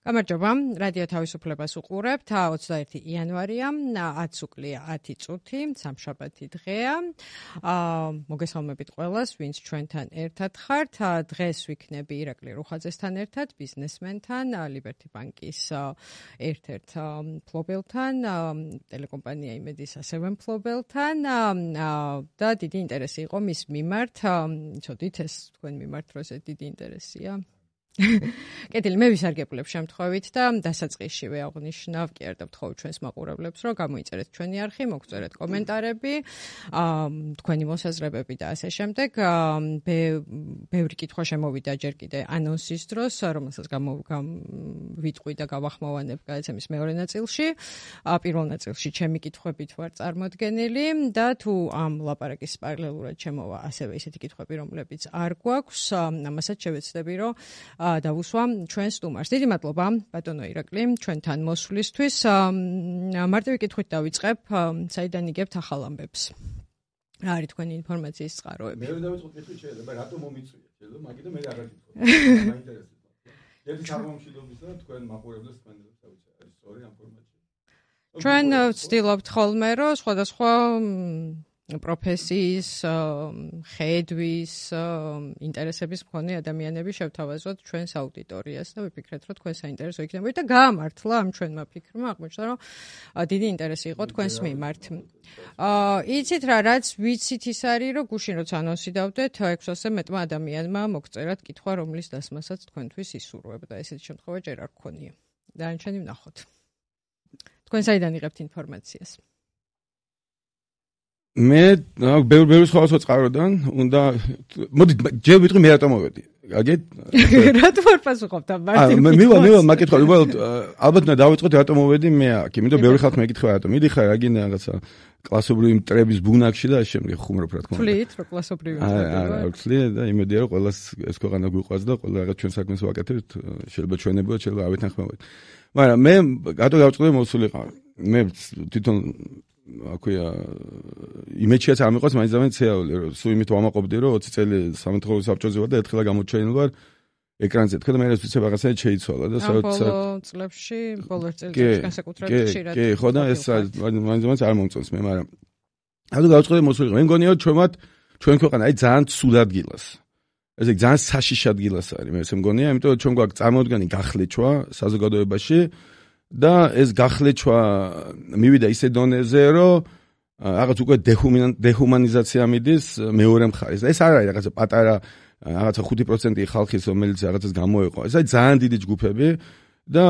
გამარჯობა, რადიო თავისუფლებას უყურებთ. 21 იანვარია, 10 უკლია 10 წუთი, სამშაბათი დღეა. მოგესალმებით ყველას, ვინც ჩვენთან ერთად ხართ. დღეს ვიქნები ირაკლი რუხაძესთან ერთად, ბიზნესმენთან, ლიბერტი ბანკის ერთ-ერთ მფლობელთან, ტელეკომპანია იმედის ასევე მფლობელთან და დიდი ინტერესი იყო მის მიმართ. ცოდით ეს თქვენ მიმართ როზე დიდი ინტერესია. კეთილი, მე ვისარგებლებ შემთხვევით და დასაწყისშივე აღნიშნავ კი არ დავთხოვ ჩვენს მაყურებლებს, რომ გამოიწერეთ ჩვენი არხი, მოგწერეთ კომენტარები, თქვენი მოსაზრებები და ასე შემდეგ. ბევრი კითხვა შემოვიდა ჯერ კიდე ანონსის დროს, რომელსაც ვიტყვი და გავახმოვანებ გადაცემის მეორე ნაწილში. პირველ ნაწილში ჩემი კითხვებით ვარ წარმოდგენილი და თუ ამ ლაპარაკის პარალელურად შემოვა ასევე ისეთი კითხვები, რომლებიც არ გვაქვს, ამასაც შევეცდები, რომ დავუსვა ჩვენ სტუმარს. დიდი მადლობა ბატონო ირაკლი ჩვენთან მოსვლისთვის. მარტივი კითხვით დავიწყებ, საიდან იგებთ ახალ ამბებს? რა არის თქვენი ინფორმაციის წყაროები? მე დავიწყო კითხვით, შეიძლება რატომ მომიწვიეთ, შეიძლება მაგით მე აღარ გითხო. მაინტერესებს. ერთი ჩამომშვიდობისა და თქვენ მაყურებლებს თქვენებს დავიცე. არის სწორი ინფორმაცია. ჩვენ ვცდილობთ ხოლმე, რომ სხვადასხვა პროფესიის, ხედვის, ინტერესების მქონე ადამიანები შევთავაზოთ ჩვენს აუდიტორიას და ვიფიქრეთ, რომ თქვენ საინტერესო იქნებოდა და გაამართლა ამ ჩვენმა ფიქრმა, აღმოჩნდა, რომ დიდი ინტერესი იყო თქვენს მიმართ. იცით რა, რაც ვიცით ის არის, რომ გუშინ როცა ანონსი დავდეთ, 600-ზე მეტმა ადამიანმა მოგწერათ კითხვა, რომლის დასმასაც თქვენთვის ისურვებდა. ესეთი შემთხვევა ჯერ არ გქონია. დანარჩენი ვნახოთ. თქვენ საიდან იღებთ ინფორმაციას? მე ბევრი სხვადასხვა წყაროდან უნდა მოდი ჯერ ვიტყვი მე რატომ მოვედი. აგეთ რატომ არ პასუხობთ ამ მარტივ მივა მაგითხვა უბრალოდ ალბათ უნდა დავიწყოთ რატომ მოვედი მე აქ. იმიტომ ბევრი ხალხი მეკითხა რატომ მიდიხარ აგინე რაღაცა კლასობრივი მტრების ბუნაკში და ამ შემდეგ ხუმრობ რა თქმა უნდა. ვთვლით რომ კლასობრივი მტრება. არა ვთვლი და იმედია რომ ყველას ეს ქვეყანა გვიყვარს და ყველა რაღაც ჩვენ საქმეს ვაკეთებთ. შეიძლება ჩვენებოდ შეიძლება არ ვეთანხმებოდეთ. მაგრამ მე რატო გავწყდი მოსულიყავ. მე თვითონ აქვეა იმეჩიაც არ მიყვარს მაინც ამენ ცეავი რომ სულ იმით ვამაყობდი რომ 20 წელი სამეთხოვრო საბჭოზე ვარ და ერთხელ გამოჩენილ ვარ ეკრანზე თქვა და მე ეს ვიცი რაღაცა შეიცვალა და ბოლო წლებში ბოლო წელიწადში განსაკუთრებით ხშირად კი ხო და ეს მაინც არ მომწონს მე მაგრამ რატო გავწყდი მოსულიყავ მე მგონია რომ ჩვენ ქვეყანა აი ძალიან ცუდ ადგილას ესე ძალიან საშიში ადგილას არის მე ესე მგონია იმიტომ რომ ჩვენ გვაქვს წარმოდგენი გახლეჩვა საზოგადოებაში და ეს გახლეჩვა მივიდა ისე დონეზე, რომ რაღაც უკვე დეჰუმანიზაცია მიდის მეორე მხარეს. ეს არ არის რაღაცა პატარა რაღაცა 5% ხალხის, რომელიც რაღაცას გამოეყო. ეს არის ძალიან დიდი ჯგუფები და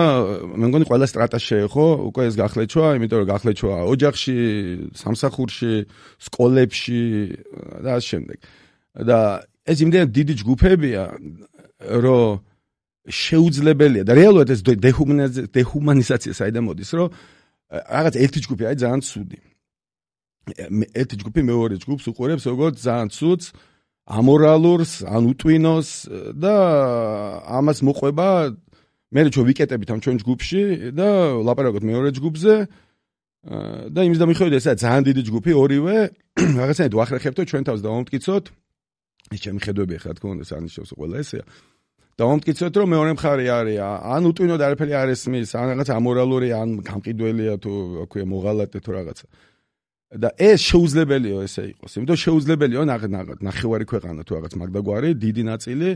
მე მგონი ყველა სტრატა შეეხო უკვე ეს გახლეჩვა, იმიტომ რომ გახლეჩვა ოჯახში, სამსახურში, სკოლებში და ამ შემდეგ. და ეს იმდენად დიდი ჯგუფებია, რომ შეუძლებელია და რეალურად ეს დეჰუმანიზაცია საიდან მოდის, რომ რაღაც ერთი ჯგუფი არის ძალიან ცუდი. ერთი ჯგუფი მეორე ჯგუფს უყურებს როგორც ძალიან ცუდს, ამორალურს, ან უტვინოს და ამას მოყვება მე რო ვიკეტებით ამ ჩვენ ჯგუფში და ლაპარაკობთ მეორე ჯგუფზე და იმის დამიხედავთ ესაა ძალიან დიდი ჯგუფი ორივე რაღაცნაირად ვახრეხებთ ჩვენ თავს დავამტკიცოთ. ეს ჩემი ხედვები ახლა თქო უნდა სანიშნავს ყველა ესეა. დავამტკიცოთ რომ მეორე მხარე არის ან უტვინო და არაფერი არ ესმის ან რაღაც ამორალური ან გამყიდველია თუ აქვე მოღალატე თუ რაღაცა და ეს შეუძლებელია ესე იყოს იმიტომ შეუძლებელია ნახევარი ქვეყანა თუ რაღაც მაგდაგვარი დიდი ნაწილი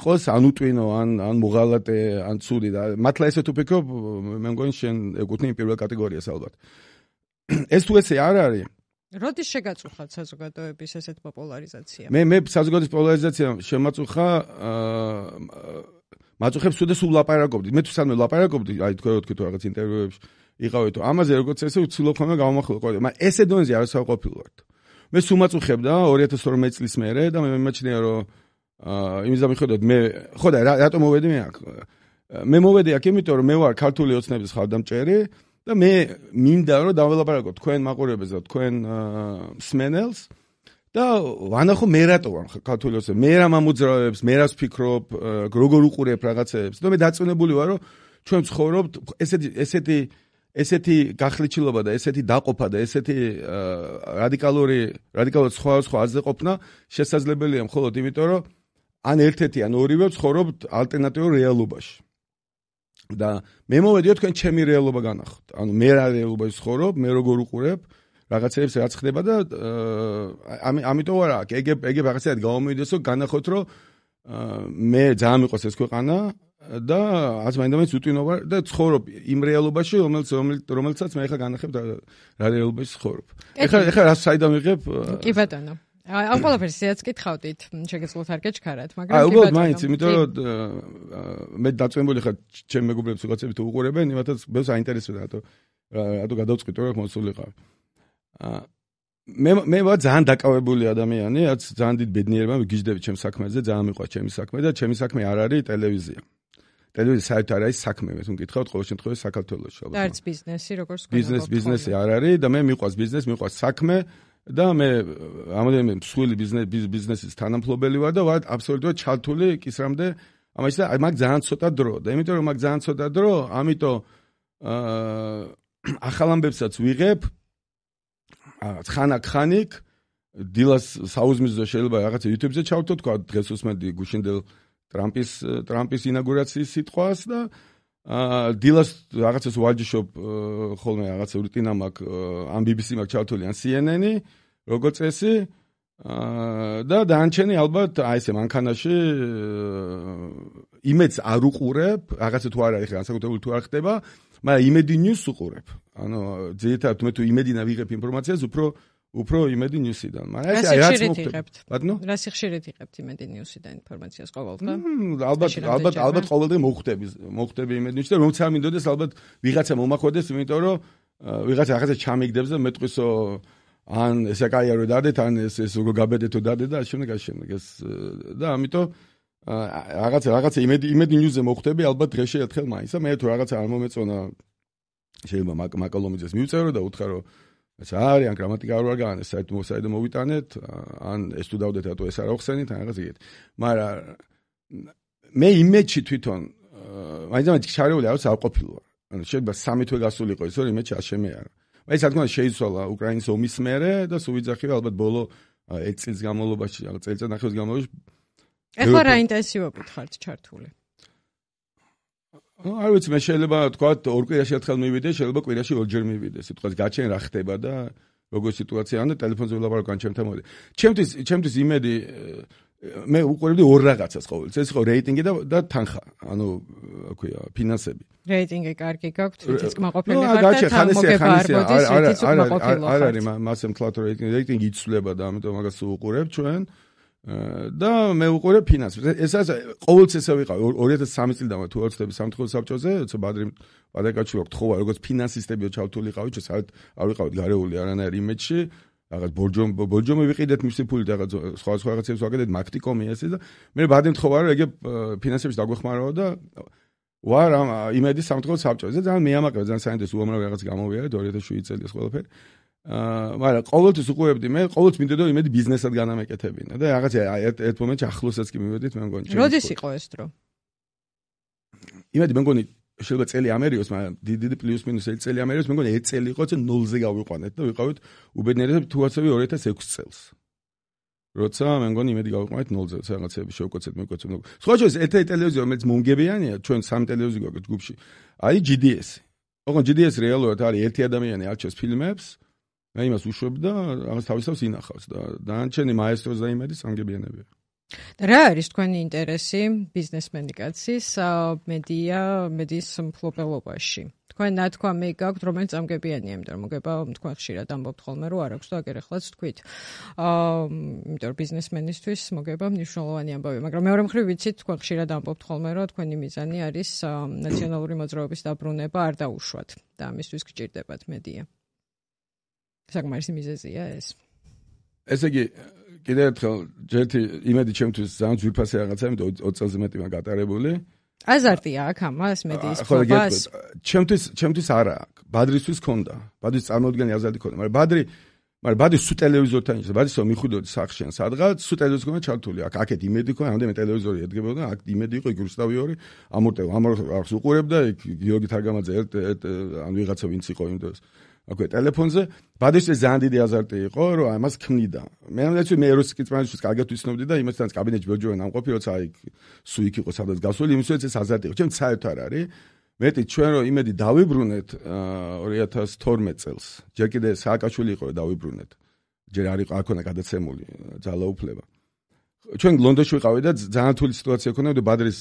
იყოს ან უტვინო ან მოღალატე ან ცუდი და მართლა ესე თუ ფიქრობ მე მგონი შენ ეკუთვნი პირველ კატეგორიას ალბათ ეს თუ ესე არ არის როდის შეგაწუხათ საზოგადოების ესეთ პოპულარიზაცია? მე საზოგადოების პოპულარიზაცია შემაწუხა მაწუხებს თუ და სულ ლაპარაკობდი. მე თუ სანამ ლაპარაკობდი, აი თქვენ თუ რაღაც ინტერვიუებში იყავით, ამაზე როგორც ესე ვცდილობ ხოლმე გავამახვილო ყოველ. მაგრამ ესე დონეზე არ საყოფილო ვარ. მე სულ მაწუხებდა 2012 წლის მერე და მე მიმაჩნია რომ იმის დამიხედავად მე ხო და რატომ მოვედი მე აქ? მე მოვედი აქ იმიტომ რომ მე ვარ ქართული ოცნების ხარდამჭერი და მე მინდა რომ დაველაპარაკო თქვენ მაყურებელს და თქვენ მსმენელს და ვანახო მე რატო ვარ ქართული ოცნები მე რა მომძრავებს მე რას ვფიქრობ როგორ უყურებ რაღაცებს და მე დაწუნებული ვარ რომ ჩვენ ცხოვრობთ ესეთი გახლეჩილობა და ესეთი დაყოფა და ესეთი რადიკალურად სხვა აზრზე ყოფნა შესაძლებელია მხოლოდ იმიტომ რომ ან ერთ-ერთი ან ორივე ცხოვრობთ ალტერნატიულ რეალობაში და მე მოვედიო თქვენ ჩემი რეალობა განახოთ. ანუ მე რა რეალობაში ვცხოვრობ, მე როგორ უყურებ რაღაცებს რაც ხდება და ამიტომ არა ეგ რაღაცად გამომიდესო განახოთ რომ მე ძალიან მიყვარს ეს ქვეყანა და ას მაინდა-მაინც უტვინო ვარ და ცხოვრობ იმ რეალობაში რომელსაც მე ხა განახებ რა რეალობაში ცხოვრობ. ეხლა რა საიდან ვიღებ? კი ბატონო. ამ ყველაფერს ისეაც კითხავდით, შეგეძლოთ არ გეჩქარათ, მაგრამ კი ბატონო. მაინც, იმიტომ რომ მე დაწვენებული ხარ ჩემ მეგობრებს ვიღაცები თუ უყურებენ, იმათაც ბევრს აინტერესებდა რატო გადავწყვიტე რომ მოსულიყავ. მე ვარ ძალიან დაკავებული ადამიანი, რაც ძალიან დიდ ბედნიერება მიგიждები ჩემს საქმეზე, ძალიან მიყვარს ჩემი საქმე და ჩემი საქმე არ არის ტელევიზია. ტელევიზია საერთოდ არ არის საქმე, მე თუ მკითხავთ ყოველ შემთხვევაში საქართველოში ალბათ. და არც ბიზნესი, როგორც თქვენ. ბიზნესი არ არის და მე მიყვარს ბიზნესი, მიყვარს საქმე და მე ამოდენმე მსხვილი ბიზნესის თანამფლობელი ვარ და ვარ აბსოლუტურად ჩართული კისრამდე ამაში და მაგ ძალიან ცოტა დრო და იმიტომ რომ მაგ ძალიან ცოტა დრო, ამიტომ ახალ ამბებსაც ვიღებ ხანაკ დილას საუზმისზე შეიძლება რაღაცა YouTube-ზე ჩავთო თქვა დღეს უსმენდი გუშინდელ ტრამპის ინაგურაციის სიტყვას და დილას რაღაცას ვარჯიშობ ხოლმე რაღაცა რუტინა მაქვს ამ BBC მაქვს ჩავთვლი ან CNN-ი როგორც წესი და დანარჩენი ალბათ აი ესე მანქანაში იმედს არ უყურებ რაღაცა თუ არ არის განსაკუთრებული თუ არ ხდება მაგრამ იმედი ნიუს უყურებ ანუ ძირითადად მე თუ იმედინა ვიღებ ინფორმაციას უფრო იმედი ნიუსიდან მაგრამ ეს რაც მოხდებთ ბატონო რა სიხშირით იღებთ იმედი ნიუსიდან ინფორმაციას ყოველდღე ალბათ ყოველდღე მოხდები იმედი ნიუსი და რომც არ მინდოდეს ალბათ ვიღაცა მომახვედეს იმიტომ რომ ვიღაცა რაღაცა ჩამიგდებს და მეტყვისო ან ესე კაია რომ დადეთ ან ეს როგორ გაბედეთო დადე და შემდეგ ეს და ამიტომ რაღაცა იმედი ნიუსზე მოხდები ალბათ დღეში ერთხელ მაინც და მე თუ რაღაცა არ მომეწონა შეიძლება მაკალომიძეს მივწერო და უთხრა რომ ეს არის ან გრამატიკა არ ვარგანე საერთოდ მოვიტანეთ ან ეს თუ დავდეთ რატო ეს არ ახსენით ან რაღაც ეგეთი მაგრამ მე იმედში თვითონ მაინც ჩარეული არის არ ყოფილვარ ანუ შეიძლება 3 თვე გასულიყო ის რომ იმედში არ შემეარა ეს რა თქმა უნდა შეიცვალა უკრაინის ომის მერე და სულ ვიძახიო ალბათ ბოლო 1 წლის განმავლობაში რაღაც წელიწადნახევრის განმავლობაში ეხლა რა ინტენსივობით ხართ ჩართული არ ვიცი მე შეიძლება თქვა ორ კვირაში ერთხელ მივიდე შეიძლება კვირაში ორჯერ მივიდე სიტყვას გაჩენ რა ხდება და როგორ სიტუაცია ან ტელეფონზე ვილაპარაკო ან ჩემთან მოვიდე ჩემთვის იმედი მე უყურებდი ორ რაღაცას ყოველთვის ეს იყო რეიტინგი და თანხა ანუ აქვია ფინანსები რეიტინგი კარგი გაქვთ ვიცით კმაყოფილი ხართ და თანმოგება არ მოდის ვიცით კმაყოფილი არ არის მასე მთლად რეიტინგი იცვლება და ამიტომ მაგას უყურებ ჩვენ და მე უყურებ ფინანსებს. ესაც ყოველთვის ესე ვიყავ 2003 წლიდან თუ ვაცდები სამთხოვნო საბჭოზე, როცა ბადრიკაჩულა გთხოვა როგორც ფინანსისტები ჩავთვლიყავით, საერთოდ არ ვიყავით გარეული არანაირ იმედში, რაღაც ბორჯომი ვიყიდეთ მისი ფულით, რაღაც სხვა რაღაცებს ვაკეთეთ, მაქტიკომი ესე და მე ბადრი მთხოვა რომ ეგ ფინანსებში დაგვეხმარო და ვარ ამ იმედის სამთხოვნო საბჭოზე. ძალიან მეამაყება, ძალიან საინტერესო უამრავი რაღაც გამოვიარეთ 2007 წელი ეს ყველაფერი. მაგრამ ყოველთვის უყურებდი მე ყოველთვის მინდოდა იმედი ბიზნესად განამეკეთებინა და რაღაცა ერთ მომენტში ახლოსაც კი მივედით მე მგონი როდის იყო ეს დრო იმედი მე მგონი შეიძლება წელი ამერიოს მაგრამ დიდი პლუს მინუს წელი ამერიოს მე მგონი 1 წელი იყო წინ 0-ზე გავიყვანეთ და ვიყავით უბედნიერად თუ ასევე 2006 წელს როცა მე მგონი იმედი გავიყვანეთ 0-ზე რაღაცები შევკოცეთ მეკვეცეთ სხვა შორის ერთ-ერთი ტელევიზია რომელიც მომგებიანია ჩვენ სამ ტელევიზია გვაქვს ჯგუფში არის GDS ოღონდ GDS რეალურად არის ერთი ადამიანი არჩევს ფილმებს მე იმას უშვებ და რაღაც თავისავს ინახავს და დანარჩენი მაესტროს და იმედი სამგებიანებია. და რა არის თქვენი ინტერესი ბიზნესმენი კაცის მედიის მფლობელობაში? თქვენ ნათქვამი გაქვთ რომელიც სამგებიანია, იმიტომ რომ მოგება თქვენ ხშირად ამბობთ ხოლმე რომ არ აქვს და აგერ ახლაც თქვით. იმიტომ რომ ბიზნესმენისთვის მოგება მნიშვნელოვანი ამბავი, მაგრამ მეორე მხრივ ვიცით თქვენ ხშირად ამბობთ ხოლმე რომ თქვენი მიზანი არის ნაციონალური მოძრაობის დაბრუნება არ დაუშვათ და ამისთვის გჭირდებათ მედია. საკმარისი მიზეზია ეს. ესე იგი, კიდევ ერთხელ ჯერთი იმედი ჩემთვის ძალიან ძვირფასი რაღაცაა, იმიტომ 20 წელზე მეტი მაგ გატარებული. აზარტია აქ ამას მედიის ფლობას. ჩემთვის არა აქვს. ბადრისთვის ქონდა. ბადრის წარმოუდგენელი აზარტი ქონდა, მაგრამ ბადრი სულ ტელევიზორთან იყო. ბადრისო მიხვიდოდი სახში ან სადღაც, სულ ტელევიზორი ქონდა ჩართული. აქეთ იმედი ქონდა, ამდენი ტელევიზორი ედგებოდა, აქ იმედი იყო იგურსტავი ორი, ამორს უყურებდა, გიორგი თარგამაძე ან ვიღაცა ვინც იყო იმ დროს. აკვე ტელეფონზე ბადრისთვის ძალიან დიდი აზარტი იყო რომ ამას ქმნიდა მე ამბობდი მე რუსიკის პრემიერის კარგად ვიცნობდი და იმასთან კაბინეტში ბოჯოვენ ამყოფი როცა აი სუ იქ იყო სადაც გასული იმისოც ეს აზარტი იყო ჩემ საერთოდ არ არის მეტი ჩვენ რომ იმედი დავიბრუნეთ 2012 წელს. ჯერ კიდე სააკაშვილი იყო დავიბრუნეთ. ჯერ არ იყო აქ გადაცემული ძალაუფლება. ჩვენ ლონდონში ვიყავი და ძალიან რთული სიტუაცია ჰქონდა, ბადრის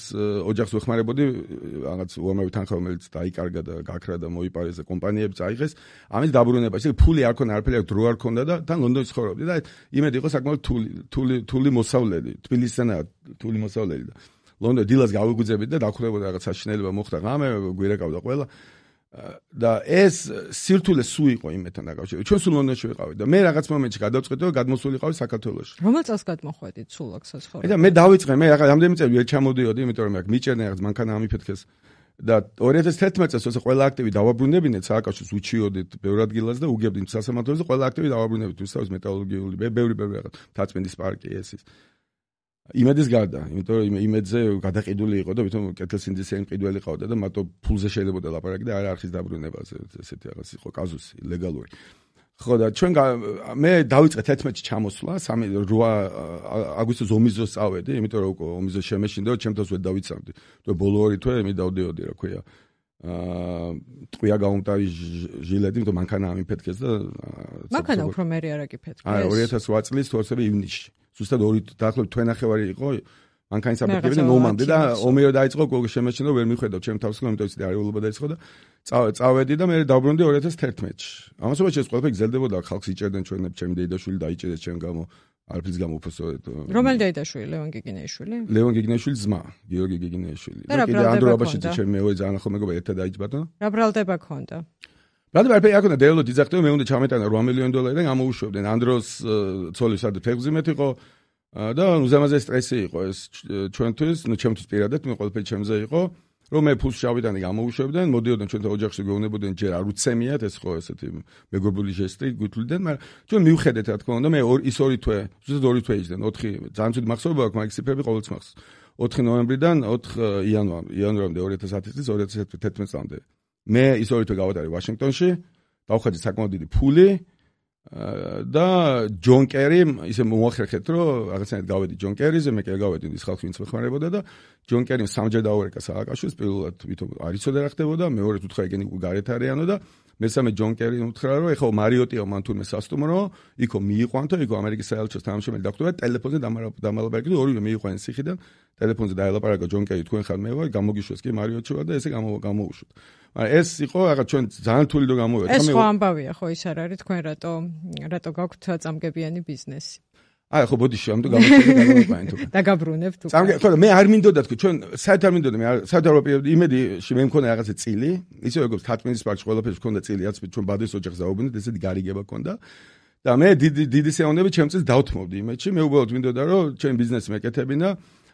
ოჯახს ვეხმარებოდი, რაღაც უამრავი თანხა რომელიც დაიკარგა და გაქრა და მოიპარეს და კომპანიები წაიღეს. ამის დაბრუნება, ისე ფული არ ქონდა, არაფერი დრო არ ქონდა და თან ლონდონში ცხოვრობდი და იმედი იყო საკმაოდ თული მოსავლელი, თბილისიდანაა თული მოსავლელი და ლონდონ დილას გავიგუძებით და დახრებოდა რაღაც საშინელება მოხდა ღამე, გვირეკავდა ყველა. და ეს სირთულე სულ იყო იმეთან დაკავშირებით. ჩვენ სულ ლონდონში ვიყავით და მე რაღაც მომენტში გადავწყვეტე რომ გადმოსულიყავი საქართველოში. რომელ წელს გადმოხვედით სულ აქ საცხოვრებლად? და მე დავიწყე, მე რაღაც რამდენი წელი ვერ ჩამოდიოდი, იმიტომ რომ აქ მიჭერდნენ რაღაც მანქანა ამიფეთქეს. და 2011 წელს ესე ყველა აქტივი დავაბრუნებინეთ სააკაშოს უჩიოდით ბევრ ადგილას და უგებდით სასამართლოზე ყველა აქტივი დავაბრუნებით რუსთავის მეტალურგიული ბევრი რაღაც თაწმინდის პარკი ესის. იმედის გარდა, იმიტომ რომ იმედზე გადაყიდული იყო და ვითომ კეთილსინდისიანი მყიდველი ყავდა და მარტო ფულზე შეიძლება ლაპარაკი და არ არხის დაბრუნებაზე ესეთი რაღაც იყო კაზუსი ლეგალური. ხო და ჩვენ მე დავიწყე 11-ში ჩამოსვლა, 8 აგვისტოს ომიზოს წავედი, იმიტომ რომ ომიზოს შემეშინდა და ჩემთვის ვერ დავიცავდი. თუ ბოლო 2 თვე მე დავდიოდი რა ქვია. ტყვია გაუმტარი ჟილეტი, იმიტომ მანქანა ამიფეთქეს და მანქანა უფრო მერე არ აკიფეთქეს. 2008 წლის 12 ივნისში. ზუსტად 2 დაახლოებით თვენახევარი იყო მანქანის აფეთქება და მომამდე და ომი რო დაიწყო, გოგო შემეჩნდა ვერ მიხვედავ ჩემ თავს, იმიტომ რომ არივულობა დაიწყო და წავედი და მე დავბრუნდი 2011-ში. ამასობაში ეს ყველაფერი გრძელდებოდა, ხალხს იჭერდნენ ჩვენებს, ჩემი დეიდაშვილი დაიჭერეს ჩემ გამო, არაფრის გამო უბრალოდ. რომელი დეიდაშვილი? ლევან გიგინეიშვილი? ლევან გიგინეიშვილის ძმა, გიორგი გიგინეიშვილი. და კიდე ანდრო აბაშიძე ჩემი მეორე ძალიან ახალ მეგობარი ერთად დაიჭბატო. რა ბრალდება ქონდა? ბრალდება არაფერი არ ქონდა, დეველოდ იძახდნენ, მე უნდა ჩამეტანა 8 მილიონი დოლარი და გამოვუშვებდნენ. ანდროს ცოლი სადაც ფეხბურთი იყო და უზამაზე სტრესი იყო ეს ჩვენთვის, ნუ ჩემთვის პირადად, მე ყველაფერი ჩემზე იყო, რომ მე ფულს შავიდანი გამოვუშვებდნენ, მოდიოდნენ ჩვენთან ოჯახში გეუბნებოდნენ, ჯერ არ უცემიათ, ეს ხო ესეთი მეგობრული ჟესტი გვითვლიდან, მაგრამ ჩვენ მივხედეთ რა თქმა უნდა, მე ის 2 თვე, ზუსტად 2 თვე იჯდნენ, 4 ძალიან ცუდი მახსოვება აქვს, მაგის ციფრები ყოველთვის მახსოვს. 4 ნოემბრიდან 4 იანვრამდე 2010 წლის 2011 წლამდე. მე ის 2 თვე გავატარე ვაშინგტონში, დავხატე საკმაოდ დიდი ფული და ჯონ კერი ისე მოახერხეთ რომ რაღაცნაირად გავედი ჯონ კერიზე, მე კი გავედი ის ხალხი ვინც მეხმარებოდა და ჯონ კერიმ სამჯერ დაუერეკა სააკაშვილს, პირველად ვითომ არ იცოდა რა ხდებოდა, მეორედ უთხრა ეგენი გარეთ არიანო და მესამე ჯონ კერიმ უთხრა რომ ეხლა მარიოტიო მან თურმე სასტუმრო, იქო მიიყვანთო, იქო ამერიკის საელჩოს თანამშრომელი დახვდება, ტელეფონზე დამალაპარაკეთ, ორივე მიიყვანეს ციხიდან, ტელეფონზე დაელაპარაკა ჯონ კერი, თქვენ ხარ მე ვარ, გამოგიშვეს კი მარიოტში ვარ და ესე გამოუშვით. ეს იყო რაღაც ჩვენ ძალიან რთული დრო გამოვიდა. ეს ხო ამბავია, ხო ის არ არის თქვენ რატო გაქვთ წამგებიანი ბიზნესი. აი ხო ბოდიში, ამიტომ გამოვიყვანეთ თუ. და გაბრუნებთ უკვე. ხო და მე არ მინდოდა თქვი, ჩვენ საერთოდ არ მინდოდა, მე საერთოდ იმედში მე მქონდა რაღაცა წილი, ისე როგორც თათმინის პარკში ყველაფერს მქონდა წილი, რაც ჩვენ ბადის ოჯახს დაუბრუნდით, ესეთი გარიგება მქონდა. და მე დიდი სეონები ჩემ წელს დავთმობდი იმედში, მე უბრალოდ მინდოდა რომ ჩემ ბიზნესი მეკეთებინა.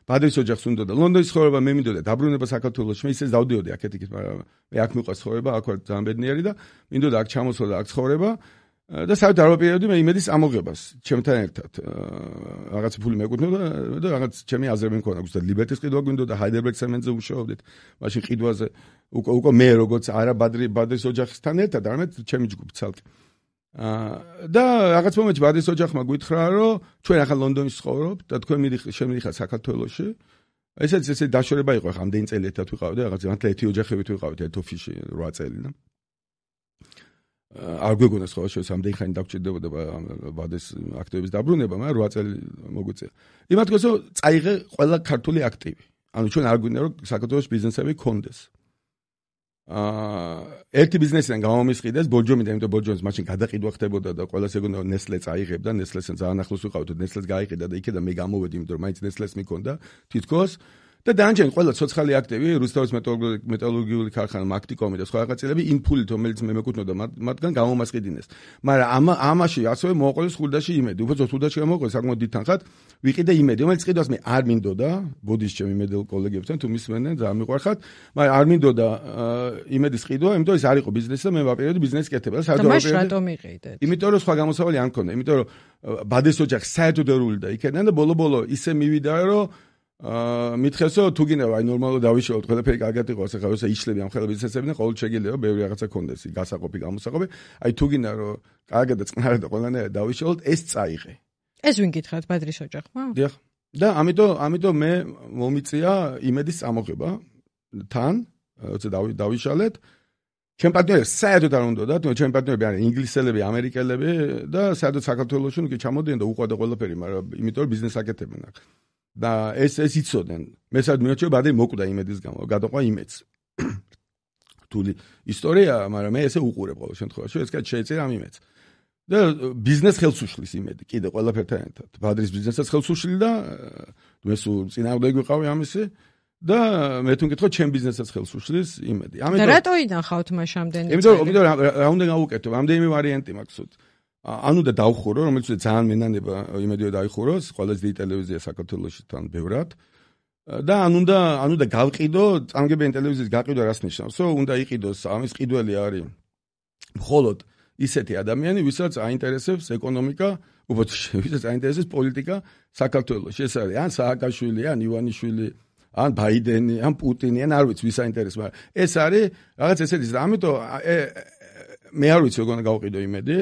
ბადრის ოჯახს უნდა და ლონდონის ცხოვრება მე მინდოდა დაბრუნება საქართველოში, მე ისე დავდიოდი აქეთ-იქით, მაგრამ მე აქ მიყვარს ცხოვრება, აქ ვარ ძალიან ბედნიერი და მინდოდა აქ ჩამოსვლა და აქ ცხოვრება და საერთოდ არ ვაპირებდი მე იმედის ამოღებას ჩემთან ერთად. რაღაც ფული მეკუთვნოდა და რაღაც ჩემი აზრები მქონდა, უბრალოდ ლიბერტის ყიდვა გვინდოდა, ჰაიდელბერგ ცემენტზე ვუშაობდით, მაშინ ყიდვაზე უკვე მე როგორც არა ბადრის ოჯახთან ერთად, არამედ ჩემი ჯგუფი ცალკე. და რაღაც მომენტში ბადის ოჯახმა გითხრა რომ ჩვენ ახლა ლონდონში ცხოვრობთ და თქვენ შემიდიხართ საქართველოში. ესე დაშორება იყო, ახლა ამდენი წელი ერთად ვიყავით და რაღაც მართლა ერთი ოჯახებით ვიყავით ერთ ოფისში 8 წელი და არ გვეგონეს ხო შეიძლება ამდენი ხანი დაგჭირდებოდა ბადის აქტივების დაბრუნება, მაგრამ 8 წელი მოგვიწია. იმათ გქონდა რომ წაიღე ყველა ქართული აქტივი. ანუ ჩვენ არ გვინდა რომ საქართველოს ბიზნესები გქონდეს. ერთი ბიზნესიდან გამომისყიდეს ბორჯომიდან, იმიტომ ბორჯომის მაშინ გადაყიდვა ხდებოდა და ყველას ეგონა ნესლე წაიღებდა, ნესლესთან ძალიან ახლოს ვიყავით, ნესლეს გაიყიდა და იქიდან მე გამოვედი, იმიტომ რომ მაინც ნესლეს მიქონდა თითქოს და დაანჯენ ყველა ცოცხალი აქტივი, რუსთავის მეტალურგიული ქარხანა, მაქტიკომი და სხვა რაღაცები იმ ფულით, რომელიც მე მეკუთვნოდა, მათგან გამომასყიდინეს. მაგრამ ამაში ასევე მოაყოლეს ხურდაში იმედი, უბრალოდ ხურდაში გამოყოლეს საკმაოდ დიდ თანხად, ვიყიდე იმედი, რომელიც ყიდვას მე არ მინდოდა, ბოდის ჩემი იმედელ კოლეგებთან თუ მისმენენ, ძალიან მიყვარხათ, მაგრამ არ მინდოდა იმედის ყიდვა, იმიტომ რომ ეს არ იყო ბიზნესი და მე ვაპირებდი ბიზნესის კეთება და საერთოდ არ ვაპირებდი. რატომ იყიდეთ? იმიტომ რომ სხვა გამოსავალი არ მქონდა, იმიტომ რომ ბადის ოჯახი საერთოდ ერული და იქიდან და ბოლო ისე მივიდა რომ მითხესო თუ გინდა აი ნორმალურად დავიშალოთ, ყველაფერი კარგად იყო, ახლა როცა იშლები ამ ხელების წესები და ყოველ შეიძლება ბევრი რაღაცა კონდეს, გასაყოფი, გამოსაყოფი. აი თუ გინდა რომ კარგად და წყნარად და ყველანაირად დავიშალოთ, ეს წაიღე. ეს ვინ გითხრათ, ბადრის ოჯახმა? დიახ. და ამიტომ მე მომიწია იმედის წამოღება თან როცა დავიშალეთ. ჩემ პარტნიორებს საერთოდ არ უნდათ, ჩემ პარტნიორები არიან ინგლისელები, ამერიკელები და საერთოდ საქართველოში კი ჩამოდიან და უყვარდა ყველაფერი, მაგრამ იმიტომ რომ ბიზნეს აკეთებენ აქ. და ეს იცოდნენ. მე საერთოდ მიოჩვენა ბადე მოკვდა იმედის გამო, გადაყვა იმედს. რთული ისტორია, მაგრამ მე ესე უყურებ ყოველ შემთხვევაში, ეს კაც შეეწერა ამ იმედს. და ბიზნეს ხელს უშლის იმედი, კიდე ყველაფერთან ერთად. ბადრის ბიზნესაც ხელს უშლი და მე სულ წინააღმდეგ ვიყავი ამისი. და მე თუ მკითხო ჩემ ბიზნესაც ხელს უშლის იმედი. ამიტომ რატო ინახავთ მაშამდენი? იმიტომ რა უნდა გავუკეთო, ამდენი ვარიანტი მაქვს. ანუ და დავხურო, რომელიც ძალიან მენანება იმედია დაიხუროს, ყველაზე დიდი ტელევიზია საქართველოში თან ბევრად. და ანუ და გავყიდო, წამგებიანი ტელევიზიის გაყიდვა რას ნიშნავს? უნდა იყიდოს, ამის ყიდველი არის მხოლოდ ისეთი ადამიანი, ვისაც აინტერესებს ეკონომიკა, ვისაც აინტერესებს პოლიტიკა საქართველოში. ეს არის ან სააკაშვილი, ან ივანიშვილი, ან ბაიდენი, ან პუტინი, ან არ ვიცი ვის აინტერესებს, მაგრამ ეს არის რაღაც ესეთი და ამიტომ მე არ ვიცი როგორ გავყიდო იმედი,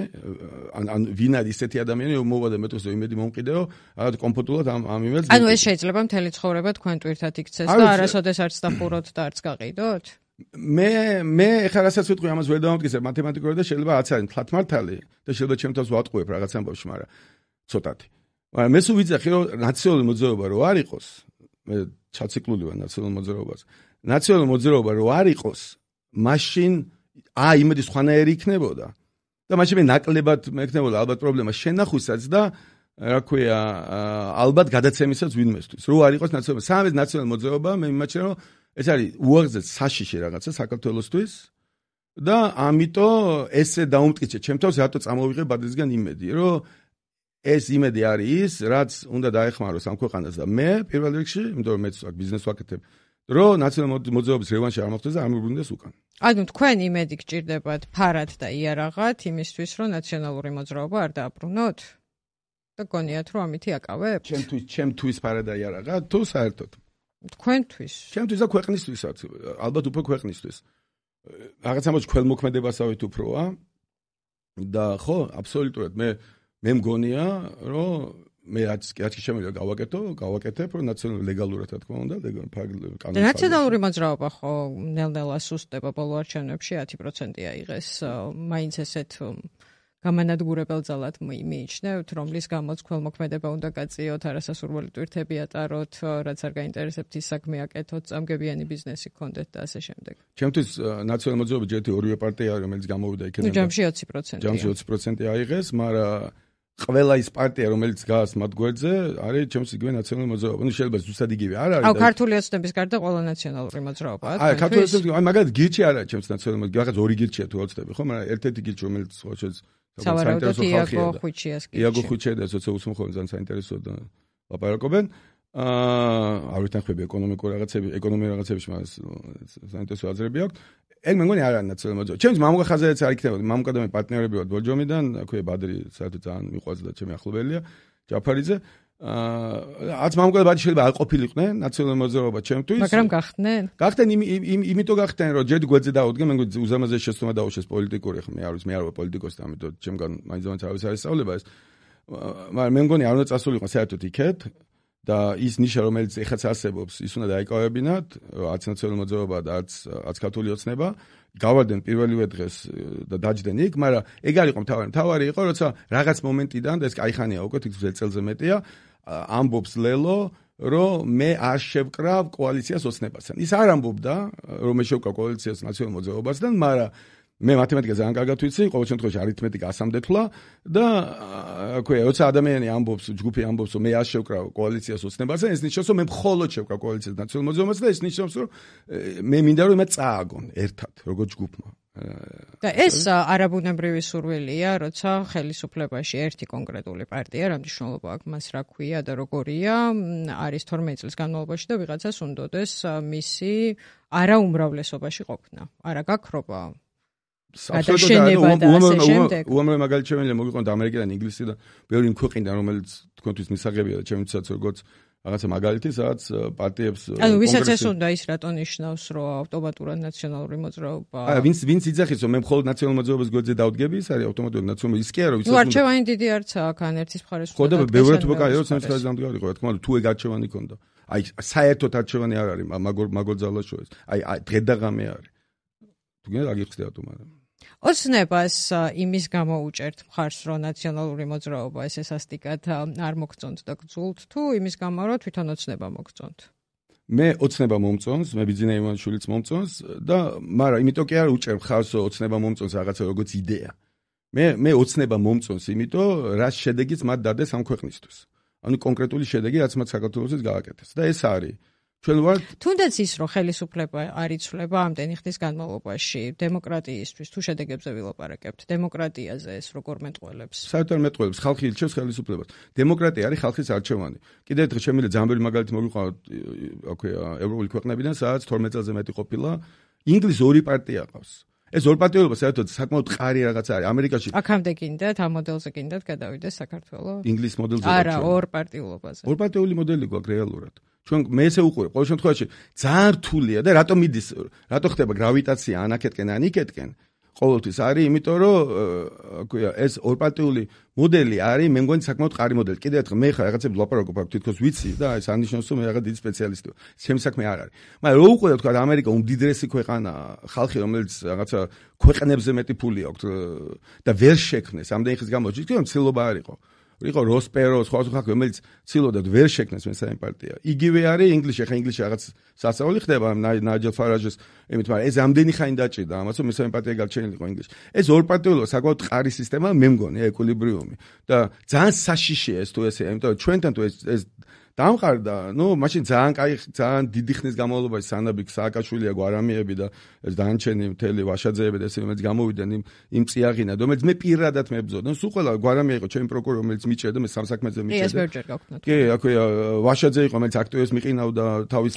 ან ვინ არის ესეთი ადამიანი, მოვადა მეტყვის იმედი მომყიდეო, რაღაც კომფორტულად ამ იმედს. ანუ ეს შეიძლება მთელი ცხოვრება თქვენ ტვირთად იქცეს და არასოდეს არც დახუროთ და არც გაყიდოთ? მე ეხლა რასაც ვიტყვი ამას ვერ დავამტკიცებ მათემატიკურად და შეიძლება რაც არის თლათ მართალი და შეიძლება ჩემ თავს ვატყუებ რაღაც ამბავში, მაგრამ ცოტათი. მაგრამ მე სულ ვიცახი რომ ნაციონალური მოძრაობა რო არ იყოს, მე ჩაციკლული ვარ ნაციონალურ მოძრაობას. ნაციონალური მოძრაობა რო არ იყოს, მაშინ იმედი სხვანაირი იქნებოდა. და მაშინ მე ნაკლებად მექნებოდა ალბათ პრობლემა შენახვისაც და რა ქვია, ალბათ გადაცემისაც ვინმესთვის. რო არ იყოს ნაციონალური, სამეს ნაციონალური მოძრაობა, მე მიმაჩნია რომ ეს არის უაღრესად საშიში რაღაცა საქართველოსთვის და ამიტომ ესე დაუმტკიცე ჩემ თავს რატო წამოვიღე ბადრისგან იმედი, რომ ეს იმედი არის ის, რაც უნდა დაეხმაროს ამ ქვეყანას და მე პირველ რიგში, იმიტომ რომ მეც აქ ბიზნეს ვაკეთებ, რომ ნაციონალური მოძრაობის რევანში არ მოხდეს და არ მიბრუნდეს უკან. ანუ თქვენ იმედი გჭირდებათ ფარად და იარაღად იმისთვის, რომ ნაციონალური მოძრაობა არ დააბრუნოთ? და გონიათ რომ ამითი აკავებთ? ჩემთვის ფარად და იარაღად თუ საერთოდ? თქვენთვის? ჩემთვის და ქვეყნისთვისაც, ალბათ უფრო ქვეყნისთვის. რაღაც ამბობს ქველმოქმედებასავით უფროა და ხო, აბსოლუტურად მე მგონია, რომ მე რაც კი შემიძლია გავაკეთებ, რომ ნაციონალური ლეგალურად რა თქმა უნდა, კანონს. ნაციონალური მოძრაობა ხო ნელ-ნელა სუსტდება ბოლო არჩევნებში 10%-ია იღეს, მაინც ესეთ გამანადგურებელ ძალად მიიჩნევთ, რომლის გამოც ქველმოქმედება უნდა გაწიოთ, არასასურველი ტვირთები ატაროთ, რაც არ გაინტერესებთ ის საქმე აკეთოთ, წამგებიანი ბიზნესი გქონდეთ და ასე შემდეგ. ჩემთვის ნაციონალური მოძრაობა ჯერ ორივე პარტია არის, რომელიც გამოვიდა იქიდან. ჯამში 20%. ჯამში 20% აიღეს, მაგრამ ყველა ის პარტია, რომელიც გას მათ გვერდზე, არის ჩემს იგივე ნაციონალური მოძრაობა. ნუ შეიძლება ზუსტად იგივე არ არის. ქართული ოცნების გარდა ყველა ნაციონალური მოძრაობაა. ქართული ოცნების, მაგალითად გირჩი არ არის ჩემს ნაციონალური მოძრაობა, რაღაც ორი გირჩია თუ ოცნები, ხო, მაგრამ ერთ-ერთი გირჩი, რომელიც ხოჩეს საინტერესო ხალხია. იაგო ხუჩია და სოციალურ უმხოლოდ ძალიან საინტერესო და ლაპარაკობენ. არ ვიტანხმები ეკონომიკური რაღაცებში, მაგრამ საინტერესო აზრები აქვს. ეგ მე მგონი არ არის ნაციონალური მოძრაობა. ჩემს მამუკა ხაზარიც არ იქნებოდა. მამუკა და მე პარტნიორები ვართ ბორჯომიდან, აქვე ბადრი საერთოდ ძალიან მიყვარს და ჩემი ახლობელია, ჯაფარიძე. არც მამუკა და ბადრი შეიძლება არ ყოფილიყვნენ ნაციონალური მოძრაობა ჩემთვის. მაგრამ გახდნენ? გახდნენ იმიტომ გახდნენ, რომ ჯერ გვერდზე დაუდგენ, მე მგონი უზამაზეს შეცდომა დაუშვეს პოლიტიკური, ხო მე არ ვარ პოლიტიკოსი, ამიტომ ჩემგან მაინც არის არისწავლება ეს. მაგრამ მე მგონი არ უნდა წასულიყო საერთოდ იქეთ. და ის ნიშა, რომელიც ეხაც არსებობს, ის უნდა დაიკავებინათ, არც ნაციონალური მოძრაობა და არც ქართული ოცნება, გავარდნენ პირველივე დღეს და დაჯდნენ იქ, მაგრამ ეგ არ იყო მთავარი. მთავარი იყო, როცა რაღაც მომენტიდან და ეს კაიხანია უკვე თითქმის 1 წელზე მეტია, ამბობს ლელო, რომ მე არ შევკრავ კოალიციას ოცნებასთან. ის არ ამბობდა, რომ მე შევკრავ კოალიციას ნაციონალურ მოძრაობასთან, მაგრამ მე მათემატიკა ძალიან კარგად ვიცი, ყოველ შემთხვევაში არითმეტიკა ასამდეთვლა და როცა ადამიანი ამბობს, ჯგუფი ამბობს, რომ მე არ შევკრავ კოალიციას ოცნებასთან, ეს ნიშნავს, რომ მე მხოლოდ შევკრავ კოალიციას ნაციონალურ მოძრაობასთან და ეს ნიშნავს, რომ მე მინდა რომ მე წააგონ ერთად, როგორც ჯგუფმა. და ეს არაბუნებრივი სურვილია, როცა ხელისუფლებაში ერთი კონკრეტული პარტია, რა მნიშვნელობა აქვს მას რა ქვია და როგორია, არის 12 წლის განმავლობაში და ვიღაცას უნდოდეს მისი არაუმრავლესობაში ყოფნა. არა გაქრობა უამრავი მაგალითი შემიძლია მოგიყვანოთ ამერიკიდან, ინგლისიდან, ბევრი ქვეყნიდან, რომელიც თქვენთვის მისაღებია და ჩემთვისაც როგორც რაღაცა მაგალითი, სადაც პარტიებს ანუ ვისაც ეს უნდა ის რატო ნიშნავს, რომ ავტომატურად ნაციონალური მოძრაობა? ვინც იძახის, რომ მე მხოლოდ ნაციონალურ მოძრაობას გვერდზე დავდგები, ის არის ავტომატურად ნაციონალური. ის კი არა, ვიცი. ნუ არჩევანი დიდი არცაა, ან ერთის მხარეს ხო და ბევრად უკაიო, ცემს ხაზი დამდგარიყო, რა თქმა უნდა, თუ ეგ არჩევანი ქონდა. აი საერთოდ არჩევანი არ არის, მაგორ ძალაშოეს. აი დღე-დაღამე არის. თუ გინდა აგიხსნათ მაგრამ ოცნებას იმის გამო უჭერთ მხარს, რომ ნაციონალური მოძრაობა ესესასტიკად არ მოგწონთ და გძულთ, თუ იმის გამო, რომ თვითონ ოცნება მოგწონთ? მე ოცნება მომწონს, მე ბიძინა ივანიშვილიც მომწონს და მაგრამ იმიტომ კი არ უჭერ მხარს ოცნება მომწონს რაღაცა როგორც იდეა. მე ოცნება მომწონს, იმიტომ რას შედეგიც მათ დადეს ამ ქვეყნისთვის. ანუ კონკრეტული შედეგი რაც მათ საქართველოსაც გააკეთეს და ეს არის ჩვენ ვართ თუნდაც ის რომ ხელისუფლება არ იცვლება ამდენი ხნის განმავლობაში დემოკრატიისთვის თუ შედეგებზე ვილაპარაკებთ დემოკრატიაზე ეს როგორ მეტყველებს საერთოდ მეტყველებს ხალხი ირჩევს ხელისუფლებას დემოკრატია არის ხალხის არჩევანი კიდევ ერთხელ შემიძლია ძალიან ბევრი მაგალითი მოგიყვანოთ ევროპული ქვეყნებიდან სადაც 12 წელზე მეტი ყოფილა ინგლისს ორი პარტია ყავს ეს ორ პარტიულობა საერთოდ საკმაოდ მყარი რაღაც არის ამერიკაში აქამდე გინდათ ამ მოდელზე გინდათ გადავიდეს საქართველოს ინგლისის მოდელზე არა ორ პარტიულობაზე ორ პარტიული მოდელი გვაქვს რეალურად ჩვენ მე ესე უყურებ ყოველ შემთხვევაში ძალიან რთულია და რატომ მიდის რატო ხდება გრავიტაცია ანაკეთკენ ან იქეთკენ ყოველთვის არის იმიტომ რომ აკვია ეს ორპარტიული მოდელი არის მე მგონი საკმაოდ მყარი მოდელი კიდევ ერთხელ მე ხარ რაღაცები ვლაპარაკობ აქ თითქოს ვიცი და ეს ანიშნავს რომ მე რაღაც დიდი სპეციალისტი ვარ ჩემი საქმე არ არის მაგრამ რო უყურებ თქვა ამერიკა უმდიდრესი ქვეყანაა ხალხი რომელიც რაღაცა ქვეყნებზე მეტი ფული აქვს და ვერ შექმნეს ამდენი ხის განმავლობაში თქო მცილობა არ იყო როსპერო სხვა ხალხი რომელიც ცილოდა ვერ შექმნეს მესამე პარტია იგივე არის ინგლისში ხა ინგლისში რაღაც სასწაული ხდება ნაიჯელ ფარაჟის იმით მაგრამ ეს ამდენი ხანი დაჭირდა ამას რომ მესამე პარტია გაჩენილიყო ინგლისში ეს ორპარტიულობა საკმაოდ მყარი სისტემა მე მგონი ეკვილიბრიუმი და ძალიან საშიშია ეს თუ ესე იმიტომ რომ ჩვენთან თუ ეს დამყარდა ნუ მაშინ ძალიან დიდი ხნის განმავლობაში სანაბიქ სააკაშვილია გვარამიები და ეს დანჩენი მთელი ვაშაძეები და ესე რომელიც გამოვიდნენ იმ წიაღინა რომელიც მე პირადად მებრძოდა ნუ სულ ყველა გვარამია იყო ჩემი პროკურორი რომელიც მიჭერდა მე სამსაქმეზე მიჭერდა ეს ბევრჯერ გავხსნათ კი აქვეა ვაშაძე იყო რომელიც აქტივებს მიყინავდა თავის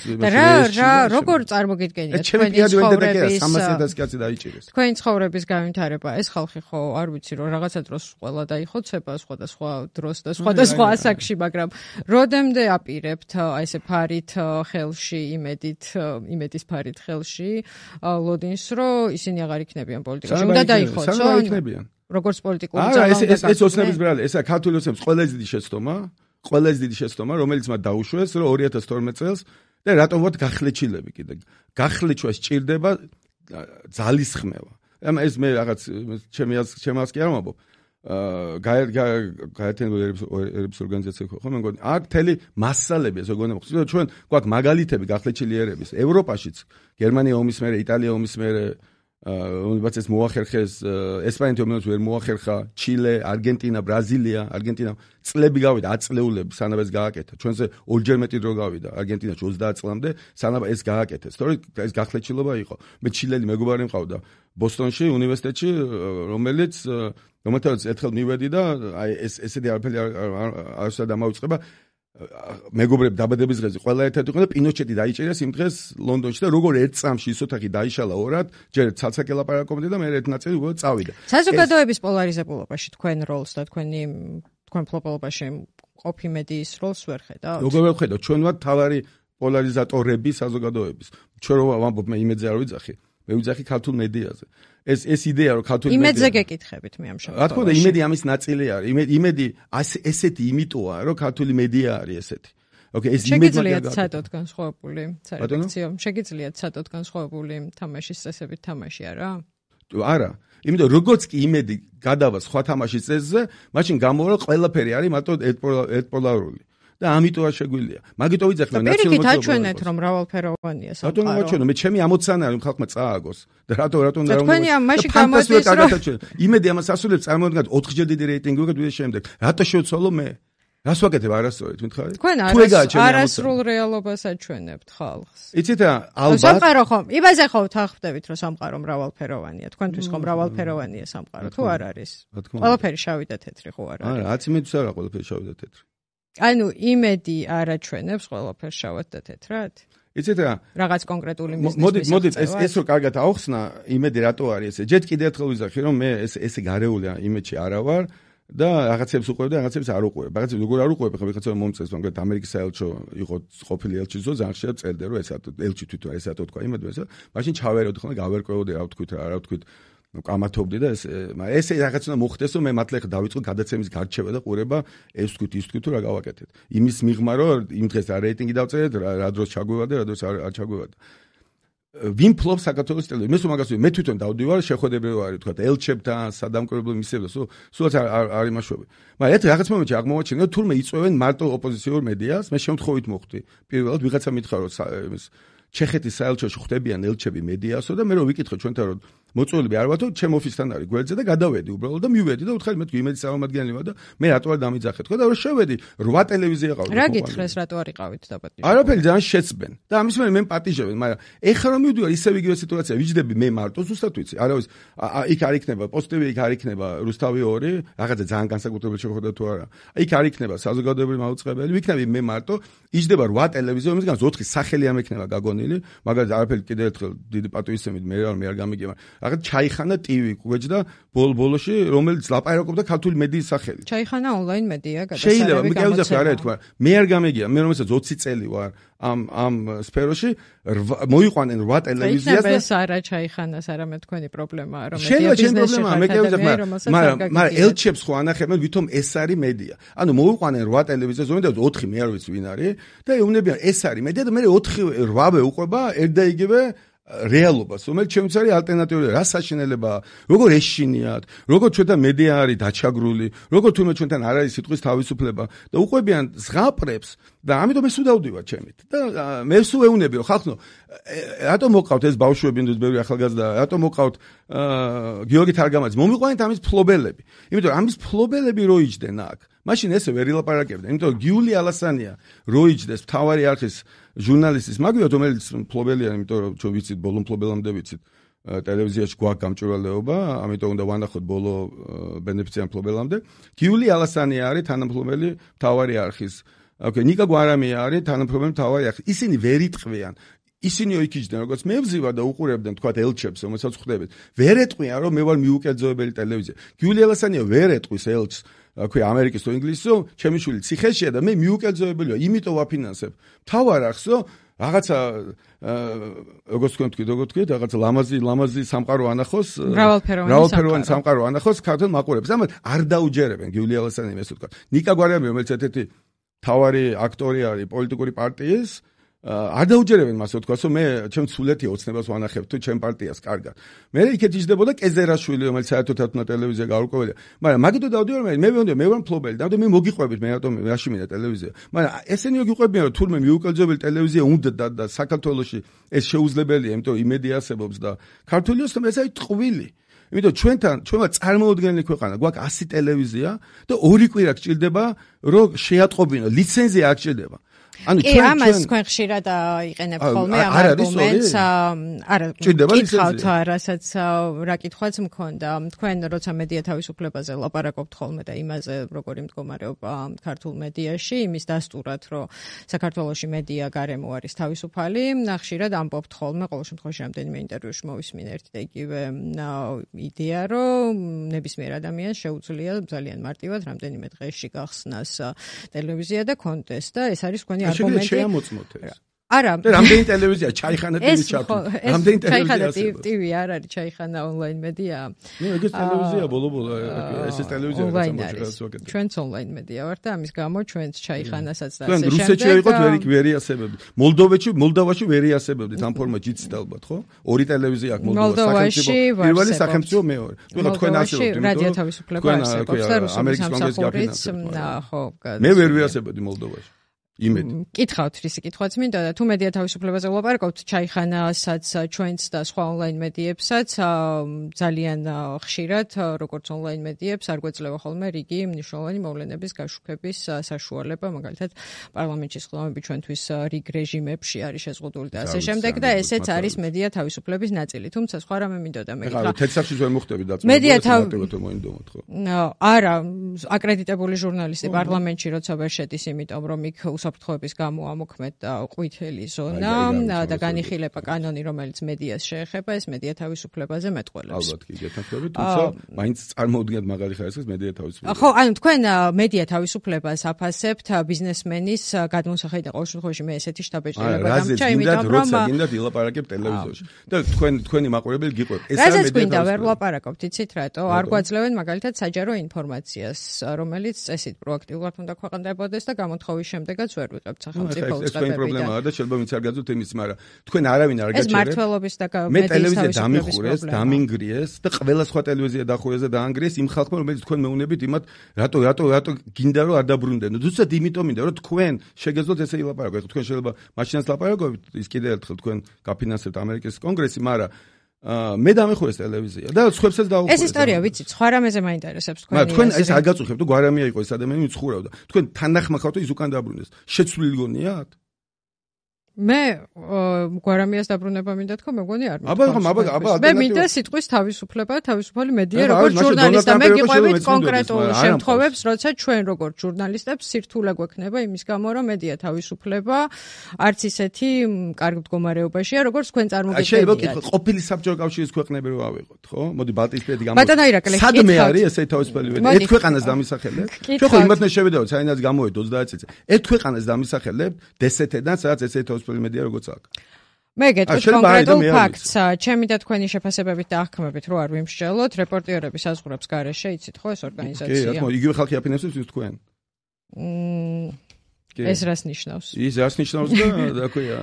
რა როგორ წარმოგიდგენიათ თქვენი ცხოვრების 300,000 კაცი დაიჭირეს თქვენი ცხოვრების განვითარება ეს ხალხი ხო არ ვიცი რომ რაღაცა დროს ყველა დაიხოცება სხვადასხვა დროს და სხვადასხვა ასაკში მაგრამ როდემდე აპირებთ აი ესე ფარით ხელში იმედის ფარით ხელში ლოდინს რომ ისინი აღარ იქნებიან პოლიტიკაში უნდა დაიხოცო როგორც პოლიტიკური ძალა ეს ოცნების ბრალი ესა ქართული ოცნების ყველაზე დიდი შეცდომა რომელიც მათ დაუშვეს რომ 2012 წელს და რატომ ვართ გახლეჩილები კიდე გახლეჩვა სჭირდება ძალისხმევა ამ ეს მე რაღაც ჩემს კი არ მომბობ გაერთიანებული ერების ორგანიზაცია ხო მე მგონი აქ მთელი მასალები ეს როგორ მოხდა ჩვენ გვაქვს მაგალითები გახლეჩილი ერების ევროპაშიც გერმანია ომის მერე იტალია ომის მერე რომელიც ეს მოახერხეს ესპანეთი ომის ვერ მოახერხა ჩილე არგენტინა ბრაზილია არგენტინა წლები გავიდა 10 წლეულები სანამ ეს გააკეთა ჩვენზე ორჯერ მეტი დრო გავიდა არგენტინაში 30 წლამდე სანამ ეს გააკეთეს თორე ეს გახლეჩილობა იყო მე ჩილელი მეგობარი მყავდა ბოსტონში უნივერსიტეტში რომელთაც ერთხელ მივედი და აი ესეთი არაფერი არასოდეს დამავიწყება მეგობრები დაბადების დღეზე ყველა ერთად იყო და პინოჩეტი დაიჭერეს იმ დღეს ლონდონში და როგორ ერთ წამში ის ოთახი დაიშალა ორად ჯერ ცალსაკე ლაპარაკობდი და მე ერთ ნაწილი უბრალოდ წავიდა საზოგადოების პოლარიზებულობაში თქვენ როლს და თქვენ ფლოპოლობაში ყოფი მედიის როლს ვერ ხედავთ როგორ ვერ ხედავთ ჩვენ ვართ თავარი პოლარიზატორები საზოგადოების ჩვენ რომ ვამბობ მე იმედზე არ ვიძახი მე ვიძახი ქართულ მედიაზე ეს იდეა რომ ქართული მედია იმედზე გეკითხებით მე ამ შემთხვევაში რა თქმა უნდა იმედი ამის ნაწილი არის იმედი ესეთი იმიტოა რომ ქართული მედია არის ესეთი ოკეი ეს იმედი შეგიძლიათ ცადოთ განსხვავებული სარედაქციო შეგიძლიათ ცადოთ განსხვავებული თამაშის წესებით თამაში არა იმიტომ როგორც კი იმედი გადავა სხვა თამაშის წესზე მაშინ გამოვა ყველაფერი არის მარტო ერთპოლარული და ამიტომ არ შეგვიძლია. მაგიტო ვიძახი ნაციონალურ მოძრაობას. აჩვენეთ რომ მრავალფეროვანია სამყარო. რატომ აჩვენო? მე ჩემი ამოცანა არის ხალხმა წააგოს. და რატომ თქვენი ამ მაშინ გამოდის რომ იმედი ამას ასრულებს წარმოადგენთ 4-ჯერ დიდი რეიტინგი უკეთ ვიდეოს შემდეგ. რატო შევცვალო მე? რას ვაკეთებ არასწორად მითხარი? თქვენ არასრულ რეალობას აჩვენებთ ხალხს. იცით რა, ალბათ სამყარო ხომ, იმაზე ხო თანხმდებით რომ სამყარო მრავალფეროვანია. თქვენთვის ხო მრავალფეროვანია სამყარო, თუ არ არის? ყველაფერი შავი და თეთრი ხო არ არის? არა, 10 მეტრს არა ყველაფერი შავი და თეთრი. ანუ იმედი არ აჩვენებს ყველაფერს შავად და თეთრად? იცით რა, რაღაც კონკრეტული მიზნის. მოდით ეს რო კარგად აუხსნა, იმედი რატო არის ესე? ჯერ კიდევ ერთხელ ვიზახი რომ მე ესე გარეული იმედში არა ვარ. და რაღაცებს უყვებ და რაღაცებს არ უყვებ. რაღაცებს როგორ არ უყვებ, ხა ვიღაცა მომწეს, მაგრამ ამერიკის საელჩო იყო ყოფილი 엘ჩი ზო ძალიან ხშირად წერდა რომ ესათო 엘ჩი თვითონ ესათო თქვა იმედია, მაშინ ჩავერეოდი ხოლმე გავერკვეოდი რა ვთქვით კამათობდი და ეს რაღაც უნდა მოხდეს რომ მე მართლა ხა დავიწყო გადაცემის გარჩევა და ყურება ეს ვთქვით ის ვთქვით რა გავაკეთეთ. იმის მიღმა რომ იმ დღეს რა რეიტინგი დავწერეთ, რა დროს ჩაგვევა და რა დროს არ ჩაგვევა. ვინ ფლობს საქართველოს ტელევიზიას? მე თვითონ დავდივარ შეხვედრები ვარ თქვა ელჩებთან, სადამკვირვებლო მისიებთან, სულაც არ იმაშვები. მაგრამ ერთ რაღაც მომენტში აღმოვაჩინე რომ თურმე იწვევენ მარტო ოპოზიციურ მედიას, მე შემთხვევით მოხდი. პირველად ვიღაცა მითხრა რომ ჩეხეთის საელჩოში ხვდებიან ელჩები მედიასო და მე რომ ვიკითხე ჩვენთან რომ მოწვეულები არ ვართ, ჩემ ოფისთან არის გვერდზე და გადავედი უბრალოდ და მივედი და ვთხარი მე იმედი წარმომადგენელი ვარ და მე რატო არ დამიძახე თქვა და რომ შევედი 8 ტელევიზია ყავდა. რა გითხრეს რატო არ იყავით დაპატიჟებულები? არაფერი ძალიან შეცბენ და ამის მერე მე პატიჟებენ, მაგრამ ეხლა რომ მივდივარ ისევ იგივე სიტუაცია, ვიჯდები მე მარტო ზუსტად ვიცი. არავის იქ არ იქნება პოსტები, იქ არ იქნება რუსთავი 2, რაღაცა ძალიან განსაკუთრებული შეხვედრა თუ არა. იქ არ იქნება საზოგადოებრივი მაუწყებელი, ვიქნები მე მარტო, იჯდება 8 ტელევიზია, იმისგან 4 სახელი ამ ექნება გაგონილი, მაგალითად არაფერი კიდევ ერთხელ დიდი პატივისცემით მე არ გამიგია, რაღაც ჩაიხანა ტივი გვეჯდა ბოლოში, რომელიც ლაპარაკობდა ქართული მედიის სახელით. ჩაიხანა ონლაინ მედია გადასარევი. შეიძლება მე გავიზახე არა თქვა, მე არ გამიგია, მე რომელსაც 20 წელი ვარ ამ სფეროში მოიყვანენ 8 ტელევიზიას და ეს არა ჩაიხანას, არამედ თქვენი პრობლემაა, რომ მედია ბიზნესში მაგრამ ელჩებს ხო ანახებენ ვითომ ეს არის მედია. ანუ მოიყვანენ 8 ტელევიზიას, ზოგადად 4 მე არ ვიცი ვინ არის და ეუბნებიან ეს არის მედია და მე 8-8 უყვება ერთ და იგივე რეალობას, რომელიც ჩემს არის ალტერნატიული რა საშინელებაა, როგორ ეშინიათ, როგორ ჩვენთან მედია არის დაჩაგრული, როგორ თუნდაც ჩვენთან არ არის სიტყვის თავისუფლება და უყვებიან ზღაპრებს და ამიტომ ეს უდავდივარ ჩემით. და მე სულ ეუნები რომ ხალხო, რატომ მოყავთ ეს ბავშვები, ნუ ბევრი ახალგაზრდა, რატომ მოყავთ გიორგი თარგამაძე, მომიყვანეთ ამის ფლობელები. იმიტომ რომ ამის ფლობელები რო იჯდნენ აქ, მაშინ ესე ვერ ილაპარაკებდნენ. იმიტომ რომ გიული ალასანია რო იჯდეს მთავარი არხის ჟურნალისტის მაგივრად, რომელიც ფლობელია, იმიტომ რომ ჩვენ ვიცით ბოლო ფლობელამდე ვიცით ტელევიზიაში გვაქვს გამჭვირვალეობა, ამიტომ უნდა ვანახოთ ბოლო ბენეფიციარ ფლობელამდე. გიული ალასანია არის თანამფლობელი მთავარი არხის. ნიკა გვარამია არის თანამფლობელი მთავარი არხის. ისინი ვერ იტყვიან. ისინი ოიქიჯდნენ, როგორც მე ვზივარ და უყურებდნენ თქვა ელჩებს, რომელსაც ხვდებით. ვერ ეტყვიან, რომ მე ვარ მიუკერძოებელი ტელევიზია. გიული ალასანია ვერ ეტყვის ელჩს აქვე ამერიკის თუ ინგლისო, ჩემი შვილი ციხეშია და მე მიუკერძოებელია, იმიტომ ვაფინანსებ. თავარ ახსო, რაღაცა როგორც თქვით, რაღაცა ლამაზი სამყარო ანახოს, მრავალფეროვანი სამყარო ანახოს ქართულ მაყურებს. ამათ არ დაუჯერებენ გიული ალასანია ესე თქვა. ნიკა გვარამია, რომელიც ერთ-ერთი თავარი აქტორი არის პოლიტიკური პარტიის, არ დაუჯერებენ მას თქვას, რომ მე ჩემ სულეთი ოცნებას ვანახებ თუ ჩემ პარტიას კარგად. მე იქეთ იჯდებოდა კეზერაშვილი, რომელიც საერთოდ ათუნა ტელევიზია გაურკვეველია. მაგრამ მაგითო დავდივარ მე ვარ მფლობელი, და მე მოგიყვებით, მე რატომ რაში მინდა ტელევიზია. მაგრამ ესენი მოგიყვებიან, რომ თურმე მიუკერძოებელი ტელევიზია უნდა და საქართველოში ეს შეუძლებელია, იმიტომ იმედი არსებობს და ქართული ოცნება ეს არის ტყვილი. იმიტომ ჩვენმა წარმოუდგენელი ქვეყანა, გვაქვს 100 ტელევიზია და 2 კვირა გჭირდება, რომ შეატყობინო, ლიცენზია არ გჭირდება. ანუ ამას თქვენ ხშირად იყენებთ ხოლმე ამ არგუმენტს, არა, გითხავთ რასაც რა კითხვაც მქონდა. თქვენ როცა მედია თავისუფლებაზე ლაპარაკობთ ხოლმე და იმაზე როგორი მდგომარეობა ქართულ მედიაში, იმის დასტურად, რომ საქართველოში მედია გარემო არის თავისუფალი, ხშირად ამბობთ ხოლმე, ყოველ შემთხვევაში რამდენიმე ინტერვიუში მოვისმინე ერთი და იგივე იდეა, რომ ნებისმიერ ადამიანს შეუძლია ძალიან მარტივად რამდენიმე დღეში გახსნას ტელევიზია და კონტესტ და ეს არის თქვენი არგუმენტი. შეამოწმოთ ეს. არა. რამდენი ტელევიზია ჩაიხანა ტივი ჩართო. რამდენი ტელევიზია ტივი არ არის, ჩაიხანა ონლაინ მედია. ნუ ეგეც ტელევიზია ბოლო ეს ტელევიზია რაღაცა. ჩვენც ონლაინ მედია ვართ და ამის გამო ჩვენც ჩაიხანასაც და ასე შემდეგ. რუსეთში იყოთ ვერ იასებებდით. მოლდოვაში ვერ იასებებდით ამ ფორმატში იცით ალბათ, ხო? 2 ტელევიზია აქვს მოლდოვაში, პირველი სახელმწიფო მეორე. ვიღა თქვენ ასებობთ, იმიტომ რადიო თავისუფლება არსებობს და რუსეთის სამსახურიც, ხო, მე ვერ ვიასებოდი მოლდოვაში. იმედი. კითხავთ რისი კითხვაც მინდა და თუ მედია თავისუფლებაზე ვლაპარაკობთ, ჩაიხანასაც ჩვენც და სხვა ონლაინ მედიებსაც ძალიან ხშირად, როგორც ონლაინ მედიებს, არ გვეძლევა ხოლმე რიგი მნიშვნელოვანი მოვლენების გაშუქების საშუალება, მაგალითად პარლამენტში სხდომები ჩვენთვის რიგ რეჟიმებში არის შეზღუდული და ასე შემდეგ და ესეც არის მედია თავისუფლების ნაწილი. თუმცა სხვა რამე მინდოდა მე გითხრა. თეთრსახში ვერ მოხდები დაწმობა. მედია მოინდომოთ ხო? არა, აკრედიტებული ჟურნალისტი პარლამენტში როცა ვერ შედის, იმიტომ რომ იქ უსაფრთხოების გამო ამოქმედა ყვითელი ზონა და განიხილება კანონი, რომელიც მედიას შეეხება, ეს მედია თავისუფლებაზე მეტყველებს. ალბათ კი გეთანხმებით, თუმცა მაინც წარმოუდგინეთ მაგარი ხარისხის მედია თავისუფლება. ხო, ანუ თქვენ მედია თავისუფლებას აფასებთ ბიზნესმენის გადმოსახედიდან ყოველ შემთხვევაში მე ესეთი შთაბეჭდილება დამჭა, იმიტომ რომ გინდათ ილაპარაკებ ტელევიზორში. და თქვენი მაყურებელი გიყვება. ეს არის მედია თავისუფლება. ვერ ვლაპარაკობთ, იცით რატო? არ გვაძლევენ მაგალითად საჯარო ინფორმაციას, რომელიც წესით პროაქტიულად უნდა ქვეყნდებოდეს და გამოთხოვის შემდეგაც ვერ ვიღებთ სახელმწიფო უწყებებიდან. ეს თქვენი პრობლემაა და შეიძლება ვინც არ გაძლევთ იმის, მაგრამ თქვენ არავინ არ გაჩერებთ. ეს მართლობის და მე ტელევიზია დამიხურეს, დამინგრიეს და ყველა სხვა ტელევიზია დახურეს და დაანგრიეს იმ ხალხმა, რომელიც თქვენ მეუნებით იმათ, რატო გინდა რომ არ დაბრუნდეთ. ზუსტად იმიტომ მინდა რომ თქვენ შეგეძლოთ ესე ილაპარაკოთ. თქვენ შეიძლება მაშინაც ლაპარაკობთ, ის კიდევ ერთხელ თქვენ გაფინანსებთ ამერიკის კონგრესი, მაგრამ მე დამეხურეს ტელევიზია და სხვებსაც დაუხურეს. ეს ისტორია ვიცით, სხვა რამეზე მაინტერესებს თქვენი. მაგრამ თქვენ ეს არ გაწუხებთ, თუ გვარამია იყო ეს ადამიანი, ვინც ხურავდა. თქვენ თანახმახავთ ის უკან დაბრუნდეს. შეცვლილი გონიათ? მე გვარამიას დაბრუნება მინდა თქვა, მეგონი არ აბა მე მინდა სიტყვის თავისუფლება, თავისუფალი მედია, როგორც ჟურნალისტი. მე გიყვებით კონკრეტულ შემთხვევებს, როცა ჩვენ როგორც ჟურნალისტებს სირთულე გვექნება იმის გამო, რომ მედია თავისუფლება არც ისეთი კარგ მდგომარეობაშია, როგორც თქვენ წარმოგიდგენიათ. შეიძლება გითხოთ, ყოფილი საბჭოთა კავშირის ქვეყნები რო ავიღოთ, ხო? მოდი ბალტიისპირეთი გამოვიდეთ. ბატონო ირაკლი, სადმე არის ესე თავისუფალი მედია? ერთ ქვეყანას დამისახელებთ? ჩვენ ხო იმათნე შევიდაოთ, საინაც გამოვიდეთ 30 წელიწადში. ერთ ქვეყანას დამისახელებთ დსთ-დან, სადაც ესე მედია როგორც აქ. მე გეტყვით კონკრეტულ ფაქტს, ჩემი და თქვენი შეფასებებით და აღქმებით რო არ ვიმსჯელოთ, რეპორტიერების საზღვრებს გარეშე, იცით ხო ეს ორგანიზაცია? კი, რა თქმა უნდა, იგივე ხალხი აფინანსებს ის თქვენ. ეს რას ნიშნავს? ის რას ნიშნავს და ქვია.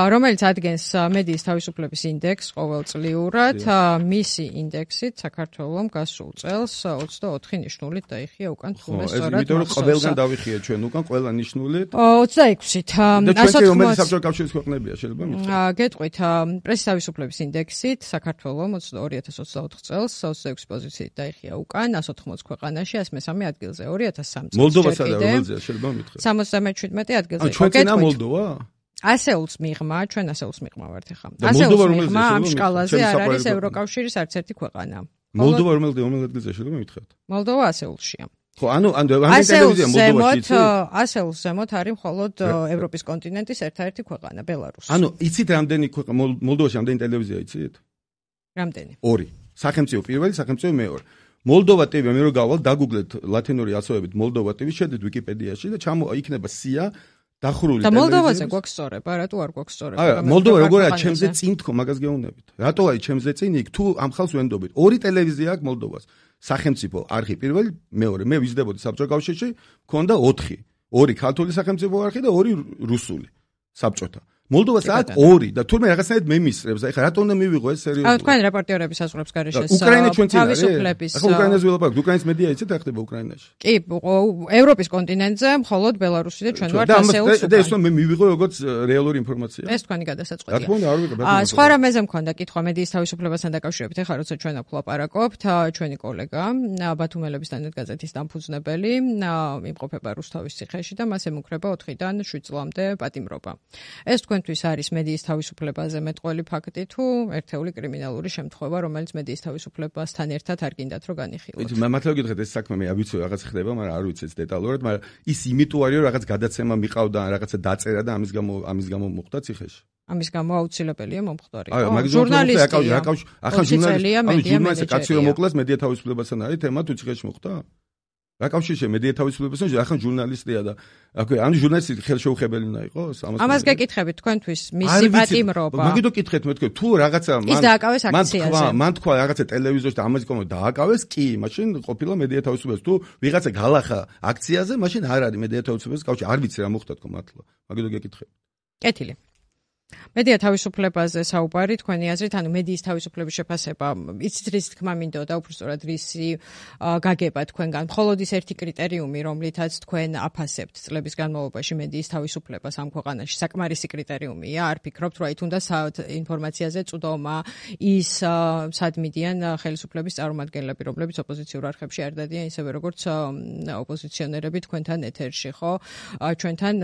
რომელიც ადგენს მედიის თავისუფლების ინდექსს ყოველწლიურად, მისი ინდექსით საქართველოს გასულ წელს 24 ნიშნულით დაიხია უკან თუმცა სწორად. იმიტომ რომ ყველგან დავიხია ჩვენ უკან ყველა ნიშნულით. 26-ით. და ჩვენ რომელიც საბჭოთა კავშირის ქვეყნებია შეიძლება მითხრათ. გეტყვით, პრესის თავისუფლების ინდექსით საქართველოს 2024 წელს 26 პოზიციით დაიხია უკან 180 ქვეყანაში 103 ადგილზე 2003 წელს. მოლდოვასა და რომელზეა შეიძლება მითხრათ. 77 ადგილზე. ჩვენ წინა მოლდოვა? ასეულს მიღმა, ჩვენ ასეულს მიღმა ვართ ახლა. ასეულს მიღმა ამ სკალაზე არ არის ევროკავშირის არც ერთი ქვეყანა. მოლდოვა რომელ ადგილზე შეიძლება მითხრათ? მოლდოვა ასეულშია. ხო, ანუ ტელევიზია მოლდოვაში ასეულს ზემოთ არის მხოლოდ ევროპის კონტინენტის ერთ-ერთი ქვეყანა, ბელარუსი. ანუ იცით რამდენი მოლდოვაში რამდენი ტელევიზია იცით? რამდენი? 2. სახელმწიფო პირველი, სახელმწიფო მეორე. მოლდოვა TV მე რო გავალ დაგუგლეთ ლათინური ასოებით მოლდოვა TV შედით ვიკიპედიაში და იქნება სია დახურული ტელევიზია. და მოლდოვაზე გვაქვს სწორება, რატო არ გვაქვს სწორება? არა, მოლდოვა როგორია ჩემზე წინ თქო, მაგას გეუბნებით. რატო არის ჩემზე წინ იქ თუ ამ ხალხს ვენდობით? 2 ტელევიზია აქვს მოლდოვას. სახელმწიფო არხი პირველი, მეორე. მე ვიზრდებოდი საბჭოთა კავშირში, მქონდა 4. 2 ქართული სახელმწიფო არხი და 2 რუსული საბჭოთა. მოლდოვას აქვს 2 და თურმე რაღაცნაირად მემისრებს. აი ხა რატომ უნდა მივიღო ეს სერიოზულად? ანუ თქვენ რეპორტიერების საზღვრებს გარეშე უკრაინა ჩვენ წინ არის. თავისუფლების. ახლა უკრაინას ვილაპარაკობ, უკრაინის მედია იცით რა ხდება უკრაინაში? კი, ევროპის კონტინენტზე მხოლოდ ბელარუსი და ჩვენ ვართ ასეულს უკან. და ეს მე მივიღო როგორც რეალური ინფორმაცია. ეს თქვენი გადასაწყვეტია. რა თქმა უნდა არ ვიღებ. სხვა რამეზე მქონდა კითხვა მედიის თავისუფლებასთან დაკავშირებით. ეხლა როცა ჩვენ აქ ვლაპარაკობთ, ჩვენი კოლეგა ბათუმელების დანადგაზეთის დამფუძნებელი იმყოფება რუსთავის ციხეში და მას ემუქრება 4-დან 7 წლამდე პატიმრობა. ეს თქვენთვის არის მედიის თავისუფლებაზე მეტყველი ფაქტი თუ ერთეული კრიმინალური შემთხვევა, რომელიც მედიის თავისუფლებასთან ერთად არ გინდათ რომ განიხილოთ. მე მართლა გითხრათ ეს საქმე მე არ ვიცი რაღაც ხდება, მაგრამ არ ვიცი ეს დეტალურად, მაგრამ ის იმიტომ არის რომ რაღაც გადაცემა მიყავდა, რაღაცა დაწერა და ამის გამო მოხდა ციხეში. ამის გამო აუცილებელია მომხდარიყო. ჟურნალისტი ახლა ჟურნალისტი კაცი რომ მოკლას მედია თავისუფლებასთან არის თემა თუ ციხეში მოხდა? რა კავშირია მედია თავისუფლებასთან? ახლა ჟურნალისტია და ანუ ჟურნალისტი ხელშეუხებელი უნდა იყოს? ამას გეკითხებით თქვენთვის მისი პატიმრობა. მაგითო კითხეთ მე თქვენ თუ რაღაცა ის დააკავეს აქციაზე. მან თქვა რაღაცა ტელევიზორში და ამაზე კომო დააკავეს, კი, მაშინ ყოფილა მედია თავისუფლებას. თუ ვიღაცა გალახა აქციაზე, მაშინ არ არის მედია თავისუფლების კავშირი. არ ვიცი რა მოხდა თქო მართლა. მაგითო გეკითხებით. კეთილი. მედია თავისუფლებაზე საუბარი თქვენი აზრით, ანუ მედიის თავისუფლების შეფასება, იცით რის თქმა მინდოდა, უბრალოდ რისი გაგება თქვენგან. მხოლოდ ის ერთი კრიტერიუმი, რომლითაც თქვენ აფასებთ წლების განმავლობაში მედიის თავისუფლებას ამ ქვეყანაში, საკმარისი კრიტერიუმია. არ ფიქრობთ, რომ აი თუნდაც ინფორმაციაზე წვდომა ის სად მიდიან ხელისუფლების წარმომადგენლები, რომლებიც ოპოზიციურ არხებში არ დადიან, ისევე როგორც ოპოზიციონერები თქვენთან ეთერში, ხო? ჩვენთან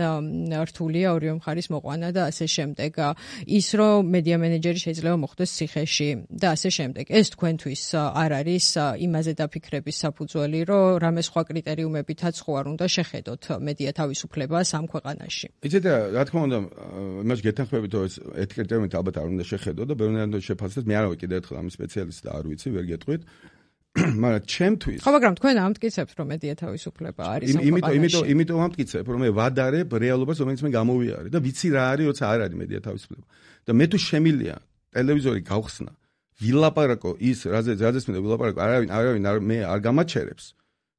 რთულია ორივე მხარის მოყვანა და ასე შემდეგ. შემდეგ ის რომ მედია მენეჯერი შეიძლება მოხდეს ციხეში და ასე შემდეგ. ეს თქვენთვის არ არის იმაზე დაფიქრების საფუძველი, რომ რამე სხვა კრიტერიუმებითაც ხო არ უნდა შეხედოთ მედია თავისუფლებას ამ ქვეყანაში. იცით რა თქმა უნდა იმას გეთანხმებით რომ ეს კრიტერიუმით ალბათ არ უნდა შეხედო და ბევრნაირად შეფასდეს მე არ ვარ კიდევ ერთხელ ამის სპეციალისტი და არ ვიცი ვერ გეტყვით მაგრამ ჩემთვის ხო მაგრამ თქვენ ამტკიცებთ რომ მედია თავისუფლება არის ამ ქვეყანაში იმიტომ ამტკიცებ რომ მე ვადარებ რეალობას რომელიც მე გამოვიარე და ვიცი რა არის როცა არ არის მედია თავისუფლება და მე თუ შემილია ტელევიზორი გავხსნა ვილაპარაკო ის რაზეც მე ვილაპარაკო არავინ მე არ გამაჩერებს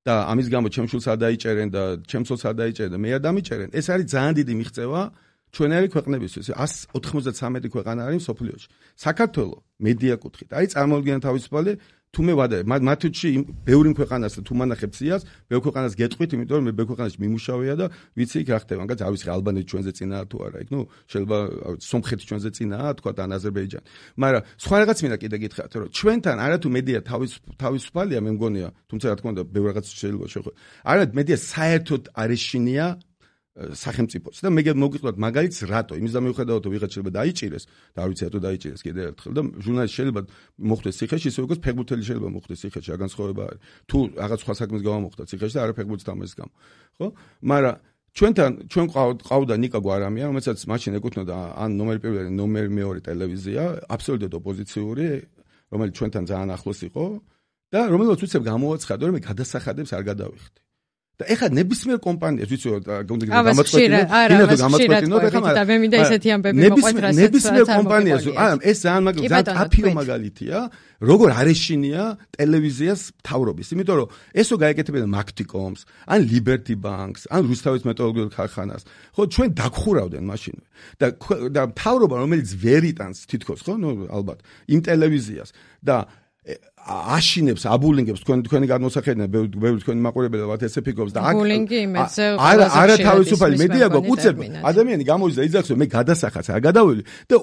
და ამის გამო ჩემ შულს არ დაიჭერენ და ჩემსოს არ დაიჭერენ და მე არ დამიჭერენ ეს არის ძალიან დიდი მიღწევა ჩვენერი ქვეყნებისთვის 193 ქვეყანა არის მსოფლიოში საქართველოს მედია კუთხით არის წარმოუდგენელი თავისუფალი თუ მე ვადარებ მათში ბევრი ქვეყანას თუ მანახებ სიას ბევრ ქვეყანას გეტყვით იმიტომ რომ მე ბევრ ქვეყანაში მიმუშავია და ვიცი იქ რა ხდება მაგაც არ ვიცი ალბანეთი ჩვენზე წინაა თუ არა იქ ნუ შეიძლება სომხეთი ჩვენზე წინაა თქვა და აზერბაიჯანი მაგრამ სხვა რაღაც მინდა კიდე გითხრათ რომ ჩვენთან არათუ მედია თავისუფალია მე მგონია თუმცა რა თქმა უნდა ბევრ რაღაც შეიძლება შეხვედრა არა მედია საერთოდ არეშინია სახელმწიფოს და მე მოგიყვეთ მაგალითს რატო იმის დამოუხედავად რომ ვიღაც შეიძლება დაიჭირეს და არ ვიცი რატო დაიჭირეს კიდე ერთხელ და ჟურნალისტი შეიძლება მოხდეს ციხეში ისე როგორც ფეხბურთელი შეიძლება მოხდეს ციხეში რა განსხვავება არის თუ რაღაც სხვა საქმის გამო მოხდა ციხეში და არა ფეხბურთის თამაშის გამო ხო მაგრამ ჩვენ ყავდა ნიკა გვარამია რომელსაც მაშინ ეკუთვნოდა ან ნომერი პირველი ნომერი მეორე ტელევიზია აბსოლუტურად ოპოზიციური რომელიც ჩვენთან ძალიან ახლოს იყო და რომელსაც უცებ გამოვაცხადო რომ მე გადასახადებს არ გადავიხდი და ეხლა ნებისმიერ კომპანიას ვიცი რომ გამაწყვეტინო კიდევ გამაწყვეტინო და ეხლა და მე მინდა ესეთი ამბები მოყვეთ რასაც ნებისმიერ კომპანიას ეს ძალიან აფიო მაგალითია როგორ არეშინია ტელევიზიას მთავრობის იმიტომ რომ ესო გაეკეთებინა მაგთიკომს ან ლიბერტი ბანკს ან რუსთავის მეტალურგიულ ქარხანას ხო ჩვენ დაგხურავდნენ მაშინ და მთავრობა რომელიც ვერ იტანს თითქოს ხო ნუ ალბათ იმ ტელევიზიას და აშინებს აბულინგებს თქვენი გადმოსახედნე ბევრი თქვენი მაყურებელი ვართ ესე ფიქრობს და აბულინგი იმედზე არა თავისუფალი მედია გვუწებ ადამიანი გამოდის და იძახს რომ მე გადასახადს არ გადაველი და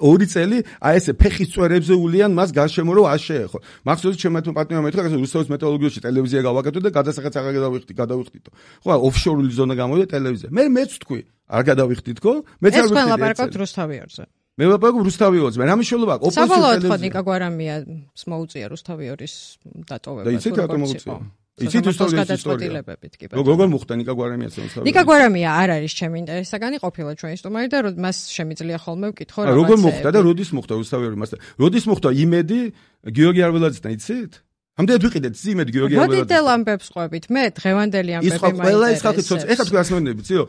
ორი წელი აი ესე ფეხის წვერებზე ულიან მას გარშემო რომ არ შეეხო მახსოვს ჩემმა პარტნიორმა მეთქვა ეს რუსეთის მეტალურგიაში ტელევიზია გავაკეთო და გადასახადს არ გადავიხდით ხო ოფშორული ზონა გამოვიდა ტელევიზია მეც თქვი არ გადავიხდით ხო მეც არ ვიცი ეს ყველა პარკოთ რუსთავიორზე მე ვაპარაკობ რუსთავიორზე, რა მნიშვნელობა აქვს? ოპოზიცია ტელევიზია. ნიკა გვარამია მოუწია რუსთავიორის დატოვება. და იცით რატომ მოუწია? იცით გადაწყვეტილებებით კი ბატონო. როგორ მოხდა ნიკა გვარამიას რუსთავიორზე? ნიკა გვარამია არ არის ჩემი ინტერესსაგანი ყოფილა ჩვენი სტუმარი და მას შემიძლია ხოლმე ვკითხო რაღაცა. როგორ მოხდა და როდის მოხდა რუსთავიორი მასთან? როდის მოხდა იმედი გიორგი არველაძესთან იცით? ამდენად ვიყიდეთ იმედ გიორგი არველაძე. მოდით ამბებს ყვებით. მე დღევანდელი ამბები მაინტერესებს. ის ყველა ის ხალხი ცოტა ეხლა თქვენ ასმენდები, ციო?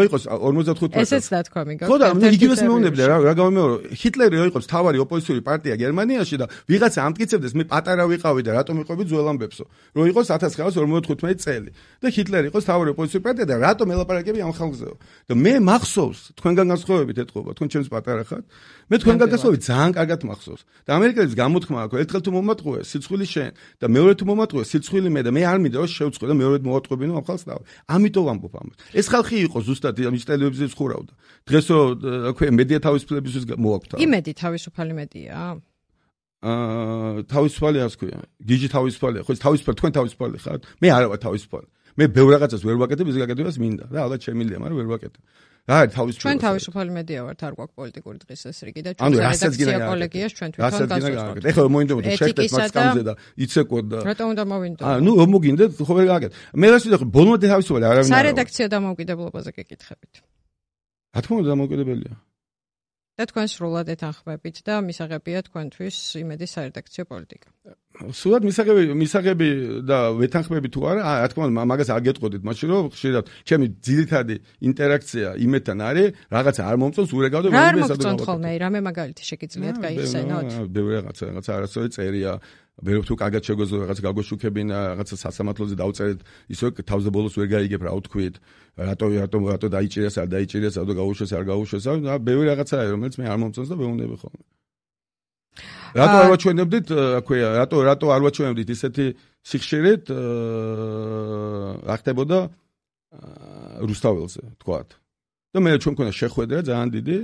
იყოს 45 წელს. ესეც დათქვა მიგო. ხო და მე იგივეს მეუბნებდი რა გამომეორო. ჰიტლერი იყოს თავარი ოპოზიციური პარტია გერმანიაში და ვიღაცა ამტკიცებდეს მე პატარა ვიყავი და რატომ ვიყავი ძველ ამბებსო. რომ იყოს 1945 წელი და ჰიტლერი იყოს თავარი ოპოზიციური პარტია და რატომ ელაპარაკები ამ ხალხზეო. და მე მახსოვს თქვენგან განსხვავებით ეთყობა, თქვენ ჩემს პატარა ხართ. მე თქვენგან განსხვავებით ძალიან კარგად მახსოვს. და ამერიკელებს გამოთქმა აქვს ერთხელ თუ მომატყუეს სიცხვილის შენ და მეორე თუ მომატყუეს სიცხვილი მე და მე არ მინდა რომ შევწყვე და მეორე მოვატყუებინო ამ ხალხს და ამიტომ ვამბობ ამას. ეს ხალხი იყო ზუსტად ის ტელევიზიის ხურავდა. დღესო აქვე მედია თავისუფლებისთვის მოაქვს. იმედი თავისუფალი მედია? თავისუფალი ასე ქვია. გიჟი თავისუფალია. ხო თავისუფალი თქვენ თავისუფალი ხართ? მე არა ვარ თავისუფალი. მე ბევრ რაღაცას ვერ ვაკეთებ, ის გაკეთებას მინდა და ალბათ შემიძლია, მაგრამ ვერ ვაკეთებ. რა არის თავისუფალი? ჩვენ თავისუფალი მედია ვართ, არ გვაქვს პოლიტიკური დღესასრიგი და ჩვენ რედაქცია კოლეგიას ჩვენ თვითონ გასვევთ. ეხლა მოინდომოთ შეხვდეთ მას კამზე და იცეკოთ და რატომ უნდა მოვინდო? ნუ მოგინდეთ, ხო ვერ გააკეთე. მე რას ვიტყვი, ბოლომდე თავისუფალი არავინ არ არის. სარედაქციო დამოუკიდებლობაზე გეკითხებით. რა თქმა უნდა დამოუკიდებელია. და თქვენ სრულად ეთანხმებით და მისაღებია თქვენთვის იმედი სარედაქციო პოლიტიკა. სულად მისაღები და ვეთანხმები თუ არა, რა თქმა უნდა მაგას არ გეტყოდით, მაშინ რომ ხშირად ჩემი ძირითადი ინტერაქცია იმეთთან არის, რაღაცა არ მომწონს ურეკავ და მე ესადო ხოლმე, რამე მაგალითი შეგიძლიათ გაიხსენოთ? ბევრი რაღაცა არასწორი წერია, ბევრი თუ კარგად შეგვეძლო რაღაც გაგოშუქებინა, რაღაცა სასამართლოზე დავწერეთ, ისე თავზე ბოლოს ვერ გაიგებ რა ვთქვით, რატო დაიჭირეს, არ დაიჭირეს, რატო გაუშვეს, არ გაუშვეს, და ბევრი რაღაცაა, რომელიც მე არ მომწონს და ვეუბნები ხოლმე. რატო არ ვაჩვენებდით, აქვეა, რატო არ ვაჩვენებდით ისეთი სიხშირით რა ხდებოდა რუსთაველზე, თქვათ. და მე ჩვენ მქონდა შეხვედრა ძალიან დიდი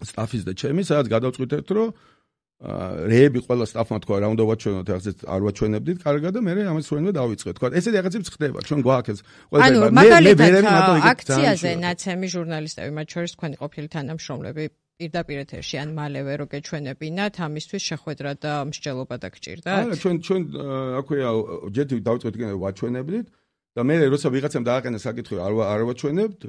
სტაფის და ჩემი, სადაც გადავწყვიტეთ, რომ რეები ყველა სტაფმა თქვა რა უნდა ვაჩვენოთ, ახლა არ ვაჩვენებდით, კარგად და მე ამას ვენდა დავიწყეთ. თქვა ესეთი რაღაცები ხდება, ჩვენ გვაქვს ეს ყველა მაგალითად აქციაზე ნაცემი ჟურნალისტები, მათ შორის თქვენი ყოფილი თანამშრომლები პირდაპირ ეთერში ან მალევე რო გეჩვენებინათ, ამისთვის შეხვედრა და მსჯელობა დაგჭირდათ? არა, ჩვენ აქვეა ჯერ დავიწყეთ კიდე ვაჩვენებდით და მე როცა ვიღაცამ დააყენა საკითხი არ ვაჩვენებთ,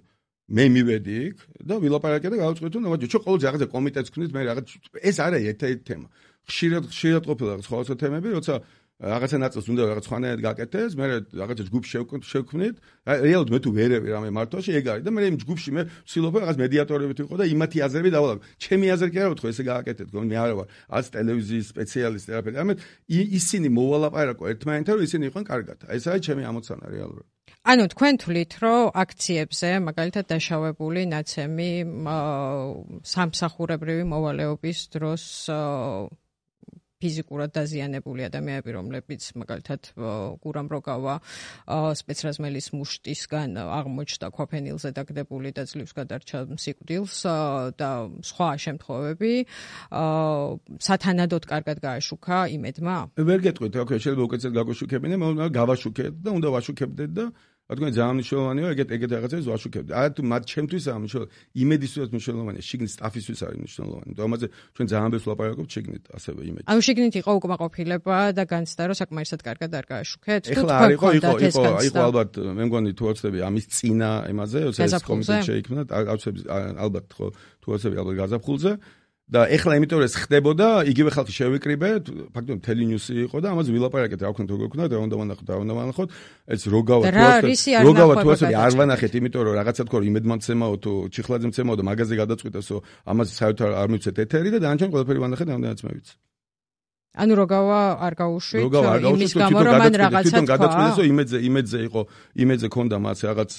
მე მივედი იქ და ვილაპარაკე და გავუწყეთ რომ ვაჯო, ჩვენ ყოველთვის რაღაცა კომიტეტს ვქნით, მე რაღაც ეს არა ერთ-ერთი თემა. ხშირად ყოფილა სხვადასხვა თემები, როცა რაღაცა ნაწილს უნდა რაღაც ხვანაერად გაკეთდეს, მე რაღაცა ჯგუფს შევქმნით. რეალურად მე თუ ვერევი რამე მართვაში ეგ არის და მე იმ ჯგუფში მე ვცდილობ რაღაც მედიატორებით ვიყო და იმათი აზრები დავალაგო. ჩემი აზრი კი არა ვთქო, ესე გააკეთეთ, მე არა ვარ არც ტელევიზიის სპეციალისტი არაფერი. ამეთ ისინი მოვალაპარაკო ერთმანეთთან, რომ ისინი იყვნენ კარგად. ეს არის ჩემი ამოცანა რეალურად. ანუ თქვენ თვლით, რომ აქციებზე მაგალითად დაშავებული ნაცემი სამსახურებრივი მოვალეობის დროს ფიზიკურად დაზიანებული ადამიანები, რომლებიც მაგალითად გურამ როგავა სპეცრაზმელის მუშტისგან აღმოჩნდა ქვაფენილზე დაგდებული და ძლივს გადარჩა სიკვდილს და სხვა შემთხვევები სათანადოდ კარგად გააშუქა იმედმა? ვერ გეტყვით, ოკეი, შეიძლება უკეთესად გაგაშუქებინე, მაგრამ გავაშუქეთ და უნდა ვაშუქებდეთ და თქვენ ძალიან მნიშვნელოვანია ეგეთ რაღაცებს ვაშუქებთ. არა თუ მათ ჩემთვის არ მნიშვნელოვანია, იმედისთვის მნიშვნელოვანია, შიგნით სტაფისთვის არის მნიშვნელოვანი. და ამაზე ჩვენ ძალიან ბევრს ვლაპარაკობთ შიგნით ასევე იმედში. ანუ შიგნით იყო უკმაყოფილება და განცდა რომ საკმარისად კარგად არ გააშუქეთ? ეხლა არ იყო ალბათ მე მგონი თუ ვაცდები ამის წინა ემაზე, ეს კომიტეტი შეიქმნა, ალბათ ხო თუ ვაცდები ალბათ გაზაფხულზე. და ეხლა იმიტომ რომ ეს ხდებოდა, იგივე ხალხი შევიკრიბეთ, ფაქტობრივად მთელი ნიუსი იყო და ამაზე ვილაპარაკეთ, რა ვქნათ, როგორ ვქნათ, რა უნდა ვანახოთ, ეს როგავა თუ არ ვანახეთ, იმიტომ რომ რაღაცა თქო რომ იმედმაცემაო თუ ჩიხლაძე მცემაო და მაგაზე გადაწყვიტესო, ამაზე საერთოდ არ მივცეთ ეთერი და დანარჩენ ყველაფერი ვანახეთ, ამდენაც მე ვიცი. ანუ როგავა არ გაუშვით იმის გამო რომ მან რაღაცა გადაწყვიტესო იმედზე ქონდა მას რაღაც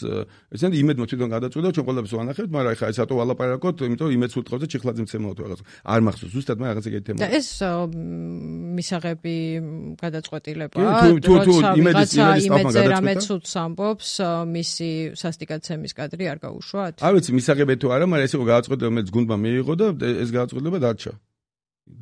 ესენი იმედმა თვითონ გადაწყვიტა ჩვენ ყველაფერს ვანახებთ, მაგრამ ეხლა ეს რატო ვალაპარაკოთ, იმიტომ რომ იმედს უთხოვდა ჩიხლაძე მცემაო თუ რაღაც არ მახსოვს ზუსტად მე რაღაცა ეგეთი თემა. და ეს მისაღები გადაწყვეტილება თუ იმედზე რამეც უც ამბობს, მისი სასტიკაცემის კადრი არ გაუშვათ? არ ვიცი მისაღები თუ არა, მაგრამ ეს იყო გადაწყვეტილება, მე გუნდმა მიიღო და ეს გადაწყვეტილება დარჩა.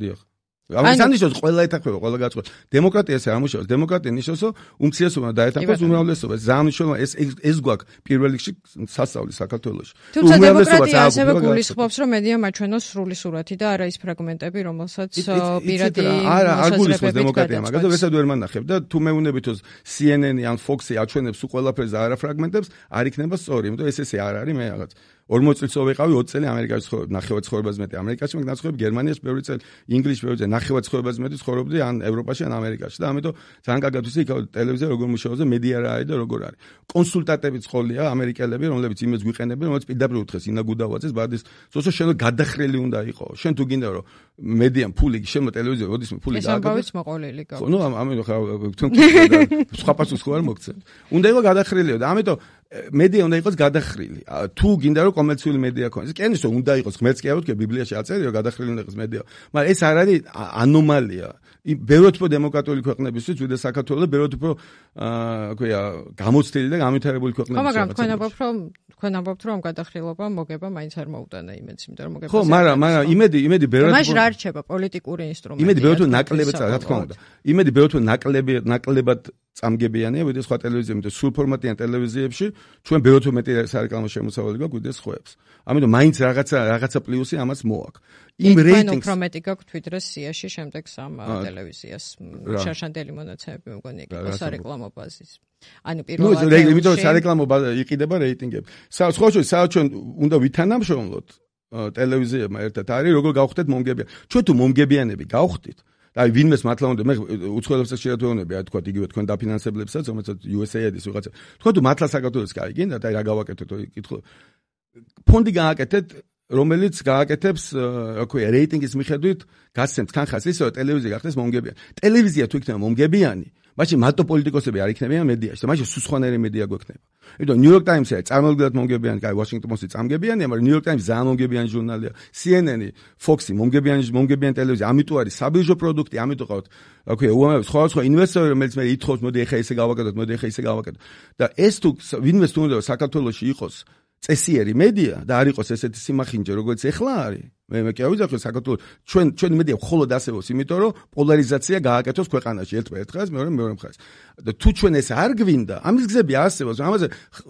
დიახ. ამას ანიშნავს ყველა ეთახება, ყველა გაწყვეტ. დემოკრატია ესე ამუშავებს. დემოკრატია ნიშნავს, რომ უმცირესობა დაეთანხმოს უმრავლესობას. ეს ამნიშნავს, ეს გვაქვს პირველ რიგში სასწავლი საქართველოში. თუმცა დემოკრატია ასევე გულისხმობს, რომ მედია მაჩვენოს სრული სურათი და არა ის ფრაგმენტები, რომელსაც პირადი არ გულისხმობს დემოკრატია, მაგაზე ვესად ვერ მანახებ და თუ მეუნებით რომ CNN-ი ან Fox-ი აჩვენებს უყველაფერს და არა ფრაგმენტებს, არ იქნება სწორი, იმიტომ ეს ესე არ არის მე რაღაც 40 წელს ვიყავი 20 წელი ამერიკაში ცხოვრობ, ნახევარ ცხოვრებას მეტი ამერიკაში, მაგრამ ცხოვრობ გერმანიაში ბევრი წელი, ინგლისში ბევრი წელი, ნახევარ ცხოვრებას მეტი ცხოვრობდი ან ევროპაში ან ამერიკაში და ამიტომ ძალიან კარგად ვიცი იქ ტელევიზია როგორ მუშაობს და მედია რა არის და როგორ არის. კონსულტანტები ცხოველია ამერიკელები, რომლებიც იმედს გვიყენებენ, რომელიც პირდაპირ უთხრეს ინა გუდავაძეს ბადის, ზუსტად შენ გადახრილი უნდა იყო. შენ თუ გინდა რომ მედიამ ფული შემო ტელევიზია, როდის ფული გააკეთე. ეს ამბავიც მოყოლილი გაქვს. ნუ ამიტომ ხა თქვენ სხვა პასუხს ხო არ მოგცემ. უნდა იყო გადახრილიო და ამიტომ მედია უნდა იყოს გადახრილი. თუ გინდა რომ კომერციული მედია ქონდეს. კენის რომ უნდა იყოს, ღმერთს კი არ ვთქვი, ბიბლიაში აწერია რომ გადახრილი უნდა იყოს მედია. მაგრამ ეს არ არის ანომალია. ბევრად უფრო დემოკრატიული ქვეყნებისთვის, ვიდრე საქართველოს და ბევრად უფრო აკვია გამოცდილი და განვითარებული ქვეყნებისთვის. ხო, მაგრამ თქვენ ამბობთ რომ გადახრილობა მოგება მაინც არ მოუტანა იმედს, იმიტომ რომ მოგება. ხო, მაგრამ იმედი ბევრად უფრო მაშ რა რჩება პოლიტიკური ინსტრუმენტი. იმედი ბევრად უფრო ნაკლებად, რა თქმა უნდა. იმედი ბევრად უფრო ნაკლებად წამგებიანია, ვიდრე სხვა ტელევიზიებში, სულ ფორმატიან ტელევიზიებში, ჩვენ ბევრად უფრო მეტი სარეკლამო შემოსავალი გვაქვს, ვიდრე სხვებს. ამიტომ მაინც რაღაცა პლუსი ამას მოაქვს. იმ რეიტინგს უფრო მეტი გაქვთ ვიდრე სიაში შემდეგ სამ ტელევიზიას. შარშანდელი მონაცემები მგონი იყო სარეკლამო ბაზის. ანუ პირველად იმიტომ რომ სარეკლამო იყიდება რეიტინგები. საერთოდ ჩვენ უნდა ვითანამშრომლოთ ტელევიზიებმა ერთად არის როგორ გავხდეთ მომგებიანი. ჩვენ თუ მომგებიანები გავხდით აი ვინმეს მართლა უნდა მე უცხოელებს ხშირად ვეუბნები, აი თქვა იგივე თქვენ დაფინანსებლებსაც, რომელსაც USAID-ის ვიღაცა. თქვა თუ მართლა საქართველოს გაიგინდათ, აი რა გავაკეთოთ, კითხო. ფონდი გააკეთეთ, რომელიც გააკეთებს, რა ქვია, რეიტინგის მიხედვით გასცემს თანხას ისე, რომ ტელევიზია გახდეს მომგებიანი. ტელევიზია თუ იქნება მომგებიანი, მაშინ მარტო პოლიტიკოსები არ იქნებიან მედიაში, და მაშინ სუსხანერი მედია გვექნება. იმიტომ New York Times-ი წარმოგიდგენთ მომგებიანი, კაი, Washington Post-ი წარმოგებიანია, მაგრამ New York Times ძალიან მომგებიანი ჟურნალია. CNN-ი, Fox-ი მომგებიანი ტელევიზია, ამიტომ არის საბირჟო პროდუქტი, ამიტომ ყავთ, რა ქვია, უამრავი სხვა ინვესტორი, რომელიც მე ითხოვს, მოდი ეხა ესე გავაკეთოთ, მოდი ეხა ისე გავაკეთოთ. და ეს თუ ვინმეს თუ უნდა საქართველოში იყოს წესიერი მედია და არ იყოს ესეთი სიმახინჯე, როგორც ეხლა არის. მე კი ავიძახე საქართველოს ჩვენი მედია მხოლოდ ასევოს, იმიტომ რომ პოლარიზაცია გააკეთოს ქვეყანაში ერთ ხაზს, მეორე მხაზს. და თუ ჩვენ ეს არ გვინდა, ამის გზები არსებობს, ამაზე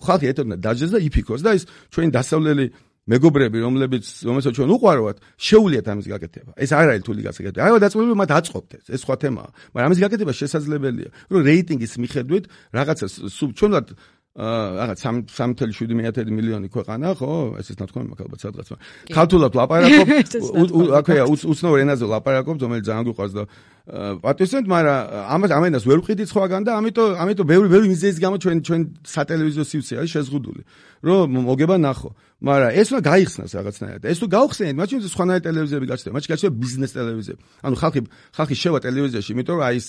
ხალხი ეთოდნა დაჯდეს და იფიქროს და ის ჩვენი დასავლელი მეგობრები, რომელსაც ჩვენ უყვარვათ, შეუძლიათ ამის გაკეთება. ეს არ არის რთული გაკეთება. არა დაწყებული მათ აწყობთ ეს სხვა თემაა. მაგრამ ამის გაკეთება შესაძლებელია. რომ რეიტინგის მიხედვით რაღაცა ჩვენად რაღაც 3.7 მილიონი ქვეყანა, ხო? ესეც ნათქვამი მაქვს ალბათ სადღაც. ქართულად ლაპარაკობ, აქვეა უცნაურ ენაზე ლაპარაკობ, რომელიც ძალიან გვიყვარს და პატივისცემთ, მაგრამ ამენას ვერ ვყიდით სხვაგან და ამიტომ ბევრი მიზეზის გამო ჩვენ სატელევიზიო სივრცე არის შეზღუდული. რომ მოგება ნახო. მაგრამ ეს უნდა გაიხსნას რაღაცნაირად. ეს თუ გავხსენეთ, მაშინ სხვანაირ ტელევიზიები გაჩნდება, მაშინ გაჩნდება ბიზნეს ტელევიზიები. ანუ ხალხი შევა ტელევიზიაში, იმიტომ რომ აი ეს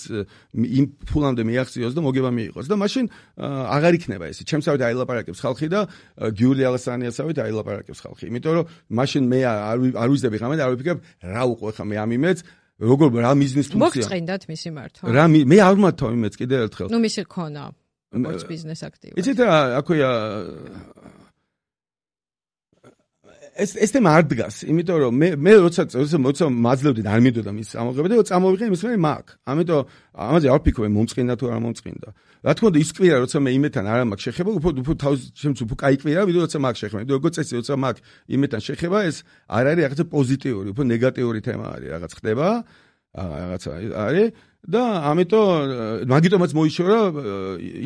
იმ ფულამდე მიაღწიოს და მოგება მიიღოს და მაშინ აღარ იქნება ეს. ჩემსავით აილაპარაკებს ხალხი და გიული ალასანიასავით აილაპარაკებს ხალხი. იმიტომ რომ მაშინ მე არ ვიზდები ღამე და არ ვიფიქრებ რა უყო ხა მე ამ იმედს როგორ რა მიზნის ფუნქცია. მოგწყინდათ მისი მართვა. რა მე არ ვმართავ იმედს კიდევ ერთხელ. ნუ მისი ქონა. როგორც ბიზნეს აქტივად. იცით რა, აქვეა ეს თემა არ დგას, იმიტომ რომ მე როცა მაძლევდი და არ მინდოდა მის ამოღება და წამოვიღე იმის მე მაგ. ამიტომ ამაზე არ ვფიქრობ მომწყინდა თუ არ მომწყინდა. რა თქმა უნდა ის კვირა როცა მე იმეთან არ მაქვს შეხება, უფრო თავის შემც უფრო კაი კვირა, ვიდრე როცა მაქვს შეხება. იმიტომ როგორც წესი როცა მაქვს იმეთან შეხება, ეს არ არის რაღაცა პოზიტიური, უფრო ნეგატიური თემა არის, რაღაც ხდება, რაღაცა არის და მაგიტომაც მოიშორა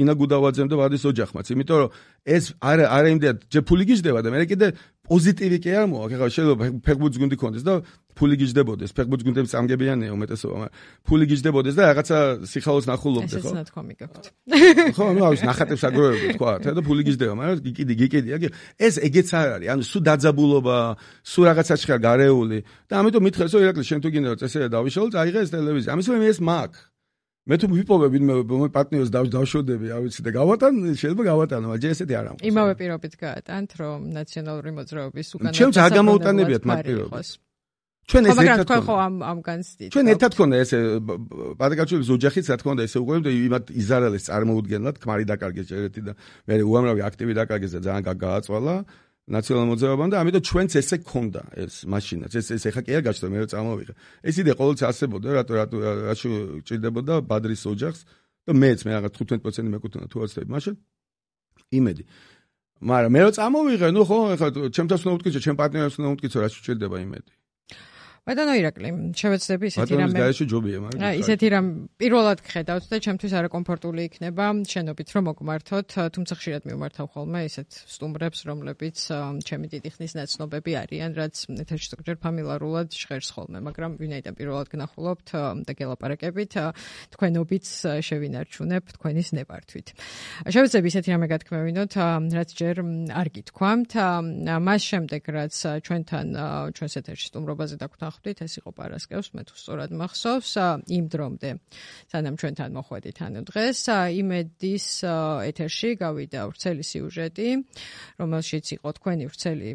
ინა გუდავაძემ და ვადის ოჯახმაც, იმიტომ რომ ეს არ იმდენად ჯერ ფული გიждდება და მე კიდე პოზიტივი კი არ მოაქვს. ახლა შეიძლება ფეხბურთის გუნდი ქონდეს და ფული გიждდებოდეს. ფეხბურთის გუნდები წამგებიანია უმეტესობა, მაგრამ ფული გიждდებოდეს და რაღაცა სიხალოს ნახულობდე, ხო? ესეც ნათქვამი გაქვთ. ხო, ნუ აუს ნახატებს აგროვებდი, თქვა, და ფული გიждდება, მაგრამ გიკიდია. ეს ეგეც არ არის. ანუ სულ დაძაბულობა, სულ რაღაცა ხარ გარეული და ამიტომ მითხეს, რომ ირაკლი შენ თუ გინდა რომ წესერე დავიშალო, წაიღე ეს ტელევიზია. ამის მე ეს მაქვს. მე თუ ვიპოვებ მე პარტნიორს დავშოდები, არ ვიცი და გავატან, შეიძლება გავატანო, მაგრამ ესეთი არ ამბობს. იმავე პირობით გაატანთ, რომ ნაციონალური მოძრაობის უკანა ჩემს არ გამოუტანებიათ მათ პირობას. ჩვენ ეს ერთად თქვენ ხო ამ განცდით. ჩვენ ერთად ქონდა ეს პატაკაჩულის ოჯახიც რა თქმა უნდა ესე უყურებთ და იმათ იზარალეს წარმოუდგენლად ქმარი დაკარგეს ჯერეთი და მე უამრავი აქტივი დაკარგეს და ძალიან გააწვალა ნაციონალურ მოძრაობამ და ამიტომ ჩვენც ესე ქონდა ეს მაშინაც ეს ეხა კი არ გაჩნდა მე რომ წამოვიღე. ეს იდეა ყოველთვის არსებობდა რატო ჭირდებოდა ბადრის ოჯახს და მეც მე რაღაც 15% მეკუთვნა თუ არ ვცდები მაშინ იმედი. მაგრამ მე რომ წამოვიღე, ნუ ხო, ეხლა ჩემთანაც უნდა უთქიჩო, ჩემ პარტნიორს უნდა უთქიჩო, რა შეჭირდება იმედი. ბატონო ირაკლი, შევეცდები ისეთი რამე. ბატონის გარეშე ჯობია, მაგრამ ისეთი რამ პირველად გხედავთ და ჩემთვის არაკომფორტული იქნება შენობით რომ მოგმართოთ, თუმცა ხშირად მიმართავ ხოლმე ისეთ სტუმრებს, რომლებიც ჩემი დიდი ხნის ნაცნობები არიან, რაც ეთერში ზოგჯერ ფამილარულად ჟღერს ხოლმე, მაგრამ ვინაიდან პირველად გნახულობთ და გელაპარაკებით, თქვენობით შევინარჩუნებ თქვენის ნებართვით. შევეცდები ისეთი რამე გათქმევინოთ, რაც ჯერ არ გითქვამთ, მას შემდეგ რაც ჩვენთან ჩვენს ეთერში სტუმრობაზე დაგვთანხმდით, ეს იყო პარასკევს, მე თუ სწორად მახსოვს, იმ დრომდე, სანამ ჩვენთან მოხვედით ანუ დღეს, იმედის ეთერში გავიდა ვრცელი სიუჟეტი, რომელშიც იყო თქვენი ვრცელი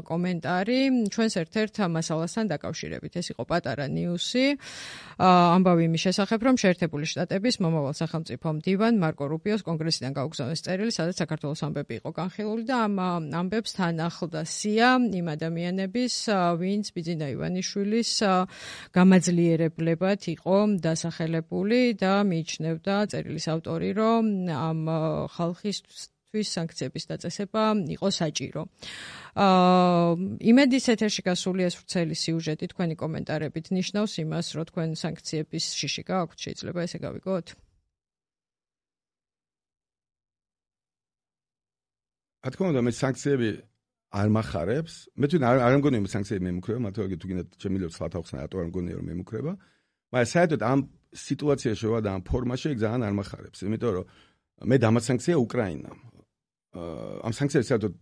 კომენტარი, ჩვენს ერთ-ერთ მასალასთან დაკავშირებით. ეს იყო პატარა ნიუსი, ამბავი იმის შესახებ, რომ შეერთებული შტატების მომავალ სახელმწიფო მდივან მარკო რუბიოს კონგრესიდან გაუგზავნეს წერილი, სადაც საქართველოს ამბები იყო განხილული და ამ ამბებს თან ახლდა სია იმ ადამიანების, ვინც ბიძინა ივანიშვილის გამაძლიერებლებად იყო დასახელებული და მიიჩნევდა წერილის ავტორი, რომ ამ ხალხისთვის სანქციების დაწესება იყო საჭირო. იმედის ეთერში გასული ეს ვრცელი სიუჟეტი თქვენი კომენტარებით ნიშნავს იმას, რომ თქვენ სანქციების შიში გააქვთ, შეიძლება ესე გავიგოთ? რა თქმა უნდა, მე სანქციები არ მახარებს. მე თვითონ არ მგონია რომ სანქციები მემუქრება, მათ თუ გინდათ შემიძლია სხვა თავხსნა რატო არ მგონია რომ მემუქრება. მაგრამ საერთოდ ამ სიტუაციაში და ამ ფორმაში ძალიან არ მახარებს, იმიტომ რომ მე დამასანქცია უკრაინა. ამ სანქციებს საერთოდ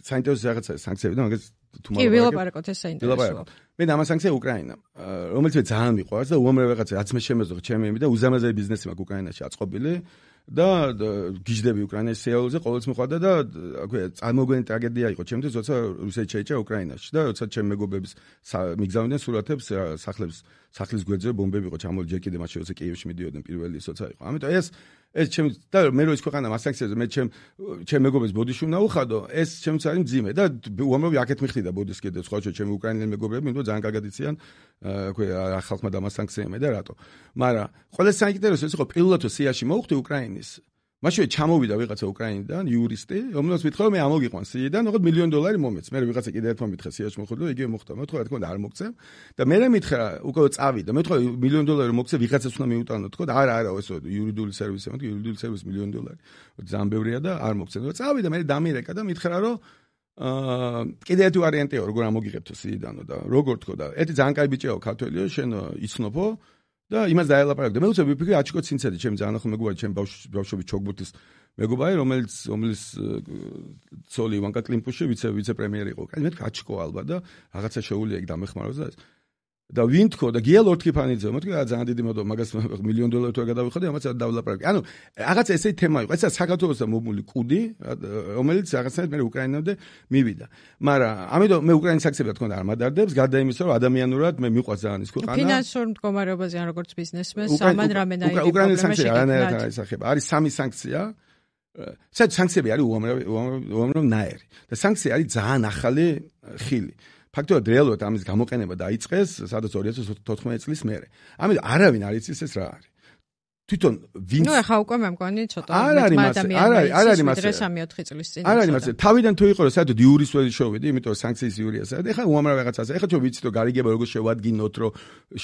საინტერესო რაღაცა სანქციები და მაგას თუ კი ვილაპარაკოთ ეს საინტერესოა. მე დამასანქცია უკრაინა, რომელიც მე ძალიან მიყვარს და უამრავი რაღაცა რაც მე შემეძლო ჩემი იმი და უზარმაზარი ბიზნესი მაქვს უკრაინაში აწყობილი. და გიждდები უკრაინის სიაულზე ყოველთვის მიყვარდა და წარმოგვენი ტრაგედია იყო ჩემთვის, როცა რუსეთი შეიჭრა უკრაინაში და როცა ჩემი მეგობრების მიგზავნდნენ სურათებს სახლის გვერდზე ბომბები იყო ჩამოვლილი ჯერ კიდე მაშინ როცა კიევში მიდიოდნენ პირველი როცა იყო. ამიტომ ეს ჩემ და მე რო ის ქვეყანა მასანქციაზე მე ჩემ მეგობრებს ბოდიში უნდა უხადო, ეს ჩემს არის მძიმე და უამრავი აქეთ მიხდიდა ბოდის კიდე სხვა ჩემი უკრაინელი მეგობრები, იმიტომ ძალიან კარგად იციან, ხალხმა დამასანქციებია და რატო. მაგრამ ყველა საინტერესო ეს იყო პირველად სიაში მოხვდი უკრაინის. მაშინ ჩამოვიდა ვიღაცა უკრაინიდან, იურისტი, რომელსაც მითხრა მე ამოგიყვან სიიდან, ოღონდ $1 მილიონ მომეც. მე ვიღაცა კიდე ერთმა მითხრა სიაში მოხვდი და იგივე მოხდა. მე თქვა რა თქმა უნდა არ მოგცემ და მე მითხრა უკვე წავიდა. მე თქვა $1 მილიონ მოგცე ვიღაცას უნდა მიუტანო, თქვა არა, ეს იურიდიული სერვისი, მე იურიდიული სერვისი $1 მილიონ. ძალიან ბევრია და არ მოგცემ. და წავიდა, მე დამირეკა და მითხრა რომ კიდე ერთი ვარიანტია როგორ ამოგიღებთო სიიდანო და როგორ თქო და ერთი ძალიან კაი ბიჭიაო ქართველიო, შენ იცნობო და იმას დაელაპარაკე. მე უცებ ვიფიქრე აჩიკო ცინცადი, ჩემი ძალიან ახალ მეგობარი, ჩემი ბავშვობის ჩოგბურთის მეგობარი, რომელიც ცოლი ივანკა კლიმპუში ვიცე-პრემიერი იყო. კაი, მე თქვა აჩიკო ალბათ და რაღაცა შეუულია იქ დამეხმაროს და ეს. და ვინ თქო და გია ლორთქიფანიძე, მე თქვა ძალიან დიდი მოდო, მაგას $1 მილიონ თუ არ გადავიხადე, ამაც დავლაპარაკე. ანუ რაღაცა ესეთი თემა იყო. ესა საქართველოსთან მომული კუდი, რომელიც რაღაცნაირად მე უკრაინამდე მივიდა. მაგრამ ამიტომ მე უკრაინის საქმეებს რა თქმა უნდა არ მადარდებს, გარდა იმისა, რომ ადამიანურად მე მიყვარს ძალიან ის ქვეყანა. ფინანსურ მდგომარეობაზე ან როგორც ბიზნესმენს, ამან რამენაირი უკრაინის საქმეები არანაირად არ ისახება. არის 3 სანქცია. სანქციები არის უამრავ ნაირი. და სანქცია არის ძალიან ახალი ხილი. ფაქტობრივად რეალურად ამის გამოყენება დაიწყეს სადაც 2014 წლის მერე. ამიტომ არავინ არ იცის ეს რა არის. თვითონ ვინც ნუ ახლა უკვე მე მგონი ცოტა არ არის მასე 3-4 წლის წინ. არ არის მასე. თავიდან თუ იყო რომ საერთოდ იურის ველი შოვიდი, იმიტომ რომ სანქციის იურია საერთოდ. ეხლა უამრავ რაღაცაზე. ეხლა ჩვენ ვიცით რომ გარიგება როგორ შევადგინოთ, რომ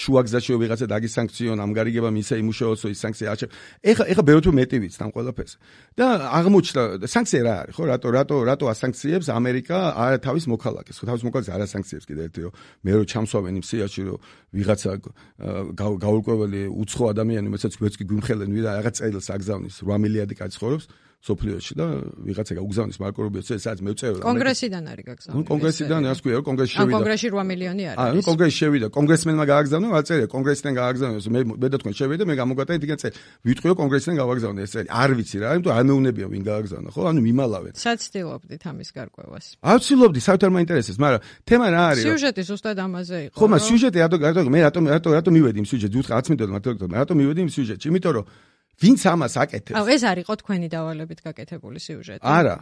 შუაგზაში ვიღაცა დაგისანქციონ, ამ გარიგებამ ისე იმუშაოს, რომ ის სანქცია არ შევა. ეხლა ბევრად მეტი ვიცით ამ ყველაფერს. და აღმოჩნდა სანქცია რა არის, ხო? რატო ასანქციებს ამერიკა თავის მოქალაქეს? ხო, თავის მოქალაქეს არ ასანქციებს კიდე ერთი რომ მე რო ჩამსვავენ იმ სიაში რომ ვიღაცა გაურკვეველი უცხო ადამიანი, რომელსაც გვეც გვიმხელენ ვიდა რაღაც წერილს აგზავნის 8 მილიარდი კაცი ცხოვრობს სოფლიოში და ვიღაცა გაუგზავნის მარკო რუბიოს სადაც მეწევ კონგრესიდან არის გაგზავნილი. კონგრესიდან ასე ქვია, კონგრესში შევიდა. კონგრესში 8 მილიონი არის. ანუ კონგრესში შევიდა, კონგრესმენმა გააგზავნა, აწერია კონგრესიდან გააგზავნეს. მე და თქვენ შევიდა, მე გამოგატა იგივე წელი. ვიტყვიო კონგრესიდან გავაგზავნე ეს წელი. არ ვიცი რა, იმიტომ არ მეუნებია ვინ გააგზავნა, ხო? ანუ მიმალავენ. საცდილობდით ამის გარკვევას. არ ვცდილობდი, საერთოდ არ მაინტერესებს, მაგრამ თემა რა არის? სიუჟეტი ზუსტად ამაზე იყო. ხო, მაგრამ სიუჟეტი მე რატომ მივედი იმ სიუჟეტში? უთხარ 10 მინუტად მართლა რატომ მივედი იმ სიუჟეტში? იმიტომ რომ ვინც ამას აკეთებს. აუ, ეს არისო თქვენი დავალებით გაკეთებული სიუჟეტი. არა,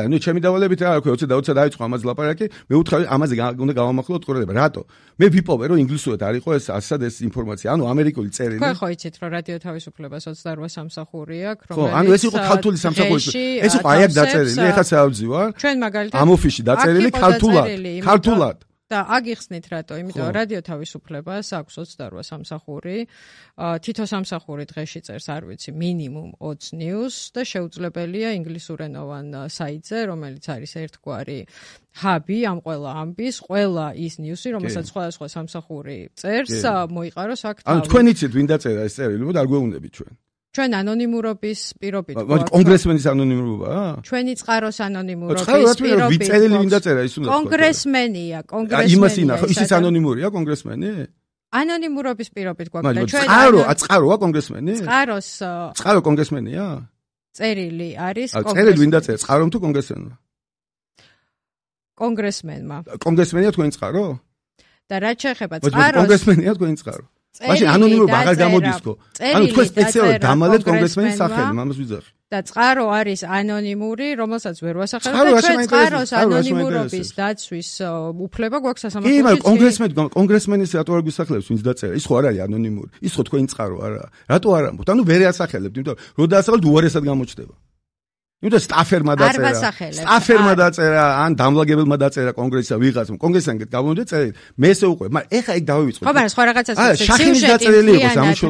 ნუ ჩემი დავალებით რა აქვს, 20 დაიწყო ამაზე ლაპარაკი, მე უთხრა ამაზე უნდა გავამახვილოთ ყურადღება. რატო? მე ვიპოვე რომ ინგლისურად არ იყო ეს ასად ეს ინფორმაცია, ანუ ამერიკული წერილი. ხო, იცით რომ რადიო თავისუფლებას 28 სამსახური აქვს, რომელიც ხო, ანუ ეს იყო ქართული სამსახური. ეს იყო აი აქ დაწერილი, ეხლა საუბძივარ. ჩვენ მაგალითად ამ ოფისში დაწერილი ქართულად. და აგიხსნით რატო? იმიტომ რომ რადიო თავისუფლებას აქვს 28 სამსახური. თითო სამსახური დღეში წერს, არ ვიცი, მინიმუმ 20 news და შეუძლებელია ინგლისურენოვან საიტზე, რომელიც არის ერთგვარი ჰაბი ამ ყველა ამბის, ყველა ის ნიუსი, რომელსაც სხვადასხვა სამსახური წერს, მოიყაროს აქ თავი. ანუ თქვენ იცით ვინ დაწერა ეს წერილი, მოდი არ გვეუბნებით ჩვენ. ჩვენ ანონიმურობის პირობით გვაქვს. კონგრესმენის ანონიმურობაა? ჩვენი წყაროს ანონიმურობის პირობით. ვიწერილი ვინ დაწერა ის უნდა. კონგრესმენია. იმას ინა, ხო, ისიც ანონიმურია კონგრესმენი? ანონიმურობის პირობით გვაქვს და ჩვენ წყაროა კონგრესმენი? წყარო კონგრესმენია? წერილი არის კონგრესმენი. წერილი ვინ დაწერა? წყარომ თუ კონგრესმენმა? კონგრესმენმა. კონგრესმენია თქვენი წყარო? და რაც შეეხება წყაროს კონგრესმენია თქვენი წყარო? მაშინ ანონიმურობა აღარ გამოდისკო. ანუ თქვენ სპეციალურად დამალეთ კონგრესმენის სახელი, ამას ვიძახი. და წყარო არის ანონიმური, რომელსაც ვერ ვასახელებ და ჩვენ წყაროს ანონიმურობის დაცვის უფლება გვაქვს სასამართლოში. კი, მაგრამ კონგრესმენის რატო არ გვისახელებს, ვინც დაწერა? ის ხო არ არის ანონიმური. ის ხო თქვენი წყარო არა. რატო არ ამბობთ? ანუ ვერ ასახელებთ, იმიტომ რომ დაასახელოთ უარესად გამოჩნდება. იმიტომ სტაფერმა დაწერა, ან დამლაგებელმა დაწერა კონგრესსა ვიღაცამ. კონგრესთან გამოდე წერილი. მე ესე უყვე, მაგრამ ეხა იქ დავივიწყოთ. ხო, მაგრამ სხვა რაღაცას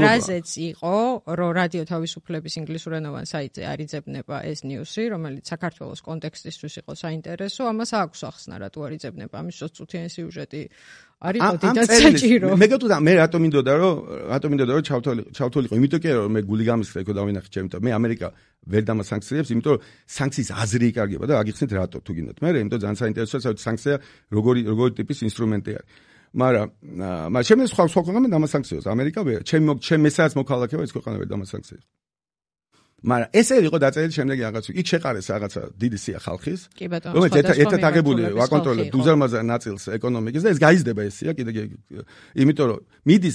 რაზეც იყო, რომ რადიო თავისუფლების ინგლისურენოვან საიტზე არიძებნება ეს ნიუსი, რომელიც საქართველოს კონტექსტისთვის იყო საინტერესო, ამას აქვს ახსნა, რატო არიძებნება, ამის წუთიანი სიუჟეტი არისო დიდად საჭირო. მე რატომ მინდოდა რომ ჩავთვალიყო, იმიტომ კი რომ მე გული გამისხდა იქ დავინახე ჩემთან. მე ამერიკა ვერ დამასანქციებს, იმიტომ რომ სანქციის აზრი იკარგება და აგიხსნით რატო თუ გინდათ. მე იმიტომ ძალიან საინტერესოა, საერთოდ სანქცია როგორი ტიპის ინსტრუმენტი არის. მაგრამ ჩემს სხვა ქვეყანამ დამასანქციოს ამერიკა ვერ. ჩემ მესაც მოქალაქეა ეს ქვეყანა ვერ დამასანქციებს. მაგრამ ესე იყო დაწერილი შემდეგი რაღაც იქ შეყარეს რაღაცა დიდი სია ხალხის კი ბატონო რომელიც ერთად აღებული ვაკონტროლებ უზარმაზარ ნაწილს ეკონომიკის და ეს გაიზრდება ეს სია კიდე იმიტომ რომ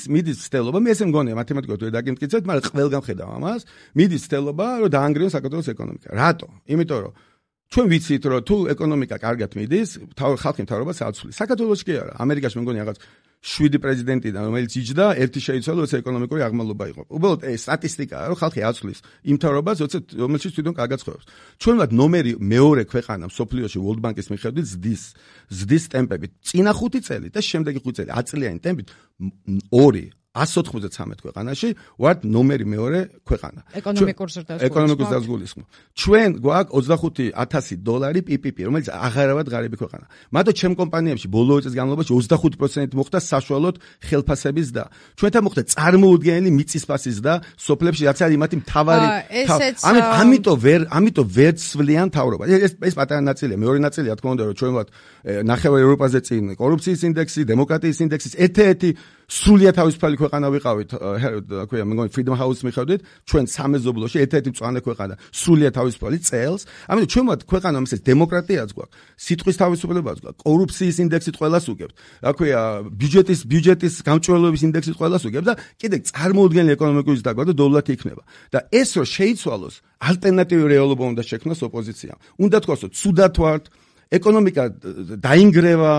მიდის ცდელობა მე ესე მგონია მათემატიკურად ვერ დაგიმტკიცებთ მაგრამ ყველგან ხედავ ამას მიდის ცდელობა რომ დაანგრიოს საქართველოს ეკონომიკა რატო იმიტომ რომ ჩვენ ვიცით რომ თუ ეკონომიკა კარგად მიდის ხალხი მთავრობას აცვლის საქართველოს კი არა ამერიკაში მე მგონია რაღაც 7 პრეზიდენტიდან რომელიც იჯდა ერთი შეიცვალა როცა ეკონომიკური აღმავლობა იყო უბრალოდ ეს სტატისტიკაა რომ ხალხი აცვლის იმ მთავრობას რომელშიც თვითონ კარგად ცხოვრობს ჩვენවත් ნომერი მეორე ქვეყანა მსოფლიოში World Bank-ის მიხედვით ზრდის ტემპებით წინა 5 წელი და შემდეგი 5 წელი 10 წლიანი ტემპით 193 ქვეყანაში ვართ ნომერი მეორე ქვეყანა. ეკონომიკურ ზრდას. ჩვენ გვაქვს $25,000 PPP, რომელიც აღარავად ღარიბი ქვეყანა. მათო ჩემ კომპანიებში ბოლო წლის განმავლობაში 25% მოხდა საშუალოდ ხელფასების და ჩვენთან მოხდა წარმოუდგენელი მიწისფასის და სოფლებში რაც არის მათი მთავარი ამიტომ ვერ ცვლიან თავრობა. ეს პატარა ნაწილია, მეორე ნაწილია თქო უნდა რომ ჩვენ ვართ ნახევარ ევროპაზე წინ კორუფციის ინდექსი, დემოკრატიის ინდექსის ერთ-ერთი სრულიად თავისუფალი ქვეყანა ვიყავით, ქვია, მე მგონი Freedom House მიხედვით, ჩვენ სამეზობლოში ერთ-ერთი მწვანე ქვეყანა, სრულიად თავისუფალი წელს. ამიტომ ჩვენ ვართ ქვეყანა, რომელსაც დემოკრატიაც გვაქვს, სიტყვის თავისუფლებაც გვაქვს, კორუფციის ინდექსით ყველას უგებთ. რა ქვია, ბიუჯეტის გამჭვირვალობის ინდექსით ყველას უგებთ და კიდე წარმოუდგენელი ეკონომიკური ზრდა გვაქვს და დოლარი იქნება. და ეს რომ შეიცვალოს, ალტერნატიული რეალობა უნდა შექმნას ოპოზიციამ. უნდა თქვას, რომ ცუდად ვართ, ეკონომიკა დაინგრევა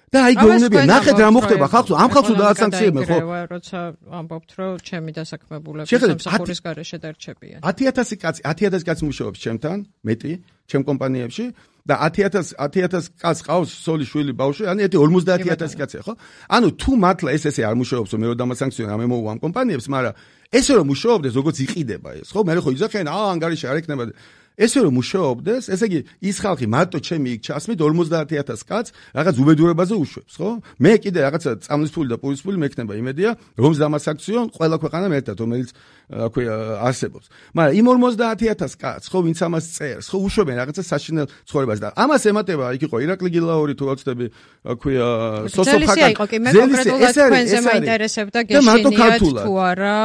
და აი გეუბნებია ნახეთ რა მოხდება ხალხს ამ ხალხს დაასანქციებენ ხო როცა ამბობთ რომ ჩემი დასაქმებულები სამსახურის გარეშე დარჩებიან 10000 კაცი მუშაობს ჩემთან მეტი ჩემ კომპანიებში და 10000 კაცს ყავს სოლი შვილი ბავშვი ანუ ერთი 50000 კაცია ხო ანუ თუ მართლა ესე არ მუშაობს რომ მე რომ დამასანქციონა მე მოვა ამ კომპანიებს მაგრამ ესე რომ მუშაობდეს როგორც იყიდება ეს ხო მე ხო იძახენ ანგარიში არ ეკნება ესე რომ მუშაობდეს, ესე იგი ის ხალხი მარტო ჩემი იქ ჩასმით 50000 კაცს რაღაც უბედურებაზე უშვებს, ხო? მე კიდე რაღაცა წამლის ფული და პურის ფული მექნება იმედია, რომ დამასაქციონ ყველა ქვეყანამ ერთად, რომელიც აქვე არსებობს. მაგრამ იმ 50000 კაცს, ხო, ვინც ამას წერს, ხო, უშვებენ რაღაცა საშინელ ცხოვრებას და ამას ემატება, იქ იყო ირაკლი გილაური თუ ვაცდები, აქვე სოსოფხაკა. მე კონკრეტულად თქვენზე მაინტერესებდა გეშინიათ თუ არა.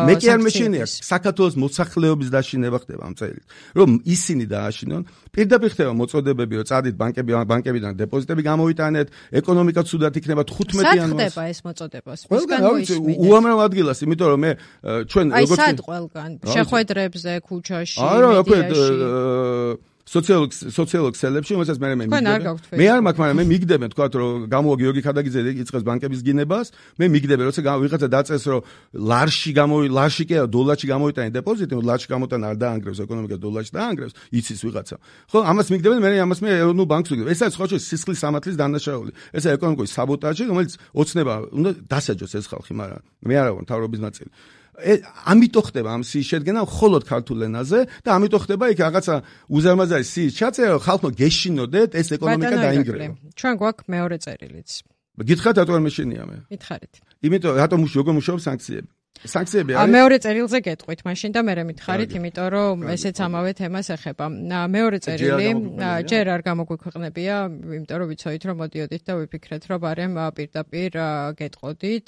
მე კი არ მეშინია, საქართველოს მოსახლეობის დაშინება ხდება ამ წელით. რომ ისინი დააშინონ, პირდაპირ ხდება მოწოდებები, რომ წადით ბანკებიდან დეპოზიტები გამოვიტანეთ, ეკონომიკა ცუდად იქნება 15 იანვარს. სად ხდება ეს მოწოდებას? ყველგან უამრავ ადგილას, იმიტომ რომ მე ჩვენ როგორც აი სად ყველგან? შეხვედრებზე, ქუჩაში, მედიაში სოციალურ ქსელებში, რომელსაც მე მიგდებ. მე არ მაქვს, მაგრამ მე მიგდებენ, თქვა რომ გამოვა გიორგი ხადაგიძე იწყებს ბანკების გინებას, მე მიგდებენ, როცა ვიღაცა დაწეს, რომ ლარში კი არა, დოლარში გამოვიტანე დეპოზიტი, ლარში გამოტანა არ დაანგრევს ეკონომიკას, დოლარში დაანგრევს, იცის ვიღაცა. ხო, ამას მიგდებენ, მე ამას მე ეროვნულ ბანკს ვიგებ. ეს არის ხოჭო სისხლის სამართლის დანაშაული. ესა ეკონომიკური საბოტაჟი, რომელიც ოცნება უნდა დასაჯოს ეს ხალხი, მაგრამ მე არა ვარ მთავრობის ნაწილი. ამიტომ ხდება ამ სიის შედგენა მხოლოდ ქართულ ენაზე და ამიტომ ხდება იქ რაღაცა უზარმაზარი სიის ჩაწერა ხალხო გეშინოდეთ ეს ეკონომიკა დაინგრევა. ჩვენ გვაქვს მეორე წერილიც. გითხარით რატო არ მეშინია მე? მითხარით. იმიტომ რატომ როგორ მუშაობს სანქციები არის? მეორე წერილზე გეტყვით მაშინ და მე მითხარით, იმიტომ რომ ესეც ამავე თემას ეხება. მეორე წერილი ჯერ არ გამოგვიქვეყნებია, იმიტომ რომ ვიცოდით რომ მოდიოდით და ვიფიქრეთ რომ არემ პირდაპირ გეტყოდით.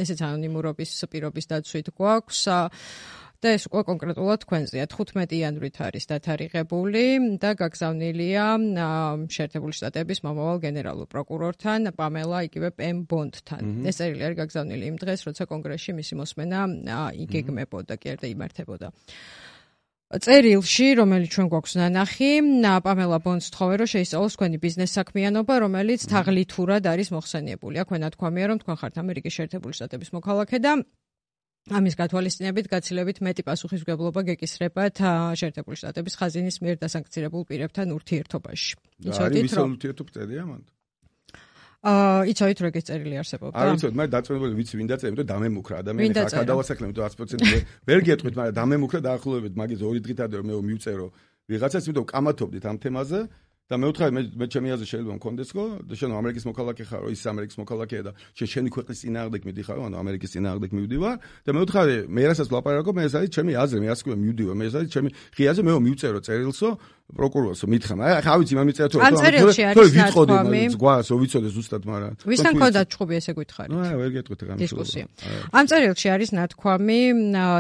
ესეც ანონიმურობის პირობის დაცვით გვაქვს. და ეს უკვე კონკრეტულად თქვენზეა 15 იანვრით არის დათარიღებული და გაგზავნილია შეერთებული შტატების მომავალ გენერალურ პროკურორთან პამელა იგივე პემ ბონდთან. ეს წერილი არის გაგზავნილი იმ დღეს, როცა კონგრესში მისი მოსმენა იგეგმებოდა, კი არა იმართებოდა. წერილში, რომელიც ჩვენ გვაქვს ნანახი, პამელა ბონდს თხოვე რომ შეისწავლოს თქვენი ბიზნეს საქმიანობა, რომელიც თაღლითურად არის მოხსენიებული. აქვე ნათქვამია, რომ თქვენ ხართ ამერიკის შეერთებული შტატების მოქალაქე და ამის გათვალისწინებით გაცილებით მეტი პასუხისმგებლობა გეკისრებათ შეერთებული შტატების ხაზინის მიერ დასანქცირებულ პირებთან ურთიერთობაში. იცოდით რომ ურთიერთობწერია მანდ? იცოდით რომ ეგეც წერილი არსებობდა? არ იცოდი, მაგრამ დაწუნებული ვიცი ვინ დაწერა, იმიტომ დამემუქრა ადამიანი ხა დავასაკლე, იმიტომ 100% ვერ გეტყვით, მაგრამ დამემუქრა დაახლოებით მაგის 2 დღით ადრე მე მივწერო ვიღაცას, იმიტომ კამათობდით ამ თემაზე. და მე ვთხარი მე ჩემი აზრი შეიძლება მქონდესო და შენ ამერიკის მოქალაქე ხარო ის ამერიკის მოქალაქეა და შენი ქვეყნის წინააღმდეგ მიდიხარო ანუ ამერიკის წინააღმდეგ მივდივარ და მე ვთხარი მე რასაც ვლაპარაკობ მე ეს არის ჩემი აზრი მე ასე მივდივარ მე ეს არის ჩემი ღიაზე მე მივწერო წერილსო პროკურორს მითხრა. ახლა ვიცი, მე მიწერა ამ წერილში არის ნათქვამი. გვას ვიცოდე ზუსტად, მაგრამ ვისთან ქონდათ ჩხუბი ესე გითხარით? ვერ გეტყვით რა დისკუსია. ამ წერილში არის ნათქვამი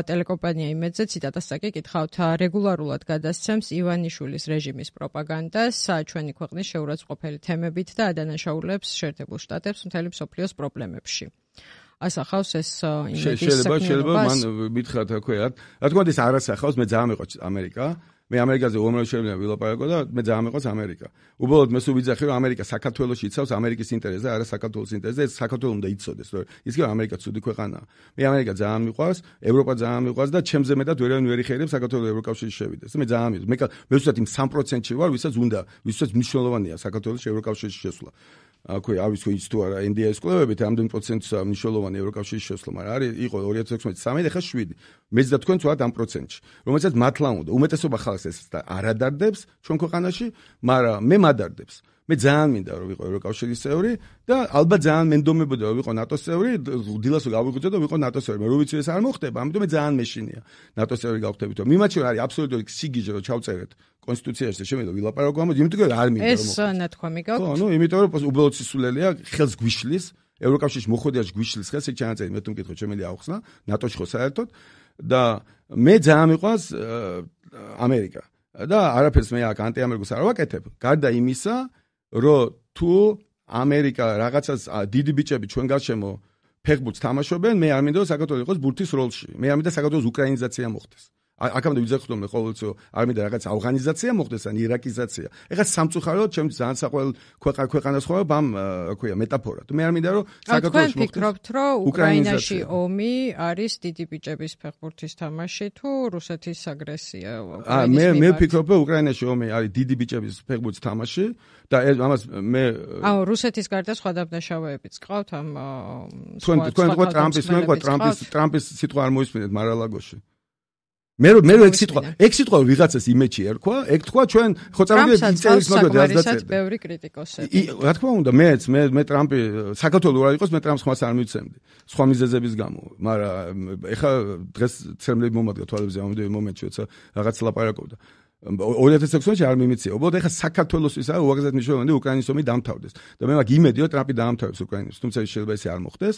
ტელეკომპანია იმედზე ციტატასაკი კითხავთ რეგულარულად გადასცემს ივანიშვილის რეჟიმის პროპაგანდას ჩვენი ქვეყნის შეურაცხყოფელი თემებით და ადანაშაულებს შეერთებულ შტატებს მთელი მსოფლიოს პრობლემებში. ასახავს ეს იმედის საქმიანობას. შეიძლება მან მითხრათ რა ქვია. რა თქმა უნდა ეს არ ასახავს, მე ძალიან მეყვარს ამერიკა. მე ამერიკაზე უამრავ შევლია ვილაპარაკო და მე ძალიან მეყვარს ამერიკა. უბრალოდ მე სულ ვიძახი რომ ამერიკა საქართველოში იცავს ამერიკის ინტერესს და არა საქართველოს ინტერესს და ეს საქართველოს უნდა იცოდეს რომ ის კი ამერიკა ცუდი ქვეყანაა. მე ამერიკა ძალიან მიყვარს, ევროპა ძალიან მიყვარს და ჩემზე მეტად ვერავინ ვერ იხერხებს საქართველოს ევროკავშირში შევიდეს. მე ძალიან მე ვსვათ იმ 3%-ში ვარ, ვისაც უნდა, ვისაც მნიშვნელოვანია საქართველოს ევროკავშირში შესვლა. აქვე არის თუ ის თუ არა NDI-ის კვლევებით ამდენ პროცენტს მნიშვნელოვანი ევროკავშირის შესვლა, მაგრამ არის იყო 2016-13, ეხლა 7. მეც და თქვენ ვართ ამ პროცენტში, რომელსაც მართლა უნდა. უმეტესობა ხალხს ეს არ ადარდებს ჩვენ ქვეყანაში, მაგრამ მე მადარდებს. მე ძალიან მინდა რომ ვიყო ევროკავშირის წევრი და ალბათ ძალიან მენდომებოდა რომ ვიყო ნატოს წევრი, დილას გავიღვიძე და ვიყო ნატოს წევრი. მე რო ვიცი ეს არ მოხდება, ამიტომ მე ძალიან მეშინია ნატოს წევრი გავხდებით. მიმაჩნია არის აბსოლუტური სიგიჟე რომ ჩავწერეთ კონსტიტუციაში შემიძლია ვილაპარაკო ამაზე, იმიტომ რომ არ მინდა რომ ეს ნათქვამი გაქვთ. ხო, იმიტომ რომ უბრალოდ სისულელია, ხელს გვიშლის, ევროკავშირის მოხვედრაში გვიშლის ხელს, ეგ ჩანაწერი, მე თუ მკითხო შემიძლია ავხსნა, ნატოში ხო საერთოდ და მე ძალიან მიყვარს ამერიკა. და არაფერს მე აქ ანტიამერიკულს არ ვაკეთებ. გარდა იმისა, რომ თუ ამერიკა რაღაცას დიდი ბიჭები ჩვენ გარშემო ფეხბურთს თამაშობენ, მე არ მინდა რომ საქართველოს იყოს ბურთის როლში. მე არ მინდა საქართველოს უკრაინიზაცია მოხდეს. აქამდე ვიძახდომ მე ყოველთვის არ მინდა რაღაც ავღანიზაცია მოხდეს ან ირაკიზაცია. ეხლა სამწუხაროდ ჩემს ძალიან საყვარელ ქვეყანას ხოვებ ამ ქვია მეტაფორად. მე არ მინდა რომ საქართველოს მოხდეს. თქვენ ფიქრობთ რომ უკრაინაში ომი არის დიდი ბიჭების ფეხბურთის თამაში თუ რუსეთის აგრესია? მე ვფიქრობ რომ უკრაინაში ომი არის დიდი ბიჭების ფეხბურთის თამაში და ამას მე რუსეთის გარდა სხვა დაბნაშავეებიც ყავთ ამ თქვენ ტრამპის სიტყვა არ მოისმინეთ მარალაგოში. მე ეგ სიტყვა ვიღაცას იმეჩი ერქვა, ეგ თქვა ჩვენ ხო წავიდეთ ინტერვიუს მაგალითად დასაცეთ ბევრი კრიტიკოსები. რა თქმა უნდა, მე ტრამპი საქართველოს რა იყოს, მე ტრამპს ხმას არ მივცემდი. სხვა მიზეზების გამო, მაგრამ ეხა დღეს ცერმლები მომადგა თვალებზე ამ მომენტში, როცა რაღაც ლაპარაკობდა. 2016-ში არ მიმიცია. უბრალოდ ეხა საქართველოსთვის არის უაღრესად მნიშვნელოვანი უკრაინის ომი დამთავრდეს. და მე მაგ იმედი რომ ტრამპი დაამთავრებს უკრაინას, თუმცა შეიძლება ეს არ მოხდეს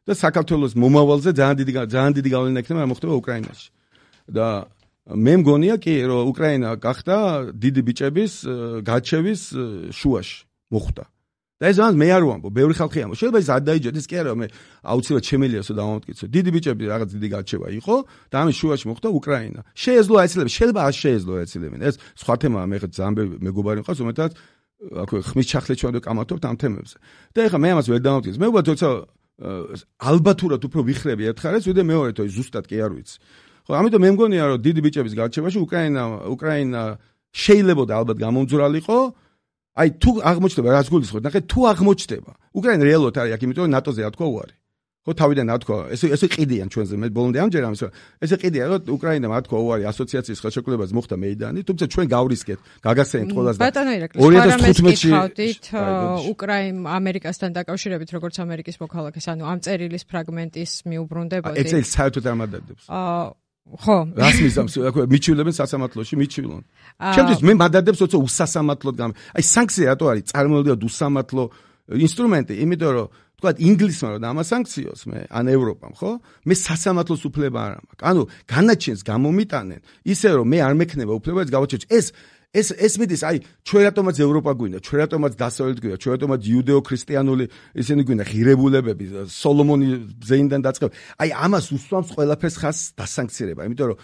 და საქართველოს მომავალზე ძალიან დიდი გავლენა ექნება რა მოხდება უკრაინაში. და მე მგონია კი რომ უკრაინა გახდა დიდი ბიჭების გაჩევის შუაში მოხვდა. და ეს ამას მე არ ვამბობ, ბევრი ხალხი ამბობს. შეიძლება ის არ დაიჯერდეს, კი არა, მე აუცილებლად შემელიასო დავამტკიცო. დიდი ბიჭები რაღაც დიდი გაჩევა იყო და ამის შუაში მოხვდა უკრაინა. შეეძლო აეცილება, შეიძლება არ შეეძლო აეცილებინა. ეს სხვა თემაა, მე ხა ძალიან მეგობარი მყავს, უმეტად აქვე ხმის ჩახლეთ ჩვენ ვკამათობთ ამ თემებზე. და ეხლა მე ამას ვერ დავამტკიცე. მე უბრალოდ როცა ალბათურად უფრო ვიხრები ერთხარეს, ვიდრე მეორე თო ზუსტად კი არ ვიცი. ხო, ამიტომ მე მგონია რომ დიდი ბიჭების გარჩევაში უკრაინა შეიძლებოდა ალბათ გამომძვრალიყო. აი თუ აღმოჩნდება რაც გულისხმობთ, ნახეთ თუ აღმოჩნდება. უკრაინა რეალურად არის აქ, იმიტომ რომ ნატოზე რა თქვა უარი. ხო, თავიდან რა თქვა, ესე ყიდიან ჩვენზე, მე ბოლომდე ამჯერ ამის, ესე ყიდიან, რომ უკრაინა რა თქვა უარი ასოციაციის ხელშეკრულებას მოხდა მეიდანი, თუმცა ჩვენ გავრისკეთ, გაგასცენით ყველას და 2015-ით ამერიკასთან დაკავშირებით, როგორც ამერიკის მოქალაქეს, ანუ ამ წერილის ფრაგმენტის მიუბრუნდებოდი. ეს საერთოდ არ მადადებს. ხო. რას მიზამს, მიჩვილებენ სასამართლოში, მიჩვილონ. ჩემთვის მე მადადებს, როცა უსასამართლოდ აი სანქცია რატო არის წარმოუდგენლად უსამართლო ინსტრუმენტი, იმიტომ რომ თქვა ინგლისმა რომ ამასანქციოს მე ან ევროპამ, ხო? მე სასამართლოს უფლება არ მაქვს. ანუ განაჩენს გამომიტანენ, ისე რომ მე არ მექნება უფლება ეს გავაჩერჩ. ეს მიდის, აი, ჩვენ რატომაც ევროპა გვინდა, ჩვენ რატომაც დასავლეთ გვინდა, ჩვენ რატომაც იუდეო-ქრისტიანული ისინი გვინდა, ღირებულებები, სოლომონი ზეინდან დაწყება. აი, ამას უსვამს ყველაფერს ხას დასანქცირება, იმიტომ რომ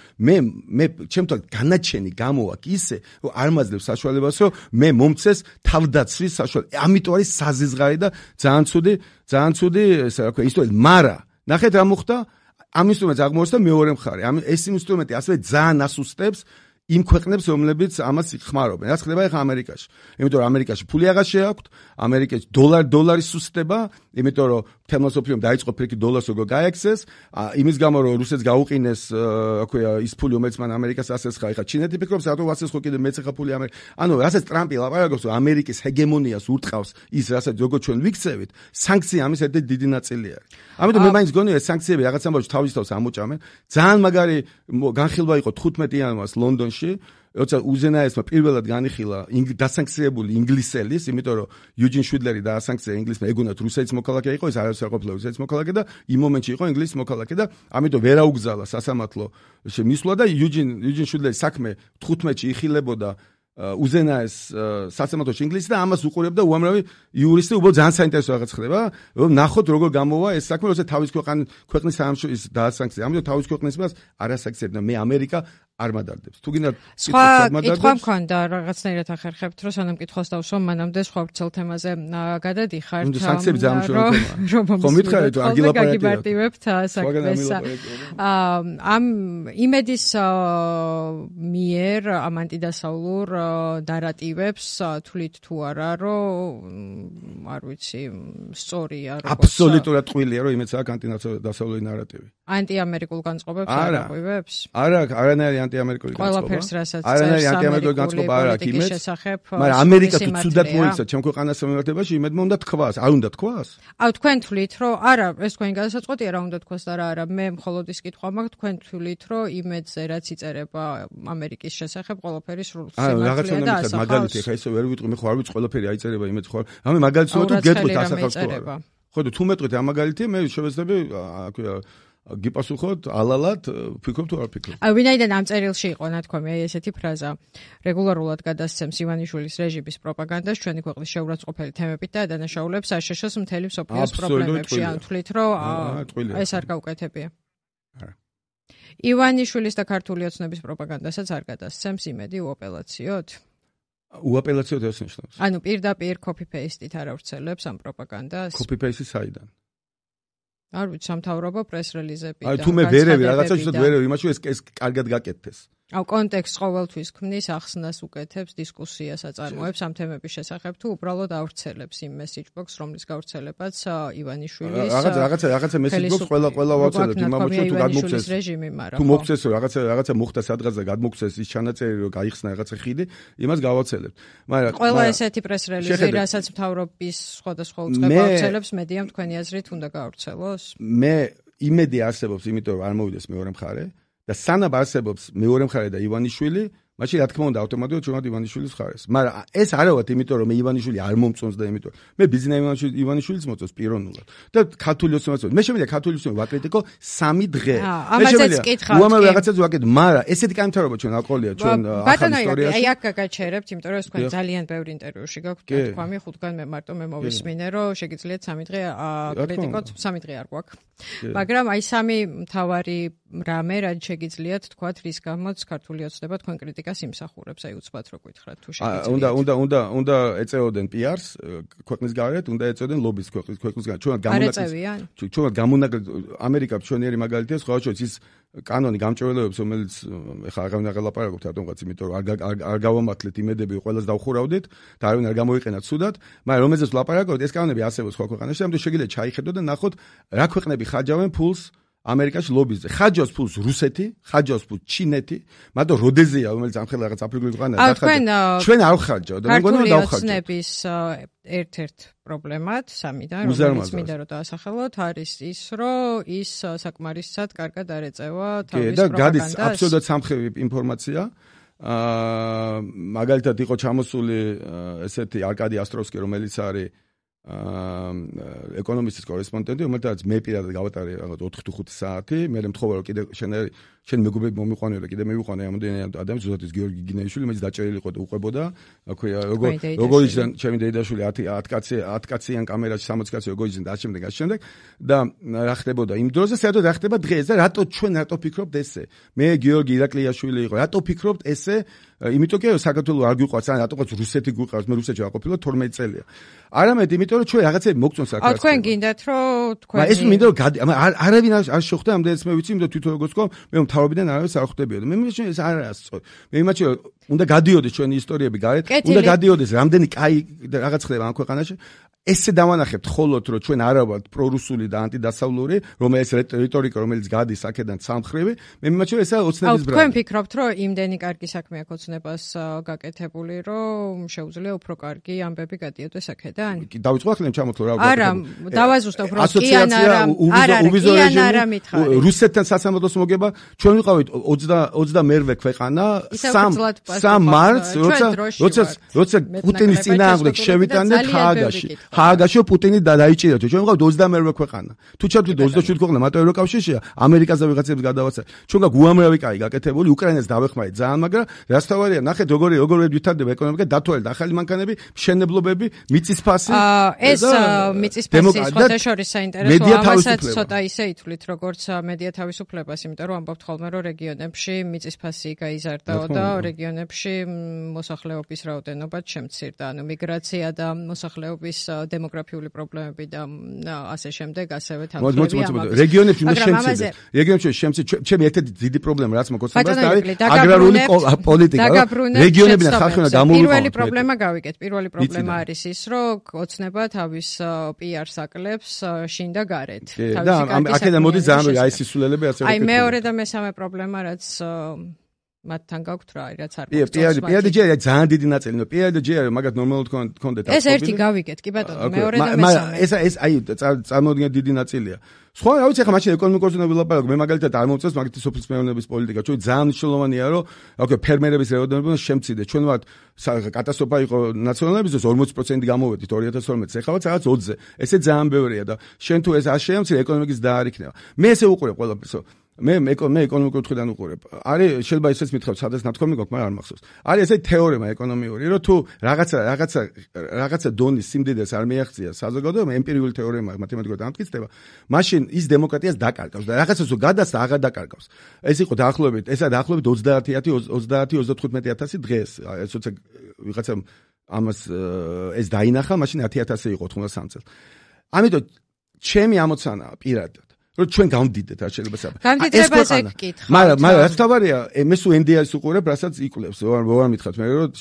მე ჩემთან განაჩენი გამოაქვს ისე, რომ არ მაძლევს საშუალებას, რომ მე მომცეს თავდაცვის საშუალება. ამიტომ არის საზიზღარი და ძალიან ცუდი, ესე რა ქვია, ისტორია, მარა. ნახეთ რა მოხდა, ამ ინსტრუმენტს აღმოჩნდა მეორე მხარე. ეს ინსტრუმენტი ასევე ძალიან ასუსტებს იმ ქვეყნებს, რომლებიც ამას ხმარობენ. რაც ხდება ახლა ამერიკაში. იმიტომ რომ ამერიკაში ფული აღარ შეაქვთ, ამერიკაში დოლარი სუსტდება, იმიტომ რომ თემოსოფლიომ დაიწყო ფიქრი დოლარს როგორ გაექცეს, იმის გამო რომ რუსეთს გაუყინეს, აქვეა ის ფული, რომელიც მან ამერიკას ასესხა, ახლა ჩინეთი ფიქრობს, რატო ასესხო კიდე მეც ახლა ფული ამერიკა. ანუ რასაც ტრამპი ლაპარაკობს, რომ ამერიკის ჰეგემონიას ურტყავს ის, რასაც როგორ ჩვენ ვიქცევით, სანქცია ამის ერთ-ერთი დიდი ნაწილი არის. ამიტომ მე მაინც გონია ეს სანქციები რაღაც ამბავში თავის თავს ამოჭამენ. ძალიან მაგარი განხილვა იყო 15 იანვარს ლონდონში. როცა უზენაესმა პირველად განიხილა დასანქცირებული ინგლისელის, იმიტომ რომ იუჯინ შვიდლერი დაასანქცია ინგლისმა, ეგონათ რუსეთის მოქალაქე იყო, ეს არასდროს არ ყოფილა რუსეთის მოქალაქე და იმ მომენტში იყო ინგლისის მოქალაქე და ამიტომ ვერ აუგზალა სასამართლო მისვლა და იუჯინ შვიდლერის საქმე 15-ში იხილებოდა უზენაეს სასამართლოში ინგლისში და ამას უყურებდა უამრავი იურისტი, უბრალოდ ძალიან საინტერესო რაღაც ხდება, რომ ნახოთ როგორ გამოვა ეს საქმე, როცა თავის ქვეყნის საამშოს დაასანქცია. ამიტომ თავის ქვეყნის მას არ ასანქცირებდა. მე ამერიკა არ მადარდებს. თუ გინდა სხვა კითხვა მქონდა რაღაცნაირად ახერხებთ, რომ სანამ კითხავს დავსვამ, მანამდე სხვა ვრცელ თემაზე გადადიხართ. სანქციები ძალიან მნიშვნელოვანი თემაა. ხომ მითხარით, აგილაპარაკებთ საქმეს. ამ იმედის მიერ ამ ანტიდასავლურ ნარატივებს თვლით თუ არა, რომ არ ვიცი, სწორია როგორც აბსოლუტურად ტყუილია, რომ იმეც აქვს ანტიდასავლური ნარატივი. ანტიამერიკულ განწყობებს არ აღვივებს? არა, არანაირი ანტიამერიკული განწყობა. ყველაფერს რასაც არანაირი ანტიამერიკული განწყობა არ აქვს იმეც. მაგრამ ამერიკა თუ ცუდად მოიქცა ჩემ ქვეყანას მიმართებაში, იმედმა უნდა თქვას. არ უნდა თქვას? თქვენ თვლით, რომ არა, ეს თქვენი გადასაწყვეტია, რა უნდა თქვას და რა არა. მე მხოლოდ ის კითხვა მაქვს, თქვენ თვლით, რომ იმედზე რაც იწერება ამერიკის შესახებ, ყველაფერი სრულ სიმართლეა და ასახავს. მაგალითი, ხა ისე ვერ ვიტყვი, მე ხო არ ვიცი ყველაფერი აიწერება იმედს ხო. ამე მაგალითს ვთქვი, გეტყვით ასახავს თუ არა. ხო და თუ მეტყვით ამ მაგალითი, მე შევეცდები გიპასუხოთ ალალად, ფიქრობ თუ არ ფიქრობ. ვინაიდან ამ წერილში იყო ნათქვამი ესეთი ფრაზა. რეგულარულად გადასცემს ივანიშვილის რეჟიმის პროპაგანდას ჩვენი ქვეყნის შეურაცხყოფელი თემებით და დანაშაულებს არ შეშოს მთელი მსოფლიოს პრობლემებში. ან თვლით, რომ ეს არ გაუკეთებია. არა. ივანიშვილის და ქართული ოცნების პროპაგანდასაც არ გადასცემს იმედი უაპელაციოდ? უაპელაციოდ ეს ნიშნავს. ანუ პირდაპირ copy-paste-ით არ ავრცელებს ამ პროპაგანდას? Copy-paste-ი საიდან? არ ვიცი, სამთავრობო პრეს-რელიზები და თუ მე ვერევი რაღაცა შეიძლება ვერევი, იმაში ეს კარგად გაკეთდეს. კონტექსტს ყოველთვის ქმნის, ახსნას უკეთებს, დისკუსიას აწარმოებს ამ თემების შესახებ, თუ უბრალოდ ავრცელებს იმ message box, რომლის გავრცელებაც ივანიშვილის რაღაცა message box ყველა ვავრცელებ იმ მომენტში თუ გადმოგცეს რეჟიმი, მაგრამ თუ მოგცეს რაღაცა მოხდა სადღაც და გადმოგცეს ის ჩანაწერი რომ გაიხსნა რაღაცა ხიდი, იმას გავავრცელებ. მაგრამ ყველა ესეთი პრეს-რელიზი, რასაც მთავრობის სხვადასხვა უწყება ავრცელებს, მედიამ თქვენი აზრით უნდა გაავრცელოს? მე იმედი არსებობს, იმიტომ რომ არ მოვიდეს მეორე მხარე და სანამ არსებობს მეორე მხარე და ივანიშვილი, მაშინ რა თქმა უნდა ავტომატურად ჩვენად ივანიშვილის მხარეს. მაგრამ ეს არა ვარ, იმიტომ რომ მე ივანიშვილი არ მომწონს და იმიტომ მე ბიზნეს ივანიშვილის მოწონს პიროვნულად. და ქართული ოცნებაც მე შემიძლია ქართული ოცნება ვაკრიტიკო 3 დღე. მე შემიძლია უამრავ რაღაცას ვაკეთებ, მაგრამ ესეთი კანთავობა ჩვენ აყოლია ჩვენ ახალ ისტორიაში. აი აქ გაგაჩერებთ, იმიტომ რომ ეს თქვენ ძალიან ბევრი ინტერვიუში გაქვთ თქვამი, ხუთგან მე მარტო მე მოვისმინე, რომ შეგიძლიათ 3 დღე აკრიტიკოთ, 3 დღე არ გვაქვს. მაგრამ აი 3 მთავარი რამე, რაც შეგიძლიათ თქვათ, რის გამოც ქართული ოცნება თქვენ კრიტიკას იმსახურებს, აი უცბად რო გითხრათ თუ შეგიძლიათ. უნდა ეწეოდენ PR-ს ქვეყნის გარეთ, უნდა ეწეოდენ ლობის ქვეყნის გარეთ. ჩვენად გამონაკლისს ამერიკა ჩვენიერი მაგალითია, სხვა შორის ის კანონი გამჭვირვალეობს, რომელიც ეხლა აღარ აღელაპარაკობთ რატომღაც, იმიტომ რომ არ გავამართლეთ იმედები, ყველას დავხურავდით და არავინ არ გამოიყენა ცუდად, მაგრამ რომელზეც ვლაპარაკობთ, ეს კანონები არსებობს სხვა ქვეყანაში, ამიტომ შეგიძლიათ ჩაიხედოთ და ნახოთ რა ქვეყნები ხაჯავენ ფულს ამერიკაში ლობიზზე. ხაჯავს ფულს რუსეთი, ხაჯავს ფულს ჩინეთი, მაგრამ როდეზია, რომელიც ამხელა რაღაც აფრიკული ქვეყანაა, დახარჯა. ჩვენ არ ვხარჯავ და მე მგონი რომ დავხარჯავ. ოცნების ერთ-ერთ პრობლემად, 3-დან, რომელიც მინდა რომ დაასახელოთ, არის ის, რომ ის საკმარისად კარგად არ ეწევა თავის პროპაგანდას. და გადის აბსოლუტურად სამხევი ინფორმაცია. მაგალითად იყო ჩამოსული ესეთი არკადი ასტროვსკი, რომელიც არის ეკონომისტის კორესპონდენტი, რომელთაც მე პირადად გავატარე რაღაც 4 თუ 5 საათი, მე მთხოვა რომ კიდე შენ მეგობრები მომიყვანეო და კიდე მივიყვანე ამდენი ადამიანი, ზუსტად გიორგი გინეიშვილი, რომელიც დაჭერილი იყო და უყვებოდა, როგორ იჯდა ჩემი დეიდაშვილი 10 კაციან კამერაში 60 კაცი როგორ იჯდა და შემდეგ და რა ხდებოდა იმ დროზე, საერთოდ რა ხდება დღეს და რატო ფიქრობთ ესე? მე გიორგი ირაკლიაშვილი იყო, რატო ფიქრობთ ესე? იმიტომ კი საქართველოს არ გვიყვარს, ან რატოღაც რუსეთი გვიყვარს, მე რუსეთში ვაყოფილო 12 წელია. არამედ იმიტომ რომ ჩვენ რაღაცები მოგწონს საქართველოს. თქვენ გინდათ რომ თქვენ ეს მინდა რომ არავინ არ შეხვდა ამდენს მე ვიცი, იმიტომ თვითონ როგორც გქო, მე მთავრობიდან არავის არ ხვდებიოდა. მე მაშინ ეს არ არის სწორი. მე იმაჩი უნდა გადიოდეს ჩვენი ისტორიები გარეთ, უნდა გადიოდეს რამდენი კაი რაღაც ხდება ამ ქვეყანაში. ესე დავანახებთ ხოლოდ რომ ჩვენ არა ვართ პრორუსული და ანტიდასავლური, რომელიც რიტორიკა რომელიც გადის აქედან სამხრივი, მე მიმაჩნია ესა ოცნების ბრალი. თქვენ ფიქრობთ რომ იმდენი კარგი საქმე აქვს ოცნებას გაკეთებული, რომ შეუძლია უფრო კარგი ამბები გადიოდეს აქედან? დავიწყო ახლა ჩამოთვლო რა ვაკეთებ. არა, დავაზუსტებ რომ კი ან არა, არა მითხარი. რუსეთთან სასამართლოს მოგება, ჩვენ ვიყავით 28-მერვე ქვეყანა, 3 მარტს, როცა პუტინის წინააღმდეგ შევიტანეთ ჰააგაში პუტინი დაიჭირეთ. ჩვენ ვიყავით 28-მერვე ქვეყანა. თუ ჩავდით 27 ქვეყანა მარტო ევროკავშირშია, ამერიკაზე ვიღაცებს გადავაცა. ჩვენ გაგ უამრავი კაი გაკეთებული, უკრაინას დავეხმარეთ ძალიან, მაგრამ რას თავარია, ნახეთ როგორ ვითარდება ეკონომიკა, დათვალეთ ახალი მანქანები, მშენებლობები, მიწისფასი. ეს მიწისფასი სხვადასხვა საინტერესოა, ამასაც ცოტა ისე ითვლით, როგორც მედია თავისუფლებას, იმიტომ რომ ამბობთ ხოლმე, რომ რეგიონებში მიწისფასი გაიზარდაო და რეგიონებში მოსახლეობის რაოდენობაც შემცირდა, ანუ მიგრაცია და მოსახლეობის დემოგრაფიული პრობლემები და ასე შემდეგ, ასევე თანხმობრივი რეგიონებში უნდა შემცირდეს. რეგიონებში შემცირდეს. ჩემი ერთ-ერთი დიდი პრობლემა რაც მოგოცნობას და არის აგრარული პოლიტიკა. რეგიონები და ხალხი უნდა გამოვიყო. პირველი პრობლემა არის ის, რომ ოცნება თავის PR-ს აკლებს შინ და გარეთ. და აქედან მოდის ძალიან აი სისულელები ასე აი მეორე და მესამე პრობლემა რაც მათთან გაქვთ რა, რაც არ მოხდა. PR-ი ძალიან დიდი ნაწილი, ნუ PR-ი მაგათ ნორმალურად კონდეთ. ეს ერთი გავიგეთ, კი ბატონო, მეორე და მესამე. ეს აი წარმოუდგენელი დიდი ნაწილია. სხვა რა ვიცი, ახლა მაშინ ეკონომიკურზე ვილაპარაკო, მე მაგალითად არ მომწონს მაგათი სოფლის მეურნეობის პოლიტიკა. ჩვენ ძალიან მნიშვნელოვანია, რომ ოკეი, ფერმერების რაოდენობა შემცირდეს. ჩვენ ვართ კატასტროფა იყო ნაციონალიზმის 40% გამოვედით 2012 წელს, ეხლა რაღაც 20-ზე. ესე ძალიან ბევრია და შენ თუ ეს არ შეამცირე, ეკონომიკის და არ იქნება. მე ესე უყურებ ყველაფერს. მე ეკონომიკურ მხრიდან უყურებ. არის შეიძლება ისეც მითხრათ, სადაც ნათქვამი გვაქვს, მაგრამ არ მახსოვს. არის ესე თეორემა ეკონომიური, რომ თუ რაღაცა დონის სიმდიდრეს არ მიაღწია საზოგადოებამ, ემპირიული თეორემა მათემატიკურად ამტკიცდება, მაშინ ის დემოკრატიას დაკარგავს და რაღაცას თუ გადასცა აღარ დაკარგავს. ეს იყო დაახლოებით 30-35,000 დღეს. ეს როცა ვიღაცამ ამას ეს დაინახა, მაშინ 10,000 იყო 83 წელს. ამიტომ ჩემი ამოცანაა პირადად რომ ჩვენ გავდიდეთ არ შეიძლება საბა. გამდიდრებაზე გკითხავთ. მაგრამ რაც თავარია, მე სულ NDI-ს უყურებ, რასაც იკლებს. ვარ მითხრათ მე რომ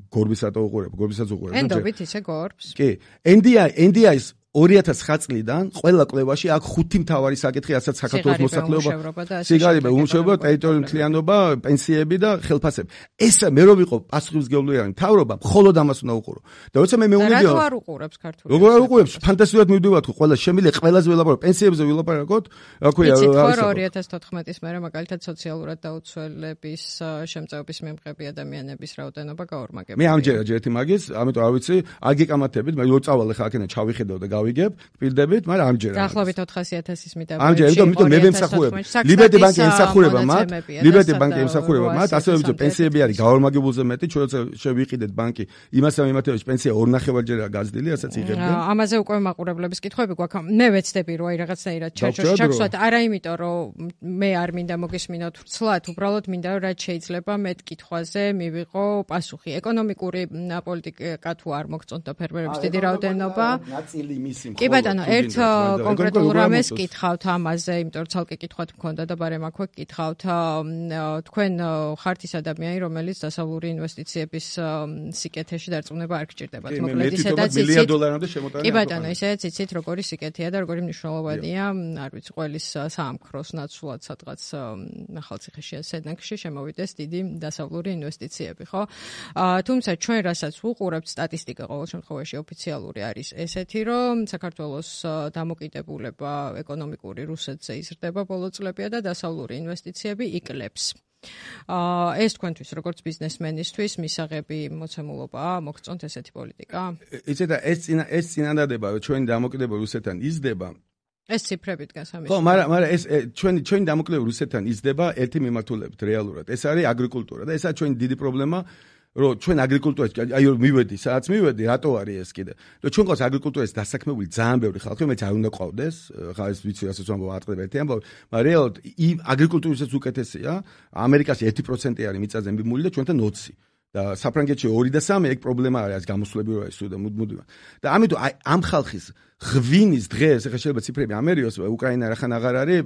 გორბის რატო უყურებ, გორბისაც უყურებ. ენდობით ისე გორბს. კი. NDI-ს 2009 წლიდან ყველა კვლევაში აქ 5 მთავარი საკითხი, რასაც საქართველოს მოსახლეობა, სიგარება, უმუშევრობა, ტერიტორიული მთლიანობა, პენსიები და ხელფასები. ეს მე რო ვიყო პასუხისმგებლიანი მთავრობა, მხოლოდ ამას უნდა უყურო. და როცა მე მეუნებია, რატო არ უყურებს ქართულად? როგორ არ უყურებს? ფანტასტიკურად მივდივართ ხო, ყველა შემიძლია ყველაზე ველაპარაკო, პენსიებზე ველაპარაკოთ, რა ქვია, იცით ხო 2014-ის მერე მაგალითად სოციალურად დაუცველების შემწეობის მემყები ადამიანების რაოდენობა გაორმაგებია. მე ამჯერად ერთი მაგის, ამიტომ არ ვიცი, არ გეკამათებით, მე რო წავალ ხა აქედან ჩავიხედავ და გავიგებ, გპირდებით, მაგრამ ამჯერად. დაახლოებით 400,000-ის მიტოვებია. ამჯერად, იმიტომ მე ვემსახურებ. ლიბერტი ბანკი ემსახურება მათ, ლიბერტი ბანკი ემსახურება მათ, ასევე ვიცი, პენსიები არის გაორმაგებულზე მეტი, ჩვენ როცა შევიყიდეთ ბანკი, იმასთან მიმართებაში პენსია 2.5-ჯერაა გაზრდილი, რასაც იღებდნენ. ამაზე უკვე მაყურებლების კითხვები გვაქვს. მე ვეცდები რომ აი რაღაცნაირად ჩაჩვათ, არა იმიტომ რომ მე არ მინდა მოგესმინოთ ვრცლად, უბრალოდ მინდა რომ რაც შეიძლება მეტ კითხვაზე მივიღო პასუხი. ეკონომიკური პოლიტიკა თუ არ მოგწონთ ფერმერების დიდი რაოდენობა. კი ბატონო, ერთ კონკრეტულ რამეს კითხავთ ამაზე, იმიტომ რომ ცალკე კითხვათ მქონდა და ბარემ აქვე კითხავთ. თქვენ ხართ ის ადამიანი, რომელიც დასავლური ინვესტიციების სიკეთეში დარწმუნება არ გჭირდებათ. მოკლედ ისედაც $1 მილიარდამდე შემოტანა. კი ბატონო, ისედაც იცით როგორი სიკეთეა და როგორი მნიშვნელოვანია, არ ვიცი, ყველის საამქროს ნაცვლად სადღაც ახალციხეში სენაკში შემოვიდეს დიდი დასავლური ინვესტიციები, ხო? თუმცა ჩვენ რასაც ვუყურებთ, სტატისტიკა ყოველ შემთხვევაში ოფიციალური არის ესეთი, რომ საქართველოს დამოკიდებულება ეკონომიკური რუსეთზე იზრდება ბოლო წლებია და დასავლური ინვესტიციები იკლებს. ეს თქვენთვის როგორც ბიზნესმენისთვის მისაღები მოცემულობაა, მოგწონთ ესეთი პოლიტიკა? იცით, ეს წინადადება, რომ ჩვენი დამოკიდებულება რუსეთთან იზრდება. ეს ციფრები დგას ამის. ხო, მაგრამ ეს ჩვენი დამოკიდებულება რუსეთთან იზრდება ერთი მიმართულებით რეალურად. ეს არის აგრიკულტურა და ესაა ჩვენი დიდი პრობლემა. რომ ჩვენ აგრიკულტურაში აი მივედი, სადაც მივედი, რატო არის ეს კიდე? რომ ჩვენ ყავს აგრიკულტურაში დასაქმებული ძალიან ბევრი ხალხი, რომელიც არ უნდა ყავდეს, ხა ეს ვიცი, რასაც ვამბობ, ატყდება ერთი ამბავი, მაგრამ რეალურად აგრიკულტურისაც უკეთესია, ამერიკაში 1% არის მიწაზე მიმული და ჩვენთან 20. და საფრანგეთში 2 და 3 ეგ პრობლემა არის გამოსვლები რა ისო და მუდმივად. და ამიტომ აი ამ ხალხის ღვინის დღეს ახლა შეიძლება ციფრები ამერიოს უკრაინა რახან აღარ არის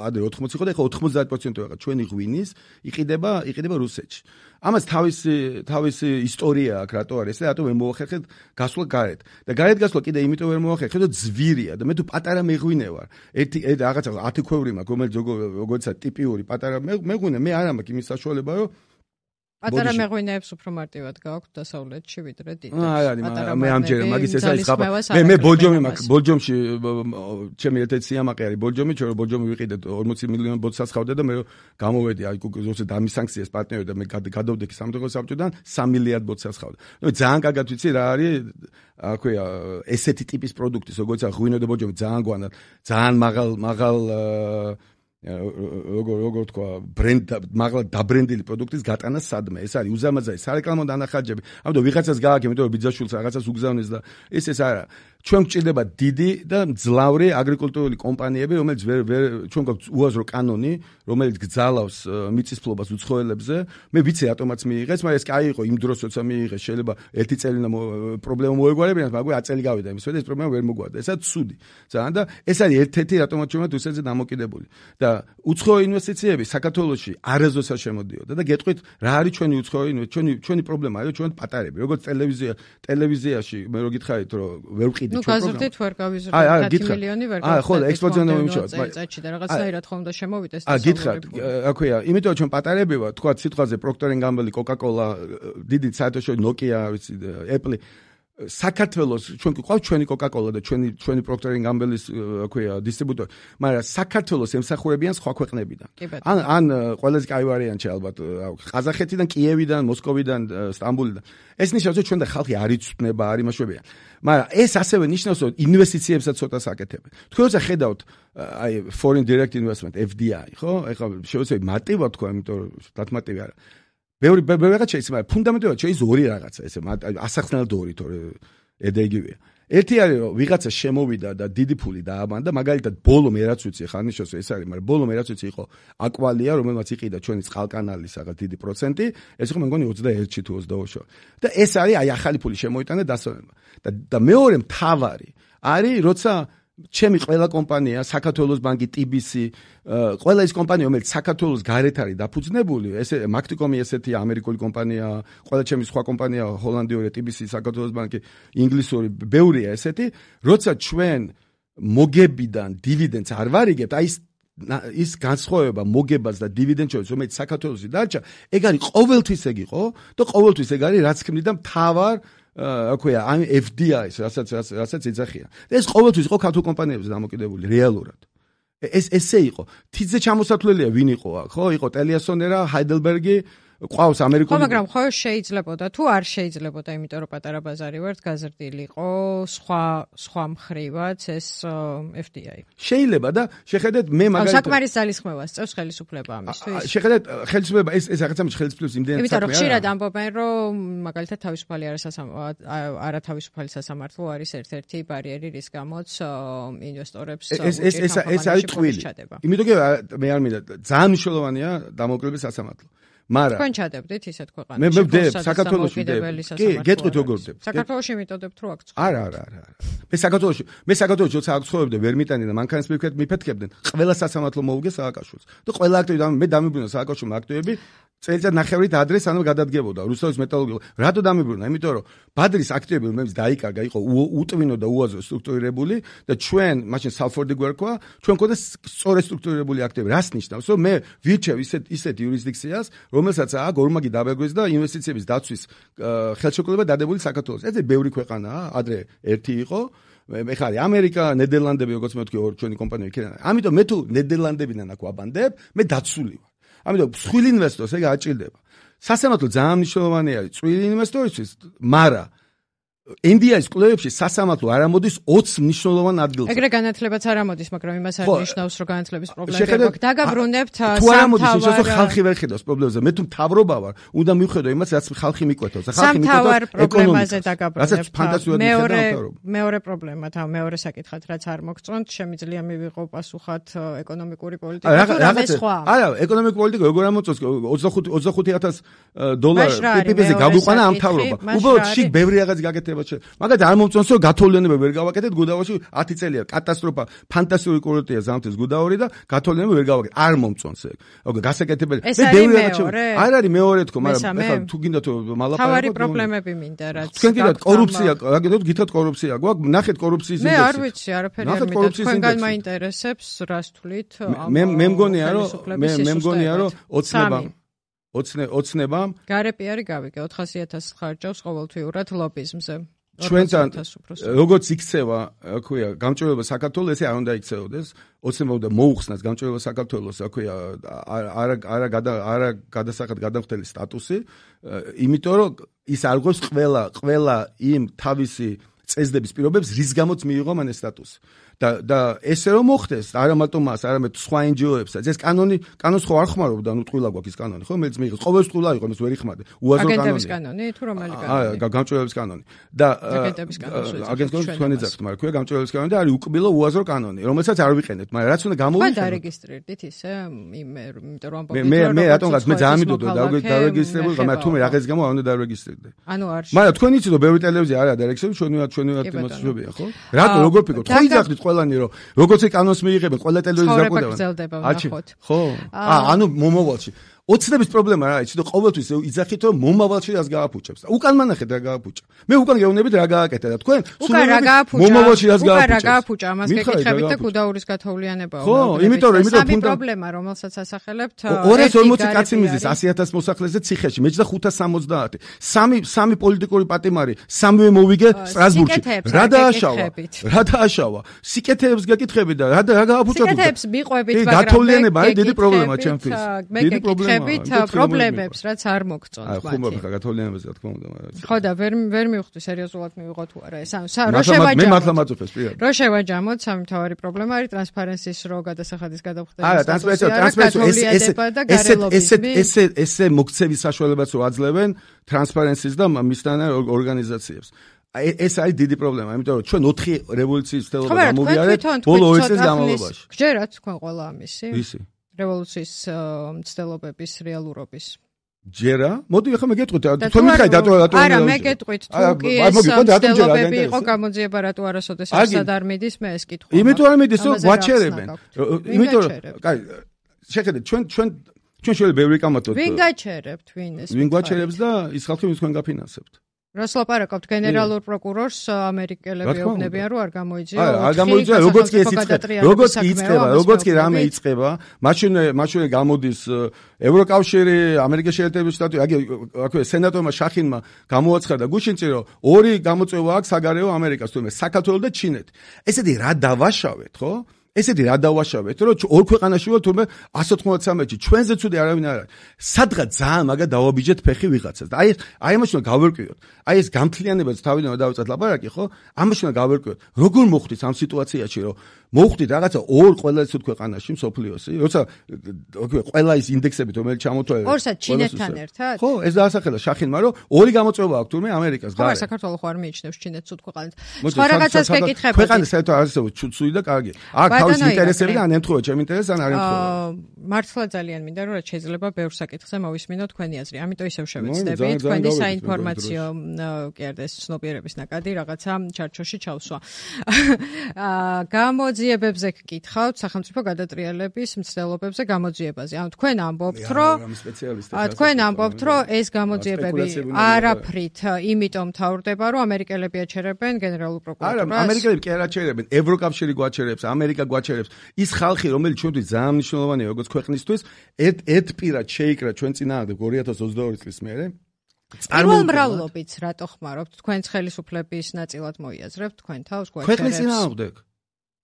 ადრე 80 იყო და ახლა 90% ვიღა ჩვენი ღვინის იყიდება რუსეთში. ამას თავისი ისტორია აქვს რატო არის და რატო ვერ მოახერხეთ გასვლა გარეთ. და გარეთ გასვლა კიდე იმიტომ ვერ მოახერხეთ რომ ძვირია და მე თუ პატარა მეღვინე ვარ. ერთი რაღაცა 10 ქვევრი მაქვს რომელიც როგორცა ტიპიური პატარა მეღვინე მე არ მაქვს იმის საშუალება რომ პატარა მეღვინეებს უფრო მარტივად გააქვთ დასავლეთში ვიდრე დიდებს. მე ამჯერა მაგის ეს არის ხაბა. მე ბოლჯომი მაქვს. ბოლჯომში ჩემი ერთ-ერთი სიამაყე არის ბოლჯომი, ჩვენ რომ ბოლჯომი ვიყიდეთ 40 მილიონი ბოთლს ხავდა და მე რომ გამოვედი აი ზუსტად ამის სანქციას პარტნიორი და მე გადავდექი სამხედრო საბჭოდან 3 მილიარდ ბოთლს ხავდა. ნუ ძალიან კარგად ვიცი რა არის აქვეა ესეთი ტიპის პროდუქტი, როგორც ღვინო და ბოლჯომი ძალიან გვანად, ძალიან მაღალ როგორ თქვა მაღლა დაბრენდილი პროდუქტის გატანა სადმე ეს არის უზამაზარი სარეკლამო დანახარჯები ამიტომ ვიღაცას გააქვს იმიტომ რომ ბიძაშვილს რაღაცას უგზავნეს და ეს არა ჩვენ გვჭირდება დიდი და მძლავრი აგრიკულტურული კომპანიები რომელიც ჩვენ გვაქვს უაზრო კანონი რომელიც გძალავს მიწისფლობას უცხოელებზე მე ვიცი რატომაც მიიღეს მაგრამ ეს კი იყო იმ დროს როცა მიიღეს შეიძლება ერთი წელი და პრობლემა მოეგვარებინათ მაგრამ 10 წელი გავიდა იმის ეს პრობლემა ვერ მოგვარდა ესაც ცუდი ძალიან და ეს არის ერთ-ერთი რატომაც ჩვენ რუსეთზე დამოკიდებული და უცხოო ინვესტიციები საქართველოში არასდროს არ შემოდიოდა და გეტყვით რა არის ჩვენი უცხოო ჩვენი პრობლემა არის ჩვენ პატარები როგორც ტელევიზიაში მე რო გითხარით რომ ვერ ვყიდით ჩვენ გაზრდით ვერ გავიზრდით 10 მილიონი ვერ გავიზრდით ხო ექსპორტზონო იმუშავოთ წელიწადში და რაღაცნაირად ხომ და შემოვიდეს გითხრათ აქვეა იმიტომ რომ ჩვენ პატარები ვართ თქვა სიტყვაზე Procter & Gamble Coca-Cola დიდი საერთაშორისო Nokia ვიცი Apple საქართველოს ჩვენ გვყავს ჩვენი Coca-Cola და ჩვენი Procter & Gamble-ის აქვეა დისტრიბუტორი მაგრამ საქართველოს ემსახურებიან სხვა ქვეყნებიდან ან ყველაზე კაი ვარიანტი ალბათ ყაზახეთიდან კიევიდან მოსკოვიდან სტამბოლიდან ეს ნიშნავს რომ ჩვენ და ხალხი არ იცვნება არ იმაშვებიან მაგრამ ეს ასევე ნიშნავს რომ ინვესტიციებსაც ცოტა საკეთებენ თქვენ როცა ხედავთ აი foreign direct investment FDI ხო ეხლა შეიძლება მარტივად თქვა იმიტომ რომ დათმატივი არა ბევრი რაღაც შეიძლება ფუნდამენტურად შეიძლება ორი რაღაცა ესე ასახსნელად ორი თორე ედეგივია ერთი არის რომ ვიღაცა შემოვიდა და დიდი ფული დააბანდა მაგალითად ბოლო მე რაც ვიცი ხა ნიშნავს ეს არის მაგრამ ბოლო მე რაც ვიცი იყო აკვალია რომელმაც იყიდა ჩვენი წყალკანალის რაღაც დიდი პროცენტი ეს იყო მე მგონი 21-ში თუ 22-ში და ეს არის აი ახალი ფული შემოიტანა დასვენება და მეორე მთავარი არის როცა ჩემი ყველა კომპანია, საქართველოს ბანკი, TBC, ყველა ის კომპანია, რომელიც საქართველოს გარეთ არის დაფუძნებული, ესე Macticom-ი ესეთი ამერიკული კომპანია, ყველა ჩემი სხვა კომპანია, ჰოლანდიური, TBC, საქართველოს ბანკი, ინგლისური, ბევრია ესეთი, როცა ჩვენ მოგებიდან დივიდენდს არ ვარიგებთ, აი ის განსხვავება მოგებას და დივიდენდს შორის, რომელიც საქართველოსი დარჩა, ეგ არის ყოველთვის ეგ იყო და ყოველთვის ეგ არის რაც ქმნიდა მთავარ აქვეა ამ FDI-ს რასაც ეძახიან. ეს ყოველთვის იყო ქართულ კომპანიებზე დამოკიდებული რეალურად. ესე იყო. თითზე ჩამოსათვლელია ვინ იყო აქ, ხო? იყო ტელიასონერა, ჰაიდელბერგი, ყავს ამერიკული. ხო, მაგრამ ხო შეიძლებოდა თუ არ შეიძლებოდა, იმიტომ რომ პატარა ბაზარი ვართ, გაზრდილიყო სხვა მხრივაც ეს FDI. შეიძლება და შეხედეთ მე მაგალითად საკმარის ძალისხმევას წევს ხელისუფლება ამისთვის. შეხედეთ ხელისუფლება ეს რაღაცა ხელისუფლების იმდენად საქმეა. იმიტომ რომ ხშირად ამბობენ რომ მაგალითად თავისუფალი არათავისუფალი სასამართლო არის ერთ-ერთი ბარიერი რის გამოც ინვესტორებს ეს არის ტყვილი. იმიტომ კი მე არ მინდა ძალიან მნიშვნელოვანია დამოუკიდებელი სასამართლო. მაგრამ თქვენ ჩადებდით ისეთ ქვეყანაში. მე ვდებ საქართველოში ვდებ. კი, გეტყვით როგორ ვდებ. საქართველოში მიტოდებთ რო აქ ცხოვრობ. არა. მე საქართველოში როცა აქ ცხოვრობდი ვერ მიტანდნენ მანქანის მიფეთქებდნენ. ყველა სასამართლო მოუგე სააკაშვილს. და ყველა აქტივი მე დამიბრუნა სააკაშვილმა აქტივები წელიწად ნახევრით ადრე სანამ გადადგებოდა რუსეთის მეტალურგია. რატო დამიბრუნა? იმიტომ რომ ბადრის აქტივები რომელიც დაიკარგა იყო უტვინო და უაზრო სტრუქტურირებული და ჩვენ მაშინ სალფორდი გვერქვა ჩვენ მქონდა სწორედ სტრუქტურირებული აქტივები. რას ნიშნავს? რომ მე ვირჩევ ისეთ იურისდიქციას რომელსაც აქვს ორმაგი დაბეგვრის და ინვესტიციების დაცვის ხელშეკრულება დადებული საქართველოს. ეს ბევრი ქვეყანაა, ადრე ერთი იყო. მე ხარი ამერიკა, ნიდერლანდები, როგორც მე ვთქვი, ჩვენი კომპანია იქიდან. ამიტომ მე თუ ნიდერლანდებიდან აქ ვაბანდებ, მე დაცული ვარ. ამიტომ მსხვილ ინვესტორს ეგ აჭირდება. სასამართლო ძალიან მნიშვნელოვანი არის წვრილი ინვესტორისთვის, მაგრამ NDI-ის კვლევებში სასამართლო არ ამოდის 20 მნიშვნელოვან ადგილზე. ეგრე განათლებაც არ ამოდის, მაგრამ იმას არ ნიშნავს, რომ განათლების პრობლემები აქვს. დაგაბრუნებთ სამთავარ ხალხი ვერ ხედავს პრობლემებზე. მე თუ მთავრობა ვარ, უნდა მივხედო იმას, რაც ხალხი მიკვეთავს. ხალხი მიკვეთავს პრობლემაზე დაგაბრუნებთ. რასაც ფანტასტიკურად მიხედავ მთავრობა. მეორე პრობლემა, მეორე საკითხად, რაც არ მოგწონთ, შემიძლია მივიღო პასუხად ეკონომიკური პოლიტიკა. არა, ეკონომიკური პოლიტიკა როგორ ამოწონს 25,000 დოლარი PPP-ზე გაგვიყვანა ამ მთავრობა. უბრალოდ შიგ ბევრი რაღაც გაკეთება. მაგალითად არ მომწონს რომ გათოვლიანება ვერ გავაკეთეთ გუდაურში 10 წელია კატასტროფა ფანტასტიკური კურორტია ზამთრის გუდაური და გათოვლიანება ვერ გავაკეთეთ არ მომწონს ეგ გასაკეთებელი მე ბევრი რაღაც არ არის მეორე თქო მაგრამ ეხლა თუ გინდათ მალაპარაკოთ თავარი პრობლემები მინდა რაც თქვენ გინდათ კორუფცია რაგედოთ გითხრათ კორუფცია გვაქვს ნახეთ კორუფციის ინდექსი მე არ ვიცი არაფერი არ მინდა თქვენგან მაინტერესებს რას თვლით მე მგონია რომ ოცნებამ გარეპიარი გავიგე 400,000 ხარჯავს ყოველთვიურად ლობიზმზე ჩვენთან როგორც იქცევა აქვია გამჭვირვალება საქართველოს ესე არ უნდა იქცეოდეს ოცნება უნდა მოუხსნას გამჭვირვალება საქართველოს აქვია არა გადასახად გადამხდელი სტატუსი იმიტომ რომ ის არ გვყავს ყველა იმ თავისი წესდების პირობებს რის გამოც მიიღო მან ეს სტატუსი და ესე რომ მოხდეს არა მარტო მას არამედ სხვა NGO-ებსაც ეს კანონს ხო არ ხმარობდა ნუ ტყუილა გვაქვს ეს კანონი ხო მეც მიიღეს ყოველს ტყუილა იყო ეს ვერ იხმარდე უაზრო კანონი თუ რომელი კანონი გამჭვირვალების კანონი და აგენტობის თქვენი ძახთ მაგრამ ქვია გამჭვირვალების კანონი და არის უკბილო უაზრო კანონი რომელსაც არ ვიყენებთ მაგრამ რაც უნდა გამოვიყენოთ ხო დარეგისტრირდით ისე იმიტომ რომ მე რატომღაც მე ძალიან მიდოდა დარეგისტრირებული მაგრამ თუ მე რაღაც გამო არ უნდა დარეგისტრირდე ანუ არ მაგრამ თქვენ იცით რომ ბევრი ტელევიზია არა დარეგისტრირებული ჩვენი იმასშობია ხო რატო როგორ ფიქრობთ ხო იძახით ყველანი რომ როგორც ეს კანონს მიიღებენ ყველა ტელევიზია დაკვირდება ხო ანუ მომავალში ოცნების პრობლემა რა იცი და ყოველთვის იძახით რომ მომავალში რას გააფუჭებს უკან მანახეთ რა გააფუჭა მე უკან გეუბნებით რა გააკეთა და თქვენ მომავალში რას გააფუჭა ამას გეკითხებით და გუდაურის გათოვლიანებაა ხო იმიტომ სამი პრობლემა რომელსაც ასახელებთ 240 კაცი მიზეს 100,000 მოსახლეზე ციხეში მეც და 570 სამი პოლიტიკური პატიმარი სამივე მოვიგე სტრასბურგში რა დააშავა სიკეთეებს გეკითხებით და რა გააფუჭა სიკეთეებს მიყვებით მაგრამ გათოვლიანება არის დიდი პრობლემა ჩემთვის დიდი პრობლემა პრობლემებს რაც არ მოგწონთ მათი. ხუმრობ ხა გათოვლიანებაზე რა თქმა უნდა, მაგრამ. ხო და ვერ მივხვდი სერიოზულად მივიღო თუ არა ეს. რო შევაჯამოთ. მე მართლა მაწუხებს პირად. რო შევაჯამოთ სამი მთავარი პრობლემა არის ტრანსპარენსის რო გადასახადის გადახვდება. არა, ესე მოქცევის საშუალებაც რო აძლევენ ტრანსპარენსის და მისთან ორგანიზაციებს. ეს არის დიდი პრობლემა, იმიტომ რომ ჩვენ 4 რევოლუციის მცდელობა გამოვიარეთ ბოლო 2 წლის განმავლობაში. გჯერათ თქვენ ყველა ამისი? ისი რევოლუციის მცდელობების რეალურობის. ჯერა? მოდი ახლა მე გეტყვით, თქვენ მითხარით რატო არა, მე გეტყვით, თუ კი ეს მცდელობები იყო გამოძიება რატო არასოდეს არსად არ მიდის, მე ეს კითხვა. იმიტომ არ მიდის, რომ გვაჩერებენ. იმიტომ რომ, კაი, შეხედეთ, ჩვენ შეიძლება ბევრი კამათოთ. ვინ გაჩერებთ, ვინ ეს? ვინ გვაჩერებს და ის ხალხი ვინც თქვენ გაფინანსებთ. რას ლაპარაკობთ გენერალურ პროკურორს ამერიკელები ეუბნებიან რომ არ გამოიძიო არ გამოიძიო როგორც კი ეს იწყება რამე იწყება მაშინ გამოდის ევროკავშირი ამერიკის შეერთებული შტატები აქვე სენატორმა შახინმა გამოაცხადა გუშინწი რომ 2 გამოწვევა აქვს საგარეო ამერიკას თუმცა საქართველოს და ჩინეთ ესეთი რა დავაშავეთ ხო ესეთი რა დავაშავეთ რომ ორ ქვეყანაში ვარ თუმცა 193-ში ჩვენზე ცუდი არავინ არ არის სადღაც ძალიან მაგა დავაბიჯეთ ფეხი ვიღაცას და აი ამაში უნდა გავერკვიოთ აი ეს გამთლიანებაც თავიდან დავიწყეთ ლაპარაკი ხო ამაში უნდა გავერკვიოთ როგორ მოხდით ამ სიტუაციაში რომ მოხდით რაღაცა ორ ყველაზე ცუდ ქვეყანაში მსოფლიოსი როცა ყველა ის ინდექსებით რომელიც ჩამოთვალე ორსად ჩინეთთან ერთად ხო ეს დაასახელა შახინმა რომ 2 გამოწვევა აქვს თურმე ამერიკას გარე ხო საქართველოს ხო არ მიიჩნევს ჩინეთს ცუდ ქვეყანად სხვა რაღაცას გეკითხებოდი ქვეყანა საერთოდ არ არსებობს ცუდი და კარგი აქ თავის ინტერესები და ან ემთხვევა ჩემ ინტერესს ან არ ემთხვევა მართლა ძალიან მინდა რომ რაც შეიძლება ბევრ საკითხზე მოვისმინოთ თქვენი აზრი ამიტომ ისევ შევეცდები თქვენი საინფორმაციო კი არა ეს ცნობიერების ნაკადი რაღაცა ჩარჩოში ჩავსვა გამოძიებებზე გკითხავთ სახელმწიფო გადატრიალების მცდელობებზე გამოძიებაზე ანუ თქვენ ამბობთ რომ ეს გამოძიებები არაფრით იმიტომ თავრდება რომ ამერიკელები აჩერებენ გენერალურ პროკურატურას არა ამერიკელები კი არ აჩერებენ ევროკავშირი გვაჩერებს ამერიკა გვაჩერებს ის ხალხი რომელიც ჩვენთვის ძალიან მნიშვნელოვანია როგორც ქვეყნისთვის ერთპირად შეიკრა ჩვენ წინააღმდეგ 2022 წლის მერე წარმომავლობით რატო ხმარობთ თქვენს ხელისუფლების ნაწილად მოიაზრებთ თქვენ თავს გვაჩერებს ქვეყნის წინააღმდეგ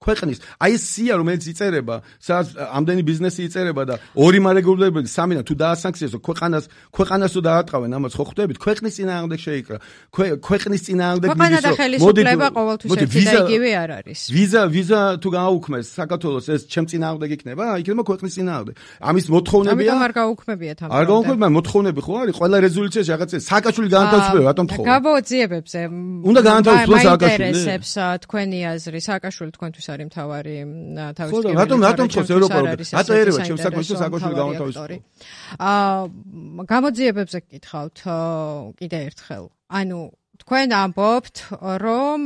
ქვეყნის აი ეს სია რომელიც იწერება სადაც ამდენი ბიზნესი იწერება და ორი მარეგულირებელი სამიდან თუ დაასანქციესო ქვეყანას თუ დაატყავენ ამას ხო ხვდებით ქვეყნის წინააღმდეგ შეიკრა ქვეყნის წინააღმდეგ ქვეყანა და ხელისუფლება ყოველთვის ერთი და იგივე არ არის ვიზა თუ გააუქმეს საქართველოს ეს ჩემ წინააღმდეგ იქნება იქნება ქვეყნის წინააღმდეგ ამის მოთხოვნებია ამიტომ არ გაუქმებიათ ამ არ გაუქმებია მოთხოვნები ხო არის ყველა რეზოლუციაში რაღაცა სააკაშვილი განათავისუფლება რატომ თხოვ გამოძიებებზე უნდა განათავისუფლოს სააკაშვილი ინტერესებს თქვენი აზრი სააკაშვილი თქვენთვის არის მთავარი თავისუფლება რატომ თხოვს ევროპა რატო ერევა ჩემს საქმეში სააკაშვილი განათავისუფლოს გამოძიებებზე გკითხავთ კიდე ერთხელ ანუ თქვენ ამბობთ რომ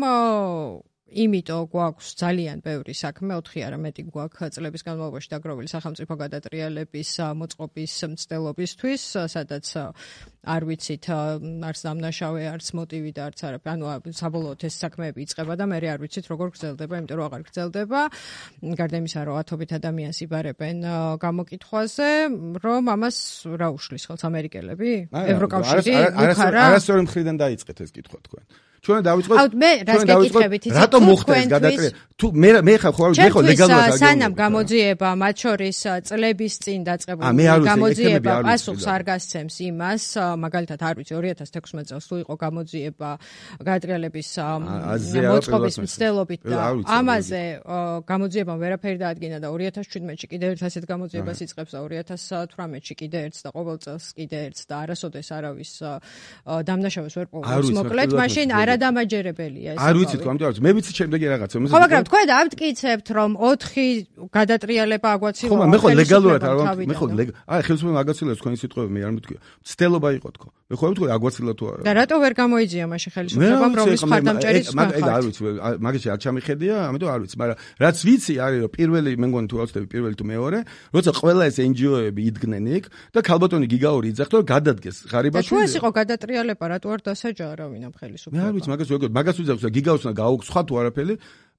იმიტომ გვაქვს ძალიან ბევრი საქმე 4 არა მეტი გვაქვს წლების განმავლობაში დაგროვილი სახელმწიფო გადატრიალების მოწყობის მცდელობისთვის სადაც არ ვიცით არც დამნაშავე არც მოტივი და არც არაფერი ანუ საბოლოოდ ეს საქმეები იწყება და მე არ ვიცით როგორ გრძელდება იმიტომ რომ აღარ გრძელდება გარდა იმისა რომ ათობით ადამიანს იბარებენ გამოკითხვაზე რომ ამას რა უშლის ხელს ამერიკელები ევროკავშირი არასწორი მხრიდან დაიწყეთ ეს კითხვა თქვენ ჩვენ დავიწყოთ მე რას გეკითხებით იცით რატომ მოხდა ეს გადატრიალება თუ მე ხო ლეგალურად სანამ გამოძიება მათ შორის წლების წინ დაწყებული გამოძიება პასუხს არ გასცემს იმას მაგალითად არ ვიცი 2016 წელს თუ იყო გამოძიება გადატრიალების მოწყობის მცდელობით და ამაზე გამოძიებამ ვერაფერი დაადგინა და 2017-ში კიდევ ერთ ასეთ გამოძიებას იწყებს და 2018-ში კიდე ერთს და ყოველ წელს კიდე ერთს და არასოდეს არავის დამნაშავეს ვერ პოვებს მოკლედ მაშინ არადამაჯერებელია ეს. არ ვიცი თქო, ამიტომ მე ვიცი შემდეგი რაღაცა. ხო, მაგრამ თქვენ ამტკიცებთ, რომ 4 გადატრიალება აგვაცილო. ხო, მე ხო ლეგალურად არ ვარ. მე ხო აი ხელისუფლება აგაცილებს თქვენი სიტყვები მე არ მეთქვია. ცდელობა იყო თქო. მე ხო ვთქვი აგვაცილა თუ არა. და რატო ვერ გამოიძია მაშინ ხელისუფლებამ რომის მხარდამჭერის მაგ არ ვიცი, მაგაში არ ჩამიხედია, ამიტომ არ ვიცი, მაგრამ რაც ვიცი არის რომ პირველი მე მგონი თუ ავწდები პირველი თუ მეორე, როცა ყველა ეს NGO-ები იდგნენ იქ და ქალბატონი გიგაური იძახდა რომ გადადგეს ღარიბაშვილი. თუ ეს იყო გადატრიალება, რატო არ დასაჯა არავინ ამ ხელისუფლებას? მე არ ვიცი, მაგას ვიძახს და გიგაურს უნდა გააუგს სხვა თუ არაფერი.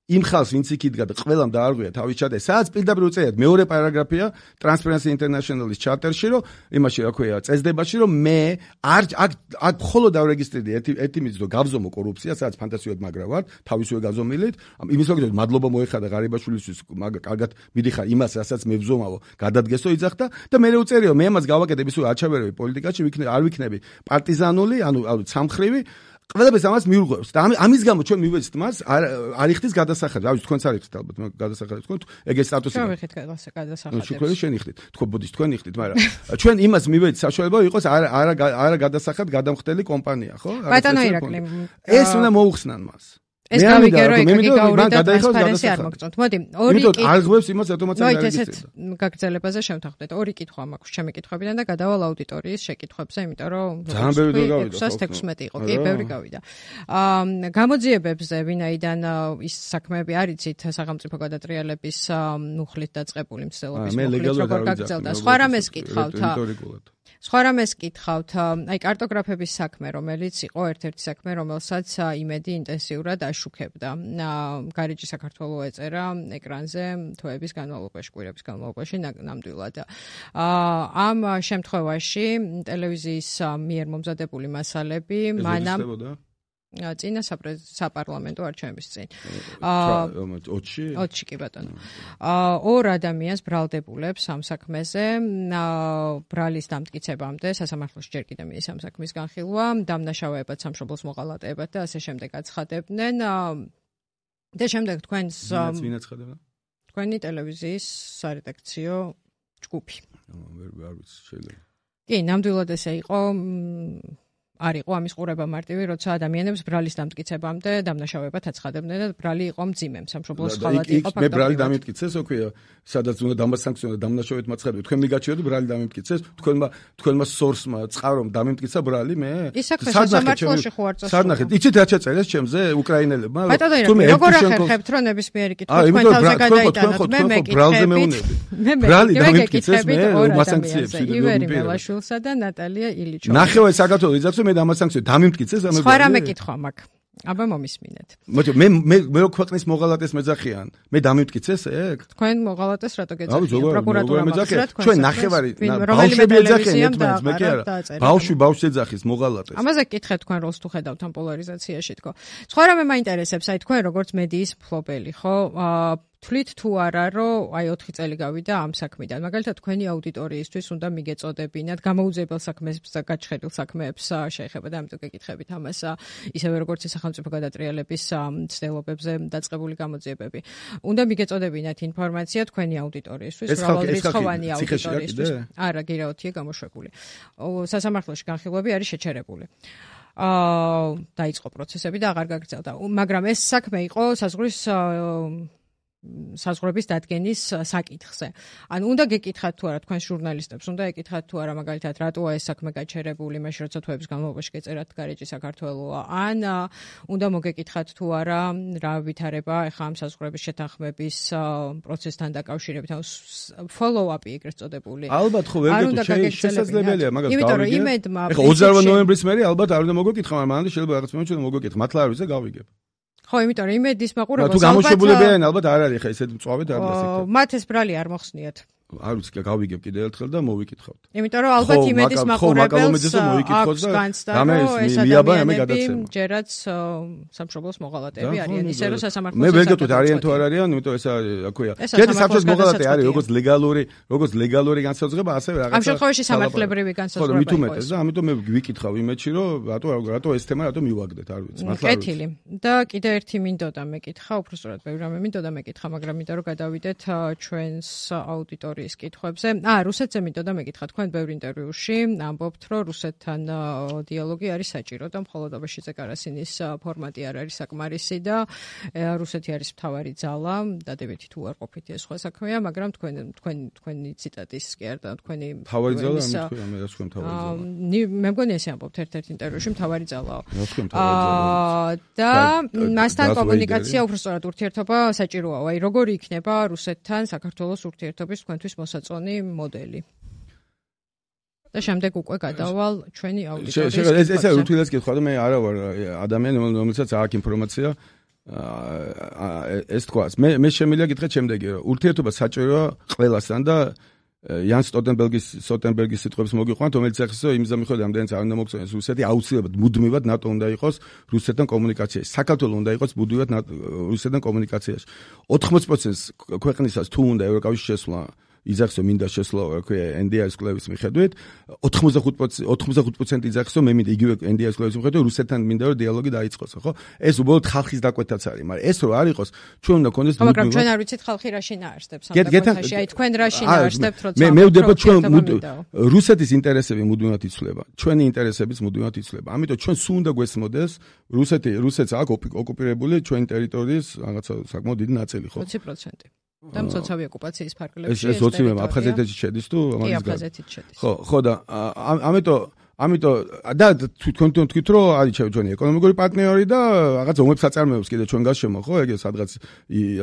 იმ ხალხს ვინც იქ იდგა და ყველამ დაარღვია თავის ჩატე, სადაც პირდაპირ უწერიათ მეორე პარაგრაფია Transparency International-ის ჩარტერში, რომ იმაში რა ქვია, წესდებაში, რომ მე აქ მხოლოდ დავრეგისტრირდი ერთი მიზნით, რომ გავზომო კორუფცია, სადაც ფანტასიურად მაგრა ვარ, თავისივე გაზომილით. იმის ლოგიკით მადლობა მოეხადა ღარიბაშვილისთვის, კარგად მიდიხარ იმას, რასაც მე ვზომავო, გადადგესო იძახდა და მე უწერიო, მე ამას გავაკეთებ ისე აჩაბერები პოლიტიკაში, არ ვიქნები პარტიზანული, ანუ სამხრივი ყველაფერს ამას მიურღვევს და ამის გამო ჩვენ მივეცით მას არ იხდის გადასახადი. რა ვიცი, თქვენც არ იხდით ალბათ გადასახადი თქვენ ეგ სტატუსი. ჩვენ ვიხდით გადასახადებს. თქვენ შენ იხდით. თქო ბოდის თქვენ იხდით, მაგრამ ჩვენ იმას მივეცით საშუალება იყოს არა გადასახად გადამხდელი კომპანია, ხო? ბატონო ირაკლი. ეს უნდა მოუხსნან მას. ეს გავიგერო ეკაგაური და ტრანსპარენცი არ მოგწონთ. მოდი, ორი კითხვა. არ ღვევს იმას ავტომატურად არ არის. ესეთ გაგრძელებაზე შევთანხმდეთ. ორი კითხვა მაქვს ჩემი კითხვებიდან და გადავალ აუდიტორიის შეკითხვებზე, იმიტომ რომ ძალიან ბევრი დრო გავიდა. 616 იყო. კი, ბევრი გავიდა. გამოძიებებზე ვინაიდან ის საქმეები არიცით სახელმწიფო გადატრიალების მუხლით დაწყებული მცდელობის მუხლით როგორ გაგრძელდა. სხვა რამეს კითხავთ. სხვა რამეს კითხავთ, აი კარტოგრაფების საქმე, რომელიც იყო ერთ-ერთი საქმე, რომელსაც იმედი ინტენსიურად აშუქებდა. გარეჯი საქართველოს ეწერა ეკრანზე თვეების განმავლობაში, კვირების განმავლობაში ნამდვილად. ამ შემთხვევაში ტელევიზიის მიერ მომზადებული მასალები მანამ წინა საპარლამენტო არჩევნების წინ. 20-ში კი ბატონო. ორ ადამიანს ბრალდებულებს ამ საქმეზე, ბრალის დამტკიცებამდე, სასამართლოში ჯერ კიდევ მიდის ამ საქმის განხილვა, დამნაშავეებად, სამშობლოს მოღალატეებად და ასე შემდეგ აცხადებდნენ. და შემდეგ თქვენს თქვენი ტელევიზიის სარედაქციო ჯგუფი. არ ვიცი, შეიძლება. კი, ნამდვილად ესე იყო. არ იყო ამის ყურება მარტივი, როცა ადამიანებს ბრალის დამტკიცებამდე დამნაშავეებად აცხადებდნენ და ბრალი იყო მძიმე, სამშობლოს ხალათი იყო ფაქტობრივად. მე ბრალი დამიმტკიცეს, ოქია, სადაც უნდა დამასანქციონო და დამნაშავეებად მაცხადებ. თქვენ მიგაჩიოთ ბრალი დამიმტკიცეს, თქვენმა სორსმა წყარომ დამიმტკიცა ბრალი მე. სასამართლოში ხო არ წასულა. სარნახეთ, იცით რა ჩაწერეს ჩემზე უკრაინელებმა? როგორ ახერხებთ, რომ ნებისმიერი კითხვა თქვენ თავზე გადაიტანოთ? მე მეკითხებით. ბრალი დამიმტკიცეს მე მასანქციებს ივერი მელაშვილსა და ნატალია ილიჩოვა. ნახევარი საქართველოს იძახს მე დამასანქციო დამიმტკიცეს ამე. სხვა რამე კითხვა მაქვს. აბა მომისმინეთ. მე რო ქვეყნის მოღალატეს მეძახიან, მე დამივტკიცეს ეგ? თქვენ მოღალატეს რატო გეძახიან? პროკურატურა მეძახიან. ჩვენ ნახევარი ბავშვები ეძახიან ერთმანეთს, მე კი არა. ბავშვი ეძახის მოღალატეს. ამაზე გკითხეთ თქვენ როლს თუ ხედავთ ამ პოლარიზაციაში თქო. სხვა რამე მაინტერესებს, აი თქვენ როგორც მედიის მფლობელი, ხო? თვლით თუ არა, რომ აი 4 წელი გავიდა ამ საქმიდან. მაგალითად, თქვენი აუდიტორიისთვის უნდა მიგეწოდებინათ გამოუძიებელ საქმეებს და გაჩხერილ საქმეებს შეეხება და ამიტომ გეკითხებით ამას ისევე როგორც სახელმწიფო გადატრიალების ცდილობებზე დაწყებული გამოძიებები. უნდა მიგეწოდებინათ ინფორმაცია თქვენი აუდიტორიისთვის, მრავალრიცხოვანი აუდიტორიისთვის. არა, გირაოთია გამოშვებული. სასამართლოში განხილვები არის შეჩერებული. დაიწყო პროცესები და აღარ გაგრძელდა. მაგრამ ეს საქმე იყო საზღვრების დადგენის საკითხზე. ანუ უნდა გეკითხათ თუ არა თქვენ ჟურნალისტებს, უნდა ეკითხათ თუ არა მაგალითად რატოა ეს საქმე გაჩერებული, მაშინ როცა თვეების განმავლობაში გეწერათ გარეჯი საქართველოა, ან უნდა მოგეკითხათ თუ არა რა ვითარება ეხა ამ საზღვრების შეთანხმების პროცესთან დაკავშირებით, ანუ follow-up-ი ეგრეთ წოდებული. ალბათ ხო ვერ შესაძლებელია მაგას გავიგებ. ეხა 28 ნოემბრის მერე ალბათ არ უნდა მოგეკითხა, მაგრამ მანამდე შეიძლება რაღაც მომენტში მოგეკითხა. მართლა არ ვიცი და გავიგებ. ხო, იმიტომ რომ იმედის მაყურებელს ალბათ თუ გამოშვებულები არიან, ალბათ არ არის ხა ესეთ მწვავედ არ დასიქრა. მათ ეს ბრალი არ მოხსნიათ. არ ვიცი, გავიგებ კიდე ერთხელ და მოვიკითხავთ. იმიტომ რომ ალბათ იმედის მაყურებელს აქვს განცდა, რომ ეს ადამიანები ჯერაც სამშობლოს მოღალატეები არიან, ისე რომ სასამართლოს მე ვერ გეტყვით არიან თუ არ არიან, იმიტომ ეს აქვეა. ჯერ სამშობლოს მოღალატე არის როგორც ლეგალური განსაზღვრება, ასევე რაღაც. ამ შემთხვევაში სამართლებრივი განსაზღვრება იყო. ხო, მით უმეტეს და ამიტომ მე ვიკითხავ იმედში, რომ რატო ეს თემა რატო მივაგდეთ, არ ვიცი, მართლა არ ვიცი. კეთილი. და კიდე ერთი მინდოდა მეკითხა, უბრალოდ ბევრი რამე მინდოდა მეკითხა, მაგრამ მინდა რომ გადავიდეთ ჩვენს აუდიტორიას კითხვებზე. რუსეთზე მინდოდა მეკითხა, თქვენ ბევრ ინტერვიუში ამბობთ, რომ რუსეთთან დიალოგი არის საჭირო და მხოლოდ აბაშიძე კარასინის ფორმატი არ არის საკმარისი და რუსეთი არის მთავარი ძალა, დადებითი თუ არ ყოფითი ეს სხვა საქმეა, მაგრამ თქვენი ციტატის კი არ და თქვენი მთავარი ძალა მე რა თქვენ მთავარი ძალა. მე მგონი ესე ამბობთ ერთ-ერთ ინტერვიუში მთავარი ძალაო. და მასთან კომუნიკაცია უბრალოდ ურთიერთობა საჭიროა. აი როგორი იქნება რუსეთთან საქართველოს ურთიერთობის თქვენთვის მოსაწონი მოდელი. და შემდეგ უკვე გადავალ ჩვენი აუდიტორიის. ესე უთილეს კითხვა და მე არა ვარ ადამიანი, რომელსაც აქვს ინფორმაცია ეს თქვას. მე შემიძლია გითხრათ შემდეგი, რომ ურთიერთობა საჭიროა ყველასთან და იან სტოლტენბერგის სიტყვებს მოგიყვანთ, რომელიც ახსენს, რომ იმის მიხედვით ამდენიც არ უნდა მოგწონოს რუსეთი, აუცილებლად მუდმივად ნატო უნდა იყოს რუსეთთან კომუნიკაციაში. საქართველოს უნდა იყოს მუდმივად რუსეთთან კომუნიკაციაში. 80% ქვეყნისას თუ უნდა ევროკავშირში შესვლა იძახს რომ მინდა შესვლა NDI-ის კლევის მიხედვით 85% იძახს რომ მე მინდა იგივე NDI-ის კლევის მიხედვით რუსეთთან მინდა რომ დიალოგი დაიწყოს ხო ეს უბრალოდ ხალხის დაკვეთაც არის მაგრამ ეს რო არ იყოს ჩვენ უნდა გქონდეს მაგრამ ჩვენ არ ვიცით ხალხი რა შინაარსებს ამ დაკვეთაში აი თქვენ რა შინაარსებთ როცა მე ვდება ჩვენ რუსეთის ინტერესები მუდმივად იცვლება ჩვენი ინტერესებიც მუდმივად იცვლება ამიტომ ჩვენ სულ უნდა გვესმოდეს რუსეთს აქვს ოკუპირებული ჩვენი ტერიტორიის რაღაცა საკმაოდ დიდი ნაწილი ხო 20% და მცოცავი ოკუპაციის ფარგლებში ეს 20 აფხაზეთში შედის თუ ამას აფხაზეთში შედის ხო და ამიტომ და თქვენ თქვით რომ არის ჩვენი ეკონომიკური პარტნიორი და რაღაც ომებს აწარმოებს კიდე ჩვენ გასშემო ხო ეგ სადღაც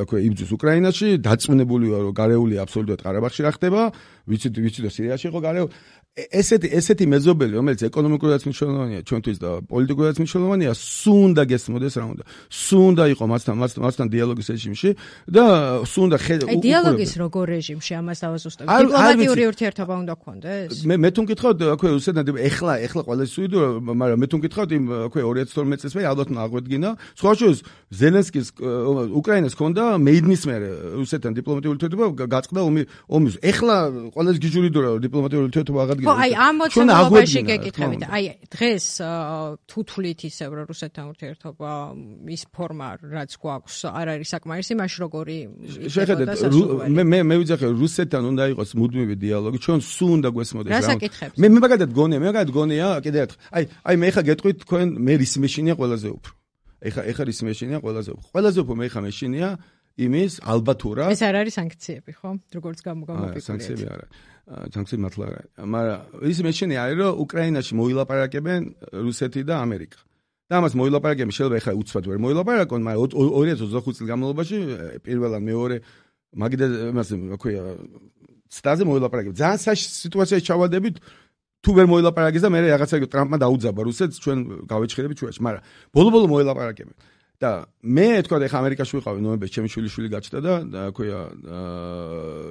აქვე იბრძვის უკრაინაში დაწუნებული ვარ რომ გარეული აბსოლუტურად ყარაბაღში რა ხდება ვიცით და სირიაში იყო გარეული ესეთი მეზობელი რომელიც ეკონომიკურადაც მნიშვნელოვანია ჩვენთვის და პოლიტიკურადაც მნიშვნელოვანია სულ უნდა გესმოდეს რა უნდა სულ უნდა იყო მასთან დიალოგის რეჟიმში და სულ უნდა აი დიალოგის როგორ რეჟიმში ამას დავაზუსტებ დიპლომატიური ურთიერთობა უნდა გქონდეს მე თუ მკითხავთ აქვე რუსეთთან ეხლა ყველა სუიდო მაგრამ მე თუ მკითხავთ იმ აქვე 2012 წელს მე ალბათ აღვედგინა სხვა შორის ზელენსკის უკრაინას ჰქონდა მეიდნის მერე რუსეთთან დიპლომატიური ურთიერთობა გაწყდა ომის ეხლა ყველა გიჟურიდო რა დიპლომატიური ურთიერთობა აღადგინა ხო, აი ამ მოცემულობაში გეკითხებით. აი დღეს თუ თვლით ისევ რომ რუსეთთან ურთიერთობა ის ფორმა რაც გვაქვს არ არის საკმარისი, მაშინ როგორი შეხედეთ მე ვიძახე რუსეთთან უნდა იყოს მუდმივი დიალოგი, ჩვენ სულ უნდა გვესმოდეს რა საკითხებს. მე მაგალითად გონია კიდე ერთხელ. აი მე ხა გეტყვით თქვენ მე რის მეშინია ყველაზე უფრო. ეხა რის მეშინია ყველაზე უფრო. ყველაზე უფრო მე ხა მეშინია იმის ალბათურა. ეს არ არის სანქციები, ხო? როგორც გამოგამოფიქრეთ. სანქციები არა. სანქციები მართლა არა. მაგრამ ის მეშინია არის რომ უკრაინაში მოილაპარაკებენ რუსეთი და ამერიკა. და ამას მოილაპარაკებენ შეიძლება ეხლა უცბად ვერ მოილაპარაკონ, მაგრამ 2025 წლის განმავლობაში პირველად მეორე მაგიდა იმას აქვეა ცდაზე მოილაპარაკებენ. ძალიან საშიშ სიტუაციაში ჩავადებით თუ ვერ მოილაპარაკეს და მე რაღაცა ტრამპმა დაუძაბა რუსეთს ჩვენ გავეჩხერებით ჩვენში, მაგრამ ბოლო-ბოლო მოილაპარაკებენ. და მე თქვა ეხა ამერიკაში ვიყავი ნოემბერში, ჩემი შვილი გაჩნდა და ქვია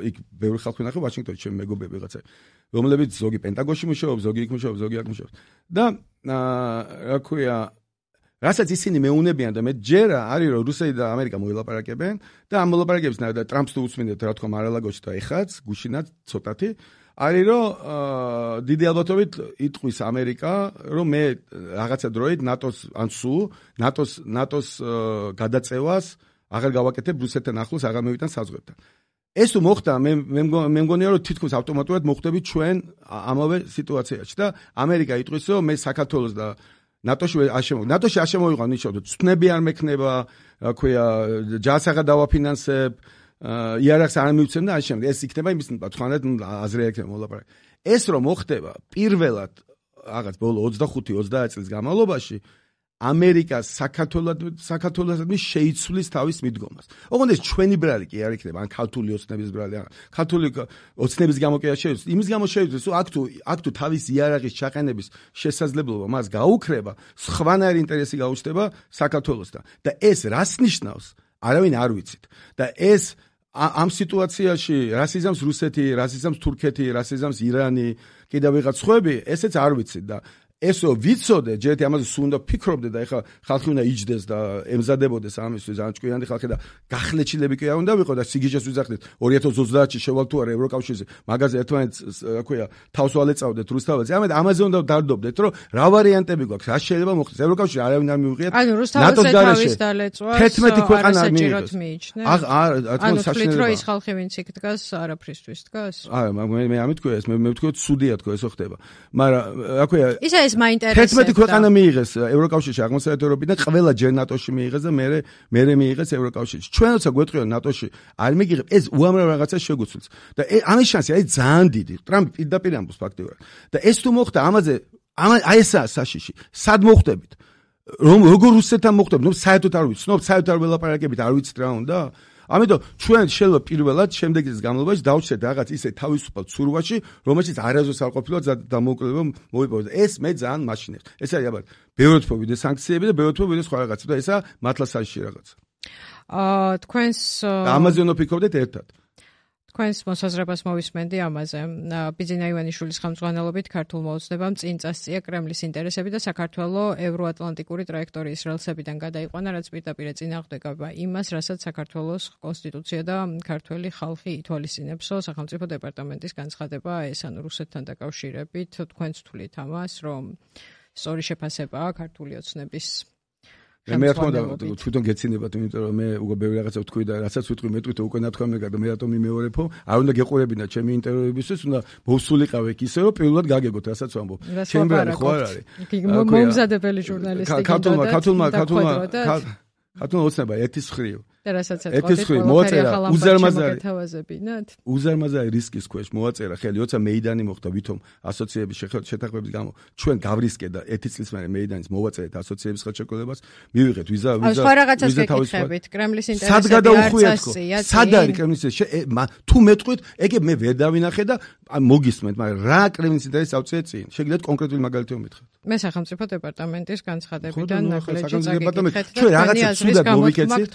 იქ ბევრი ხალხი ნახე ვაშინგტონში, ჩემი მეგობრები ვიღაცა, რომლებიც ზოგი პენტაგონში მუშაობს, ზოგი იქ მუშაობს, ზოგი აქ მუშაობს. და რა ქვია რასაც ისინი მეუნებიან და მე ჯერა არის რომ რუსეთი და ამერიკა მოილაპარაკებენ და ამ მოლაპარაკებებს და ტრამპს თუ უსმინეთ რა თქვა მარალაგოში და ეხაც გუშინაც ცოტათი არის რომ დიდი ალბათობით იტყვის ამერიკა რომ მე რაღაცა დროით ნატოს ან სულ ნატოს გადაწევას აღარ გავაკეთებ რუსეთთან ახლოს აღარ მევიტან საზღვრებთან. ეს თუ მოხდა მე მგონია რომ თითქოს ავტომატურად მოხდებით ჩვენ ამავე სიტუაციაში და ამერიკა იტყვის რომ მე საქართველოს და ნატოში არ შემოვიყავ ნიშნავთ ცნები არ მექნება რა ქვია ჯარს აღარ დავაფინანსებ იარაღს არ მივცემ და ამ შემდეგ ეს იქნება იმის თქვენად აზრი ექნება მოლაპარაკე ეს რომ მოხდება პირველად რაღაც ბოლო 25-30 წლის განმავლობაში ამერიკას საქართველოსადმი შეიცვლის თავის მიდგომას. ოღონდ ეს ჩვენი ბრალი კი არ იქნება, ან ქართული ოცნების ბრალი, ან ქართული ოცნების გამო კი არ შეიცვლის. იმის გამო შეიცვლის, რომ აქ თუ თავის იარაღის ჩაყენების შესაძლებლობა მას გაუქრება, სხვანაირი ინტერესი გაუჩნდება საქართველოსთან. და ეს რას ნიშნავს? არავინ არ ვიცით. და ეს ამ სიტუაციაში რასიზმს რუსეთი, რასიზმს თურქეთი, რასიზმს ირანი, კიდევ ვიღაც სხვები, ესეც არ ვიცით და ესო ვიცოდე, ჯერეთი ამაზე სულ უნდა ფიქრობდე და ეხლა ხალხი უნდა იჯდეს და ემზადებოდეს ამისთვის, ან ჭკვიანი ხალხი და გახლეჩილები კი არ უნდა ვიყო და სიგიჟეს ვიზახდეთ 2030-ში შევალ თუ არა ევროკავშირზე, მაგაზე ერთმანეთს რა ქვია, თავს ვალეწავდეთ რუსთაველს. ამაზე უნდა დარდობდეთ, რომ რა ვარიანტები გვაქვს, რა შეიძლება მოხდეს. ევროკავშირი არავინ არ მიუღიათ. ანუ რუსთაველზე თავის დალეწვას 11 ქვეყანა საჭიროდ მიიჩნევს. ანუ თვლით რომ ის ხალხი ვინც იქ დგას, არაფრისთვის დგას? არა, მე ამით თქვია ეს, მე ვთქვი სუდია თქო ესო ხდება. მაგრამ რა ქვია ეს მაინტერესებს 11 ქვეყანა მიიღეს ევროკავშირში აღმოსავლეთ ევროპიდან, ყველა ჯერ ნატოში მიიღეს და მე მიიღეს ევროკავშირში. ჩვენ როცა გვეტყვიან ნატოში არ მიგიღებ, ეს უამრავ რაღაცას შეგვიცვლის. და ამის შანსი არის ძალიან დიდი. ტრამპი პირდაპირ ამბობს ფაქტიურად. და ეს თუ მოხდა ამაზე აი ესაა საშიში. სად მოხდებით? როგორ რუსეთთან მოხდებით? ნუ საერთოდ არ ვიცნობ, საერთოდ არ ველაპარაკებით, არ ვიცით რა უნდა? ამიტომ ჩვენ შეიძლება პირველად შემდეგი წლის განმავლობაში დავჩეთ რაღაც ისე თავისუფალ ცურვაში, რომელშიც არასდროს არ ყოფილა დამოუკიდებელ მოიპოვოს. ეს მე ძალიან მაშინებს. ეს არის აბა ბევრად მოვიდეს სანქციები და ბევრად მოვიდეს სხვა რაღაცა და ესა მართლა საშიში რაღაცა. თქვენს ამაზე უნდა ფიქრობდეთ ერთად. თქვენს მოსაზრებას მოვისმენდი ამაზე. ბიძინა ივანიშვილის ხელმძღვანელობით ქართულ მოოცნებამ წინ წასწია კრემლის ინტერესები და საქართველოს ევროატლანტიკური ტრაექტორიის რელსებიდან გადაიყვანა, რაც პირდაპირ წინააღმდეგება იმას, რასაც საქართველოს კონსტიტუცია და ქართველი ხალხი ითვალისწინებსო. სახელმწიფო დეპარტამენტის განცხადება ეს ანუ რუსეთთან დაკავშირებით თქვენც თვლით ამას, რომ სწორი შეფასებაა ქართული ოცნების მე რა თქმა უნდა თვითონ გეცინებათ, იმიტომ რომ მე უკვე ბევრი რაღაცა ვთქვი და რასაც ვიტყვი მეტყვით უკვე ნათქვამია და მე რატომ მიმეორებო, არ უნდა გეყურებინა ჩემი ინტერვიუებისთვის, უნდა მოვსულიყავ იქ ისე რომ პირველად გაგეგოთ, რასაც ვამბობ. ჩემი ბრალი ხო არ არის. მომზადებელი ჟურნალისტი ქართულმა ოცნება ერთის მხრივ და რასაც ეთქვა მოაწერა უზარმაზარი რისკის ქვეშ მოაწერა ხელი, როცა მეიდანი მოხდა ვითომ ასოციაციების შეთანხმების გამო ჩვენ გავრისკე და 1 წლის მერე მეიდანის მოვაწერეთ ასოციაციების ხელშეკრულებას, მივიღეთ ვიზა სხვა რაღაცას გეკითხებით, კრემლის ინტერესები სად გადაუხვიათ ხო? სად არის კრემლის თუ მეტყვით, ეგ მე ვერ დავინახე და მოგისმენთ, მაგრამ რა კრემლის ინტერესი ავწიეთ წინ? შეგიძლიათ კონკრეტული მაგალითი მომითხრათ. მე სახელმწიფო დეპარტამენტის განცხადებიდან ნაკლეჯი წაგეკითხეთ. ჩვენ რაღაცა ცუდად მოვიქეცით.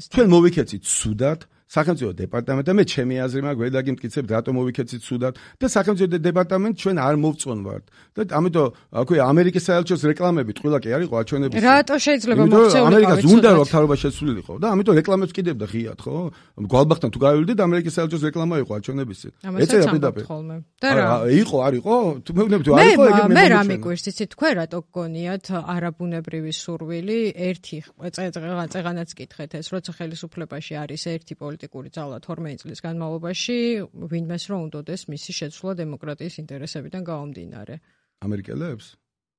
ჩვენ მოვიქეცით ცუდად სახელმწიფო დეპარტამენტი და მე ჩემი აზრი მაქვს, ვერ დაგიმტკიცებთ, რატომ მოვიქეცით ცუდად და სახელმწიფო დეპარტამენტი ჩვენ არ მოვწონთ ვართ. და ამიტომ აქვე ამერიკის საელჩოს რეკლამები ტყუილა კი არისო აჩვენებს. რატო შეიძლება მოქცეულიყო? ამერიკას უნდა რომ თავრობა შეცვლილიყო და ამიტომ რეკლამებს კიდევდა ღიად, ხო? გვალბახთან თუ გავივიდეთ ამერიკის საელჩოს რეკლამა იყო აჩვენებისი. ეწერა პირდაპირ. და რა? იყო, არისო? თუ მეუბნები თუ არისო, ეგ მე რა მიგვირს, იცით, თქვენ რატო გგონიათ არაბუნებრივი სურვილი ერთი წეღანაც კითხეთ ეს, როცა ხელისუფლებაში არის ერთი პოლიტიკური ძალა 12 წლის განმავლობაში, ვინმეს რომ უნდოდეს მისი შეცვლა დემოკრატიის ინტერესებიდან გამომდინარე. ამერიკელებს?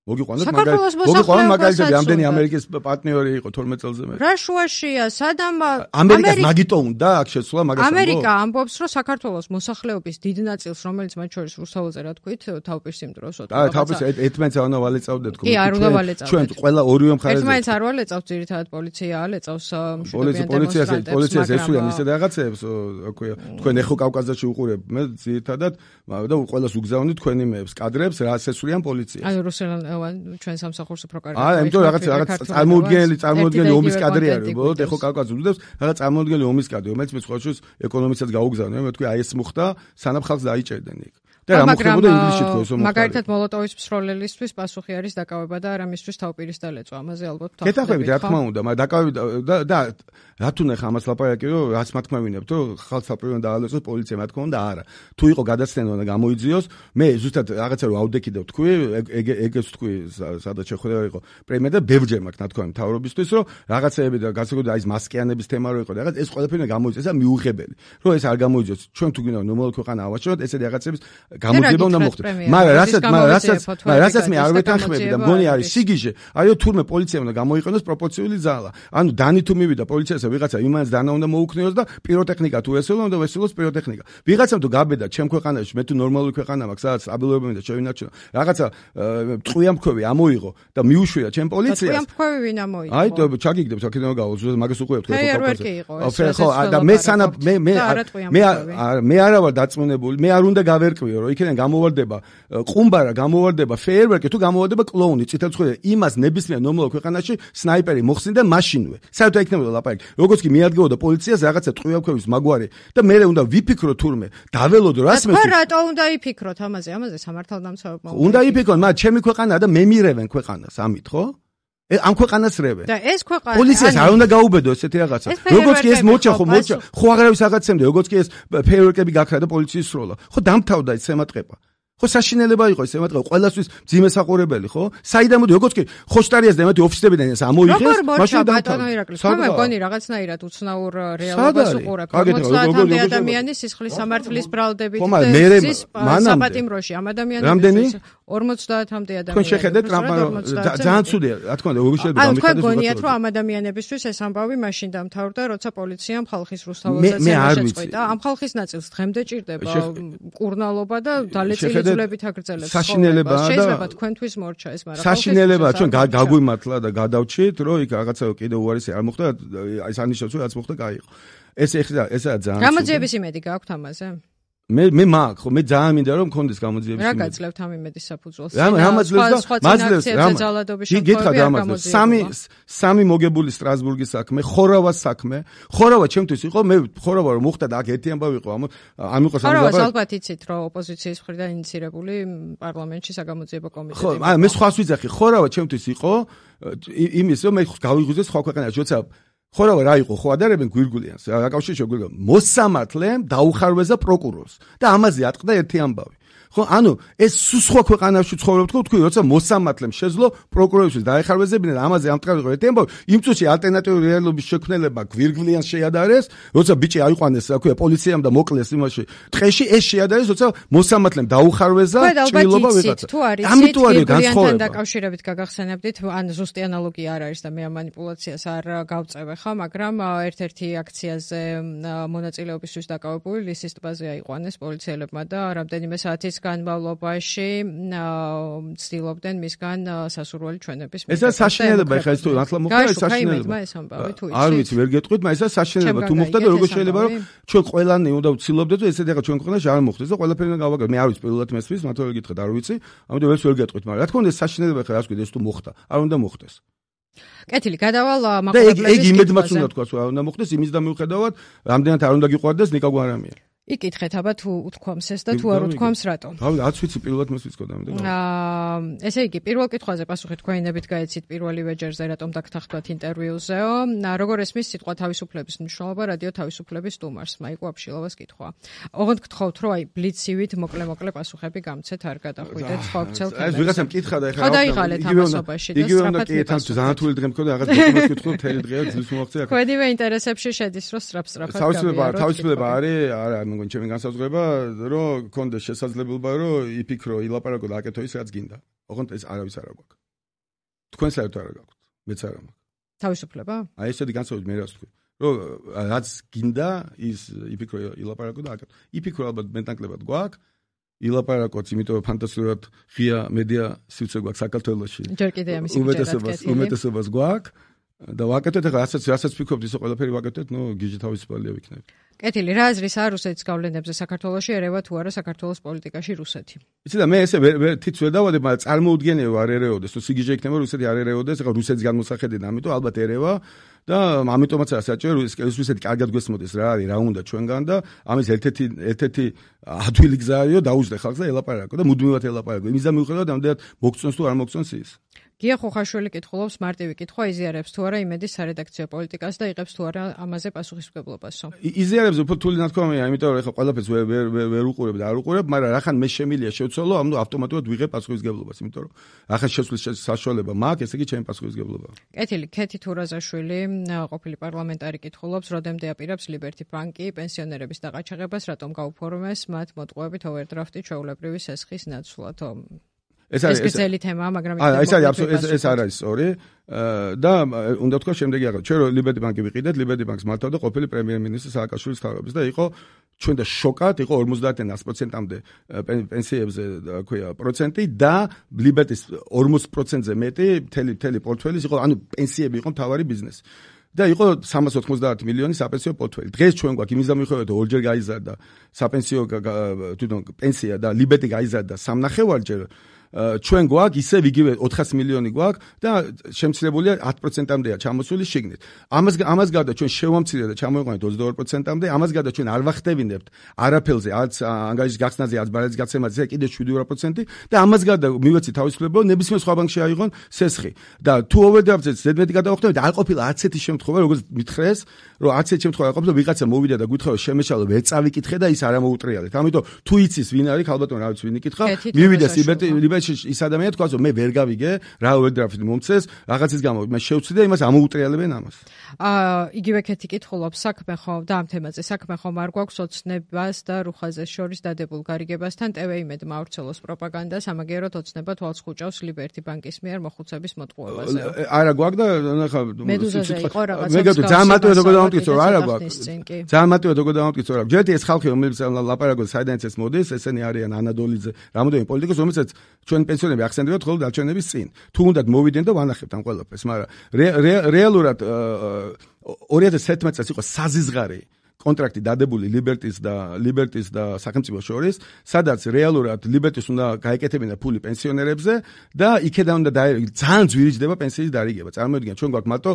მოგიყვანოთ მაგალითად ამდენი ამერიკის პარტნიორი იყო 12 წელზე მე. რა შუაშია, სადამ ამერიკას მაგიტო უნდა აქ შეცვლა მაგას. ამერიკა ამბობს, რომ საქართველოს მოსახლეობის დიდ ნაწილს, რომელიც მათ შორის რუსთაველზე რა თქვით, თავპირს იმ დროს თავპირს ერთმანეთს არ უნდა ვალეწავდეთ კი, არ უნდა ვალეწავდეთ. ჩვენ ყველა ორივე მხარეზე. ერთმანეთს არ ვალეწავთ, ძირითადად პოლიცია ალეწავს მშვიდობიან დემონსტრანტებს. პოლიციას ესულიან ისე რაღაცებს, თქვენ ეხო კავკასიაში უყურებ, მე ძირითადად და ყველას უგზავნით თქვენი მეებს, კადრებს, რას ესულიან პოლიციას. აი რუსელან ჩვენ სამსახურს უფრო კარგად. იმიტომ რაღაც წარმოუდგენელი ომის კადრი არის, უბრალოდ ეხო კავკასიას უდევს, რაღაც წარმოუდგენელი ომის კადრი, რომელიც მე სხვა შორის ეკონომისაც გაუგზავნე, მე თქვი აი ეს მოხდა, სანამ ხალხს დაიჭერდნენ იქ. და რა მოხდებოდა ინგლისში თქო ესო მოხდა. მაგალითად მოლოტოვის მსროლელისთვის პასუხი არის დაკავება და არამისთვის თავპირის დალეწვა, ამაზე ალბათ ვთქვათ. გეთახმებით რა თქმა უნდა, მაგრამ დაკავება და რა თუ ნახა ამას ლაპარაკი რომ რაც მათქმევინებთ რომ ხალხს საპრიორიტეტო დაალეწოს პოლიცია რა თქმა უნდა არა. თუ იყო გადაცდენა და გამოიძიოს, მე ზუსტად რაღაცა რომ ავდექიდებ თქვი, ეგეც თქვი სადაც შეხვედრა იყო პრემია და ბევრჯერ მაქვს ნათქვამი მთავრობისთვის რომ რაღაცეები და განსაკუთრებით აი ეს მასკიანების თემა რო იყო რაღაც ეს ყველაფერი გამოიწეს და მიუღებელი. რომ ეს არ გამოიძიოს, ჩვენ თუ გინდა ნორმალური ქვეყანა ავაჭროთ, ესეთი რაღაცების გამოძიება უნდა მოხდეს. მაგრამ რასაც მე არ ვეთანხმები და მგონი არის სიგიჟე, აიო თურმე პოლიცია უნდა გამოიყენოს პროპორციული ძალა. ანუ დანი თუ მივიდა პოლიციასა ვიღაცა იმანს დანა უნდა მოუქნიოს და პიროტექნიკა თუ ესეულო უნდა ვესულოს პიროტექნიკა. ვიღაცამ თუ გაბედა ჩემ ქვეყანაში, მე თუ ნორმალური ქვეყანა მაქვს, სადაც სტაბილურობები და შევინარჩუნო. რაღაცა ტყუიამფქვევი ამოიღო და მიუშვია ჩემ პოლიციას. ტყუიამფქვევი ვინ ამოიღო? აი და ჩაგიგდებ აქედან გავუძვე მაგას უყურებთ ხო. ხო და მე სანა მე არა ვარ დაწმუნებული, მე არ უნდა გავერკვიო რომ იქიდან გამოვარდება ყუმბარა, გამოვარდება ფეიერვერკი, თუ გამოვარდება კლოუნი, წითელწვრილი, იმას ნებისმიერ ნორმალურ ქვეყანაში სნაიპერი მოხსნიდა მაშინვე. საერთოდ იქნებოდა ლაპარაკი. როგორც კი მიადგებოდა პოლიციას რაღაცა ტყუიამფქვევის მაგვარი და მე უნდა ვიფიქრო თურმე, დაველოდო რას მე. ხო რატო უნდა იფიქროთ ამაზე სამართალდამცავებმა. უნდა იფიქროთ, მაგრამ ჩემი ქვეყანაა და მე მირევენ ქვეყანას, ამით ხო? ამ ქვეყანას რევენ. და ეს ქვეყანა პოლიციას არ უნდა გაუბედო ესეთი რაღაცა. როგორც კი ეს მოჩა, ხო აღარავის აღაცემდა, როგორც კი ეს ფეიერვერკები გაქრა და პოლიციის სროლა. ხო დამთავრდა ეს ემატყება. ხო საშინელება იყო ეს ემატყება, ყველასთვის ძიმე საყურებელი, ხო? საიდან მოდი, როგორც კი ხოშტარიას და ემათი ოფისებიდან ეს ამოიღეს, მაშინ დამთავრდა. მე მგონი რაღაცნაირად უცნაურ რეალობას უყურებ. 50-მდე ადამიანის სისხლის სამართლის ბრალდებით და საპატიმროში ამ ადამიანების 50-მდე ადამიანის. თქვენ შეხედეთ ძალიან ცუდია, რა თქმა უნდა, როგორ შეიძლება გამიხადოს. თქვენ გონიათ რომ ამ ადამიანებისთვის ეს ამბავი მაშინ დამთავრდა, როცა პოლიციამ ხალხის რუსთაველსაც შეწყვიტა. ამ ხალხის ნაწილს დღემდე ჭირდება კურნალობა და დალეწილი საშინელებაა და შეიძლება თქვენთვის მორჩა ეს, მაგრამ საშინელებაა, ჩვენ გაგვიმართლა და გადავჭით, რომ იქ რაღაცა კიდე უარესი არ მოხდა, აი სანიშნავს, რომ რაც მოხდა, კაი იყო. ესაა ძალიან. გამოძიების იმედი გაქვთ ამაზე? მე მაქვს, ხო, მე ძალიან მინდა რომ მქონდეს გამოძიების იმედი. რა გაძლევთ ამ იმედის საფუძველს? მაძლევს სამი მოგებული სტრასბურგის საქმე, ხორავას საქმე. ხორავა ჩემთვის იყო, მე ხორავა რომ მოხდა და აქ ერთი ამბავი იყო, ამ იყო ხორავას ალბათ იცით, რომ ოპოზიციის მხრიდან ინიცირებული პარლამენტში საგამოძიებო კომიტეტი. ხო, მე სხვას ვიძახი, ხორავა ჩემთვის იყო იმის, რომ მე გავიღვიძე სხვა ქვეყანაში, როცა ხორავა რა იყო, ხო ადარებენ გვირგვლიანს, აკავშირში გვირგვლიან. მოსამართლემ დაუხარვეზა პროკურორს და ამაზე ატყდა ერთი ამბავი. ხო, ანუ ეს სხვა ქვეყანაში ცხოვრობთ, თქვი, როცა მოსამართლემ შეძლო პროკურორისთვის დაეხარვეზებინა და ამაზე ამტყავი იყო ერთი ამბავი. იმ წუთში ალტერნატიული რეალობის შექმნელება გვირგვლიანს შეადარეს, როცა ბიჭი აიყვანეს, რა ქვია, პოლიციამ და მოკლეს იმაში. ტყეში ეს შეადარეს, როცა მოსამართლემ დაუხარვეზა ჭრილობა ვიღაცა. ამიტომ არის განსხვავება. დაკავშირებით გაგახსენებდით, ან ზუსტი ანალოგია არ არის და მე ამ манипуляციას არ გავწევე ხა, მაგრამ ერთ-ერთი აქციაზე მონაწილეობისთვის დაკავებული ლისის ტბაზე აიყვანეს პოლიციელებმა და რამდენიმე საათის განმავლობაში ცდილობდნენ მისგან სასურველი ჩვენების მიღება. ესა საშინელება, ხა ეს თუ ახლა მოხდა ეს საშინელება. არ ვიცი, ვერ გეტყვით, მაგრამ ესა საშინელება. თუ მოხდა და როგორ შეიძლება რომ ჩვენ ყველანი უნდა ვცდილობდეთ რომ ესეთი ახლა ჩვენ ქვეყანაში არ მოხდეს და ყველაფერი უნდა გავაკეთოთ. მე არ ვიცი პირველად მესმის, მათო ვერ გითხრათ, არ ვიცი. ამიტომ ეს ვერ გეტყვით, მაგრამ რა თქმა უნდა ეს საშინელება ხა რას გვიდეს თუ მოხდა. არ უნდა მოხდეს. კეთილი, გადავალ მაყურებლების. ეგ იმედმაც უნდა თქვას, რომ არ უნდა მოხდეს, იმის და მიუხედავად, რამდენად არ უნდა გიყვარდეს ნიკა გვარამია. იკითხეთ, აბა თუ უთქვამს ეს და თუ არ უთქვამს რატო? არ ვიცი, პირველად მას ვიცქოდა ამიტომ. ესე იგი, პირველ კითხვაზე პასუხი თქვენებით გაეცით პირველივე ჯერზე, რატომ დაგთანხმდათ ინტერვიუზეო. როგორ ესმის სიტყვა თავისუფლების მნიშვნელობა რადიო თავისუფლების სტუმარს? მაიკო აფშილოვას კითხვა. ოღონდ გთხოვთ, რომ აი ბლიცივით მოკლე პასუხები გამცეთ, არ გადახვიდეთ სხვა ვრცელ თემებზე. ეს ვიღაცამ კითხა და ეხლა რა დაიღალეთ ამასობაში და სწრაფად იგივე ძალიან თული დღე მქონდა, რაღაც დოკუმენტს კითხო, მთელი დღეა ძილს მოაღწია. ქვედივე ინტერესებში შედის, რომ სწრაფად თავისუფლება არის, არა, მეგონი ჩემი განსაზღვრება, რომ კონდეს შესაძლებლობა, რომ იფიქრო, ილაპარაკო და აკეთო ის, რაც გინდა. ოღონდ ეს არავის არ აქვს. თქვენ საერთოდ არ გაქვთ, მეც არ მაქვს. თავისუფლება? აი ესეთი განსხვავებით მე რას ვთქვი. რომ რაც გინდა ის იფიქრო ილაპარაკო და აკეთო. იფიქრო ალბათ მეტნაკლებად გვაქვს. ილაპარაკოთ, იმიტომ რომ ფანტასტიკურად ღია მედია სივრცე გვაქვს საქართველოში. ჯერ კიდევ ამის მიღება უმეტესობას გვაქვს და ვაკეთოთ ახლა რასაც ფიქრობთ ისო ყველაფერი ვაკეთოთ, გიჟი თავისუფალია ვიქნებით. კეთილი, რა აზრის არ რუსეთის გავლენებზე საქართველოში ერევა თუ არა საქართველოს პოლიტიკაში რუსეთი? იცი და მე ესე თიც ვერ დავადებ, მაგრამ წარმოუდგენია არ ერეოდეს, თუ სიგიჟე იქნება რუსეთი არ ერეოდეს, ახლა რუსეთის განმოსახედიდან, ამიტომ ალბათ ერევა და ამიტომაც არა საჭირო რუსეთი კარგად გვესმოდეს რა არის, რა უნდა ჩვენგან და ამის ერთ-ერთი ადვილი გზა არისო დაუჯდე ხალხს და ელაპარაკო და მუდმივად ელაპარაკო. იმის და მიუხედავად ამდენად მოგწონს თუ არ მოგწონს ის. გია ხოხაშვილი კითხულობს მარტივი კითხვა იზიარებს თუ არა იმედის სარედაქციო პოლიტიკას და იღებს თუ არა ამაზე პასუხისმგებლობასო. იზიარებს უფრო თული ნათქვამია, იმიტომ რომ ეხლა ყველაფერს ვერ უყურებ და არ უყურებ, მაგრამ რახან მე შემილია შევცვალო, ამიტომ ავტომატურად ვიღებ პასუხისმგებლობას, იმიტომ რომ რახან შესვლის საშუალება მაქვს, ესე იგი ჩემი პასუხისმგებლობაა. კეთილი, ქეთი თურაზაშვილი, ყოფილი პარლამენტარი კითხულობს, როდემდე აპირებს ლიბერტი ბანკი პენსიონერების დაყაჩაღებას, რატომ გაუფორმეს მათ მოტყუებით ოვერდრაფტი ჩვეულებრივი სესხის ნაცვლად. ეს სპეციალური თემაა, მაგრამ ეს არ არის სწორი და უნდა თქვა შემდეგი აღარ. ჩვენ ლიბერტი ბანკი ვიყიდეთ, ლიბერტი ბანკს მართავდა ყოფილი პრემიერ-მინისტრი სააკაშვილის თავების და იყო ჩვენ და შოკად იყო 50-100%-მდე პენსიებზე ქვია პროცენტი და ლიბერტის 40%-ზე მეტი მთელი პორტფელის იყო, ანუ პენსიები იყო მთავარი ბიზნესი. და იყო 390 მილიონი საპენსიო პორტფელი. დღეს ჩვენ გვაქვს იმის დამიხვევად ორჯერ გაიზარდა საპენსიო თვითონ პენსია და ლიბერტი გაიზარდა 3.5-ჯერ. ჩვენ გვაქვს ისევ იგივე 400 მილიონი გვაქვს და შემცირებულია 10%-მდეა ჩამოსული შიგნით. ამას გარდა ჩვენ შევამცირეთ და ჩამოვიყვანეთ 22%-მდე, ამას გარდა ჩვენ არ ვახტევინებთ არაფერზე, არც ანგარიშის გახსნაზე, არც ბარათის გაცემაზე, კიდე 7% და ამას გარდა მივეცი თავისუფლება, ნებისმიერ სხვა ბანკში აიღონ სესხი. და თუ ოვერდრაფტზე ზედმეტი გადავახტევით, არ ყოფილა არც ერთი შემთხვევა, როგორც მითხრეს, რომ არც ერთი შემთხვევა არ ყოფილა, ვიღაცა მოვიდა და გითხრა, შემეშალო, ვერ წავიკითხე და ის არ ამოუტრიალეთ. ამიტომ თუ იცის ვინ არის, ალბათ რა ვიცი ვინ იკითხა, მივიდეს ლიბერტი ის ადამიანი თქვა, რომ მე ვერ გავიგე, რა ოვერდრაფტი მომწეს, რაღაცის გამო მას შევცვლი და იმას ამოუტრიალებენ ამას. იგივე ქეთი კითხულობს, საქმე ხომ და ამ თემაზე საქმე ხომ არ გვაქვს ოცნებას და რუხაზეს შორის დადებულ გარიგებასთან TV-იმედ მავრცელოს პროპაგანდას, ამაგეროთ ოცნება თვალს ხუჭავს ლიბერტი ბანკის მიერ მოხუცების მოტყუებაზე. არა გვაქვს და ნახა მედუზაზე იყო რაღაცა. მე გეტყვი ძალიან მარტივად როგორ დავამტკიცო, არა გვაქვს. ძალიან მარტივად როგორ დავამტკიცო, რა. ჯერ ეს ხალხი რომელიც ლაპარაკობს საიდანაც ეს მოდის, ესენი არიან ანადოლიძე, რამოდენიმე პოლიტიკოსი, რომელსაც ჩვენ პენსიონერები ახსენდებათ ხოლმე დარჩენების წინ. თუ უნდათ მოვიდნენ და ვანახებთ ამ ყველაფერს, მაგრამ რეალურად 2011 წელს იყო საზიზღარი კონტრაქტი დადებული ლიბერტის და სახელმწიფოს შორის, სადაც რეალურად ლიბერტის უნდა გაეკეთებინა ფული პენსიონერებზე და იქედან უნდა ძალიან ძვირიჯდება პენსიის დარიგება. წარმოიდგინეთ, ჩვენ გვაქვს მარტო,